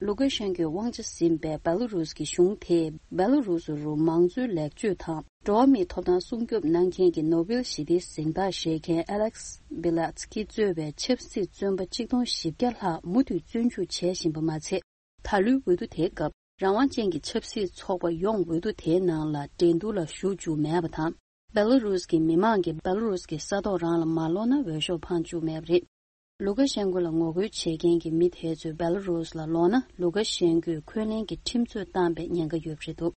ལུ་ཀ་ཤན་ཀོའི་དབང་ཆ་ཟིན་པའི་སྦེ་ལ་རུས་ཀྱི་གཞུང་དེས་སྦེ་ལ་རུས་རུ་མང་གཙོའི་ལེགས་བཅོས་དང་། འགྲོ་བ་མིའི་ཐོབ་ཐང་སྲུང་སྐྱོབ་གནང་མཁན་གྱི་ནོ་བེལ་ཞི་བདེའི་གཟེངས་རྟགས་བཞེས་མཁན་ཨ་ལེག་སི་བྷི་ལ་ཚི་ཀི་གཙོས་པའི་ཆབ་སྲིད་བཙོན་པ་ཆིག་སྟོང་བཞི་བརྒྱ་ལྷག་མུ་མཐུད་བཙོན་འཇུག་བྱེད་བཞིན་པ་མ་ཚད། ད་ལོའི་འོས་བསྡུ་དེའི་སྐབས་རང་དབང་ཅན་གྱི་ཆབ་སྲིད་ཚོགས་པ་ཡོངས་འོས་བསྡུ་དེའི་ནང་ལ་འགྲན་བསྡུར་ལ་ཞུགས་བཅུག་མེད་པ་དང་། སྦེ་ལ་རུས་ཀྱི་མི་མང་གིས་སྦེ་ལ་རུས་ཀྱི་ས་ཐོག་རང་ལ་མ་སློག་ན་འོས་ཤོག་འཕང་བཅུག་མེད་པ་རེད། ལུ་ཀ་ཤན་ཀོ་ལ་ངོ་རྒོལ་བྱེད་མཁན་གྱི་མི་དེ་ཚོས་སྦེ་ལ་རུས་ལ་ལོག་ན། ལུ་ཀ་ཤན་ཀོས་འཁོན་ལན་གྱི་ཁྲིམས་རྩོད་བཏང་པའི་ཉེན་ཁ་ཡོད་པ་རེད་འདུག་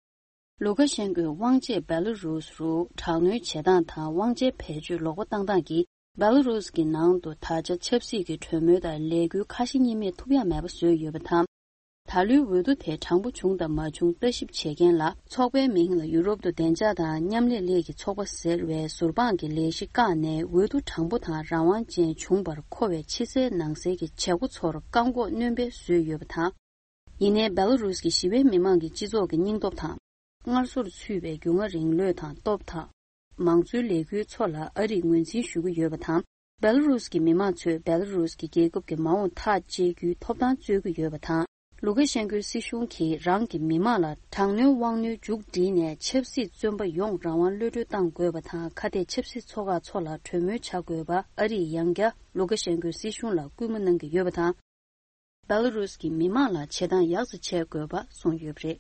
ལུ་ཀ་ཤན་ཀོས་དབང་ཆས་སྦེ་ལ་རུས་རུ་དྲག་གནོན་བྱེད་སྟངས་དང་དབང་ཆའི་བེད་སྤྱོད་ལོག་པ་བཏང་སྟངས་ཀྱིས། སྦེ་ལ་རུས་ཀྱི་ནང་དུ་ད་ཆ་ཆབ་སྲིད་ཀྱི་གྲོས་མོལ་དང་ལས་འགུལ་ཁ་ཞེ་གཉིས་མེད་ཐུབ་ཡག་མེད་པ་བཟོས་ཡོད་པ་དང་། ད་ལོའི་འོས་བསྡུ་དེ་དྲང་པོ་བྱུང་དང་མ་བྱུང་ལྟ་ཞིབ་བྱེད་མཁན་ལ། ཚོགས་པའི་མིང་ལ་ཡུ་རོབ་ཏུ་བདེ་འཇགས་དང་མཉམ་ལས་གླེང་གི་ཚོགས་པ་ཟེར་བའི་ཟུར་དཔང་གི་ལས་གཞི་བཀག་ནས། འོས་བསྡུ་དྲང་པོ་དང་རང་དབང་ཅན་བྱུང་བར་མཁོ་བའི་ཕྱི་གསལ་ནང་གསལ་གྱི་བྱེད་སྒོ་ཚོར་བཀག་འགོག་སྣོན་པ་བཟོས་ཡོད་པ་དང་། ཡིན་ནའི་སྦེ་ལ་རུས་ཀྱི་ཞི་བའི་མི་མང་གི་སྤྱི་ཚོགས་ཀྱི་སྙིང་སྟོབས་དང་། སྔར་སྲོལ་ཚུད་པའི་རྒྱུས་མངའ་རིང་ལུགས་དང་སྟོབས་དང་། མང་གཙོའི་ལས་འགུལ་ཚོ་ལ་ཨ་རིས་ངོས་འཛིན་ཞུ་གི་ཡོད་པ་དང་། སྦེ་ལ་རུས་ཀྱི་མི་མང་ཚོས་སྦེ་ལ་རུས་ཀྱི་རྒྱལ་ཁབ་ཀྱི་མ་འོངས་ཐག་གཅོད་རྒྱུའི་ཐོབ་ཐང་རྩོད་ཀྱི་ཡོད་པ་དང་། ལུ་ཀ་ཤན་ཀོའི་སྲིད་གཞུང་གིས་རང་གི་མི་མང་ལ་དྲག་གནོན་དབང་གནོན་མཇུག་སྒྲིལ་ནས། ཆབ་སྲིད་བཙོན་པ་ཡོངས་རང་དབང་གློད་གྲོལ་གཏང་དགོས་པ་དང་། ཁ་གཏད་ཆབ་སྲིད་ཚོགས་ཁག་ཚོ་ལ་གྲོས་མོལ་བྱ་དགོས་པ་ཨ་རིས་ཡང་བསྐྱར་ལུ་ཀ་ཤན་ཀོའི་སྲིད་གཞུང་ལ་སྐུལ་མ་གནང་གི་ཡོད་པ་དང་། སྦེ་ལ་རུས་ཀྱི་མི་མང་ལ་བྱེད་སྟངས་ཡག་ཙམ་བྱེད་དགོས་པ་གསུངས་ཡོད་པ་རེད།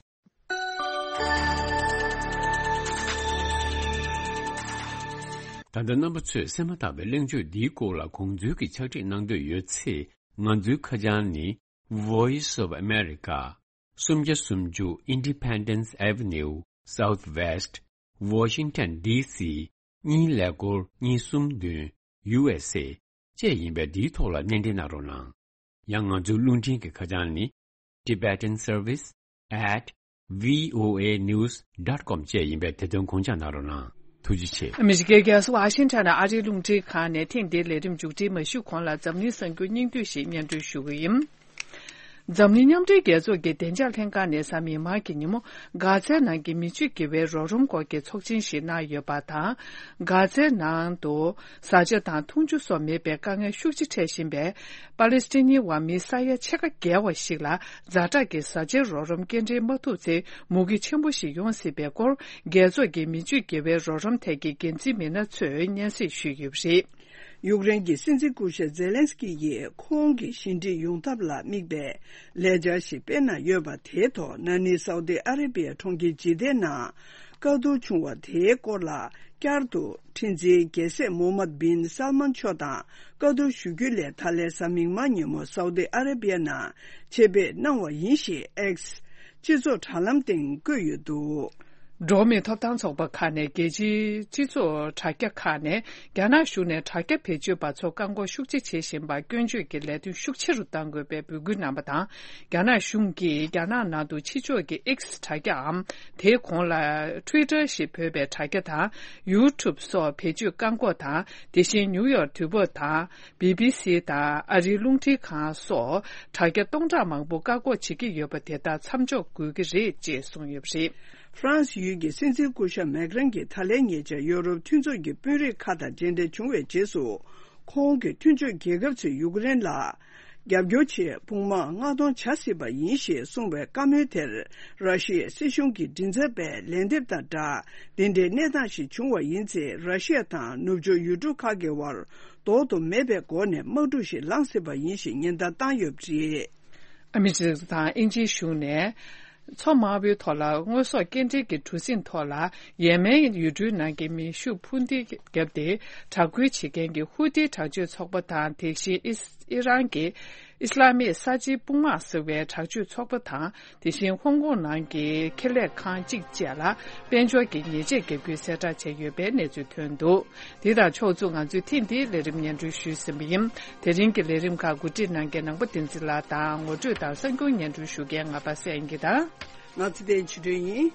ད་ལྟ་རྣམ་པ་ཚོས་གསན་མ་ཐག་པའི་གླེང་བརྗོད་འདིའི་སྐོར་ལ་དགོངས་ཚུལ་གྱི་ཕྱག་བྲིས་གནང་འདོད་ཡོད་ཚེ། ང་ཚོའི་ཁ་བྱང་ནི། Voice of America། སུམ་བརྒྱ་སུམ་ཅུ་Independence Avenue Southwest Washington D C གཉིས་ཀླད་ཀོར་གཉིས་གསུམ་བདུན། U S A བཅས་ཡིན་པས། འདིའི་ཐོག་ལ་སྣེ་འདྲེན་གནང་རོགས་གནང་། ཡང་ང་ཚོའི་རླུང་འཕྲིན་གྱི་ཁ་བྱང་ནི། Tibetan Service at V O A news dot com བཅས་ཡིན་པས། དེ་དོན་དགོངས་འཇགས་གནང་རོགས་གནང་། ཐུགས་རྗེ་ཆེ། ཨ་མི་རི་ཀའི་རྒྱལ་ས་ཝ་ཤིང་ཊོན་ཨ་རིའི་རླུང་འཕྲིན་ཁང་ནས་ཐེངས་འདིའི་ལས་རིམ་མཇུག་སྒྲིལ་མ་ཞུས་གོང་ལ། འཛམ་གླིང་གསར་འགྱུར་སྙིང་བསྡུས་ཤིག་སྙན་སྒྲོན་ཞུ་གི་ཡིན། འཛམ་གླིང་མཉམ་འབྲེལ་རྒྱལ་ཚོགས་ཀྱི་བདེ་འཇགས་ལྷན་ཁང་ནས་གཟའ་མིག་དམར་གྱི་ཉིན་མོ། གྷ་ཛའི་ནང་གི་མི་སྤྱོད་དགེ་བའི་རོགས་རམ་སྐོར་གྱི་ཚོགས་ཆེན་ཞིག་གནང་ཡོད་པ་དང་། གྷ་ཛའི་ནང་དུ་བཟའ་བཅའ་དང་འཐུང་ཆུ་སོགས་མེད་པའི་དཀའ་ངལ་ཤུགས་ཆེ་འཕྲད་བཞིན་པའི་པ་ལེ་སི་ཐན་ནི་བ་མི་ས་ཡ་ཕྱེད་ཀ་བརྒལ་བ་ཞིག་ལ། ཛ་དྲག་གི་བཟའ་བཅའི་རོགས་རམ་སྐྱེལ་འདྲེན་མ་ཐུབ་ཚེ། མུ་གེ་ཆེན་པོ་ཞིག་ཡོང་སྲིད་པའི་སྐོར། རྒྱལ་ཚོགས་ཀྱི་མི་སྤྱོད་དགེ་བའི་རོགས་རམ་ཐད་ཀྱི་འགན་འཛིན་མི་སྣ་ཚོས་སྙན་སེང་ཞུས་ཡོད་པ་རེད། ཡུཀ་རེན་གྱི་སྲིད་འཛིན་སྐུ་ཞབས་ཛེ་ལན་སི་ཀི་ཡིས་ཁོང་གི་ཞི་འགྲིག་ཡོང་ཐབས་ལ་དམིགས་པའི་ལས་འཆར་ཞིག་སྤེལ་གནང་ཡོད་པ་དེའི་ཐོག། ན་ནིང་སའུ་ཏི་ཨ་ར་བི་ཡ་གྲོང་ཁྱེར་ཇི་དའི་ནང་བཀའ་བསྡུར་བྱུང་བ་དེའི་སྐོར་ལ། བསྐྱར་དུ་ཁྲི་འཛིན་རྒྱལ་སྲས་མོ་ཧམ་མད་བིན་སལ་མན་མཆོག་དང་བཀའ་བསྡུར་ཞུ་རྒྱུ་ལས། ད་ལན་གཟའ་མིག་དམར་ཉིན་མོ་སའུ་ཏི་ཨ་ར་བི་ཡ་ནང་ཆེད་ཕེབས་གནང་བ་ཡིན་ཞེས་ཨེག་སི་སྤྱི་ཚོགས་དྲ་ལམ་སྟེང་བཀོད་ཡོད་འདུག། འགྲོ་བ་མིའི་ཐོབ་ཐང་ཚོགས་པ་ཁག་ནས་རྒྱལ་སྤྱིའི་སྤྱི་ཚོགས་དྲ་རྒྱ་ཁག་ནས། རྒྱ་ནག་གཞུང་ནས་དྲ་རྒྱ་བེད་སྤྱོད་པ་ཚོར་བཀག་འགོག་ཤུགས་ཆེ་བྱེད་བཞིན་པར་སྐྱོན་བརྗོད་ཀྱི་ལས་དོན་ཤུགས་ཆེ་རུ་གཏང་དགོས་པའི་འབོད་སྐུལ་གནང་བ་དང་། རྒྱ་ནག་གཞུང་གིས་རྒྱ་ནག་ནང་དུ་ཕྱི་ཕྱོགས་ཀྱི་ཨེག་སི་དྲ་རྒྱའམ། དེའི་གོང་ལ་ཊུའི་ཊར་ཞེས་འབོད་པའི་དྲ་རྒྱ་དང་། ཡུ་ཊུབ་སོགས་བེད་སྤྱོད་བཀག་འགོག་དང་། དེ་བཞིན་ནིའུ་ཡོག་དུས་བབ་དང་། བི་བི་སི་དང་ཨ་རིའི་རླུང་འཕྲིན་ཁང་སོགས་དྲ་རྒྱ་སྟོང་ཕྲག་མང་པོ་བཀག་འགོག་བྱེད་ཀྱི་ཡོད་པ་དེ་དག་མཚམས་འཇོག་དགོས་ཀྱི་རེད་ཅེས་གསུངས་ཡོད་པ་རེད། ཧྥ་རན་སི་ཡུལ་གྱི་སྲིད་འཛིན་སྐུ་ཞབས་མེག་རན་གྱིས་ད་ལན་ཉེ་ཆར་ཡོ་རོབ་མཐུན་ཚོགས་ཀྱི་དཔོན་རིགས་ཁག་དང་མཇལ་འཕྲད་བྱུང་བའི་རྗེས་སུ། ཁོང་གིས་མཐུན་ཕྱོགས་རྒྱལ་ཁབ་ཚོས་ཡུཀ་རེན་ལ་རྒྱབ་སྐྱོར་ཆེད་དཔུང་དམག་མངགས་གཏོང་བྱ་སྲིད་པ་ཡིན་ཞེས་གསུངས་པའི་བཀའ་མོལ་དེར། ར་ཤི་ཡའི་སྲིད་གཞུང་གི་མགྲིན་ཚབ་པས་ལན་འདེབས་དང་སྦྲགས། འདི་འདྲའི་གནས་སྟངས་ཤིག་བྱུང་བ་ཡིན་ཚེ། ར་ཤི་ཡ་དང་ནུབ་ཕྱོགས་ཡུལ་གྲུ་ཁག་གི་དབར་ལྡོག་ཏུ་མེད་པའི་སྒོ་ནས་དམག་འཁྲུག་ཞིག་ལངས་སྲིད་པ་ཡིན་ཞེས་ཉེན་བརྡ་བཏང་ཡོད་པ་རེད། ཨ་མི་རི་ཀ་དང་དབྱིན་ཇིའི་གཞུང་ནས། མཚོ་དམར་པོའི་ཐོག་ལ་དངོས་ཟོག་སྐྱེལ་འདྲེན་གྱི་གྲུ་གཟིངས་ཐོག་ལ་ཡེ་མེན་ཡུལ་གྲུའི་ནང་གི་མེ་ཤུགས་འཕུར་མདེལ་བརྒྱབ་སྟེ། དྲག་རྒོལ་བྱེད་མཁན་གྱི་ཧུ་ཏི་དྲག་སྤྱོད་ཚོགས་པ་དང་། དེ་བཞིན་ཨི་ཨི་རན་གྱི་ཨི་སི་ལ་མིག་གསར་བརྗེའི་དཔུང་དམག་ཟེར་བའི་དྲག་སྤྱོད་ཚོགས་པ་དང་། དེ་བཞིན་ཧོང་ཀོང་ནང་གི་ཁེ་ལས་ཁང་གཅིག་བཅས་ལ་དཔལ་འབྱོར་གྱི་ཉེས་ཆད་བརྒྱབ་རྒྱུའི་གསལ་བསྒྲགས་བྱས་ཡོད་པའི་གནས་ཚུལ་ཐོན་འདུག་འདི་དང་ཕྱོགས་མཚུངས་ང་ཚོས་ཐེངས་འདིའི་ལས་རིམ་སྙན་སྒྲོན་ཞུས་ཟིན་པ་ཡིན། དེ་རིང་གི་ལས་རིམ་ཁག་གོ་སྒྲིག་གནང་མཁན་ནང་པ་བསྟན་འཛིན་ལགས་དང་། ངོ་སྤྲོད་དང་གསར་འགྱུར་སྙན་སྒྲོན་ཞུ་མཁན་ང་པ་སངས་རྒྱས་དང་། ང་ཚེ་བརྟན་ཆོས་སྒྲོན་ཡིན།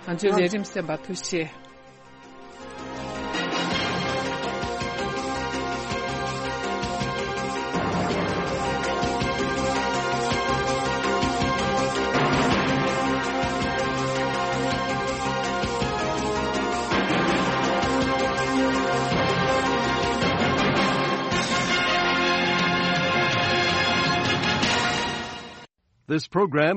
ང་ཚོའི་ལས་རིམ་གསན་པར་ཐུགས་རྗེ་ཆེ། This program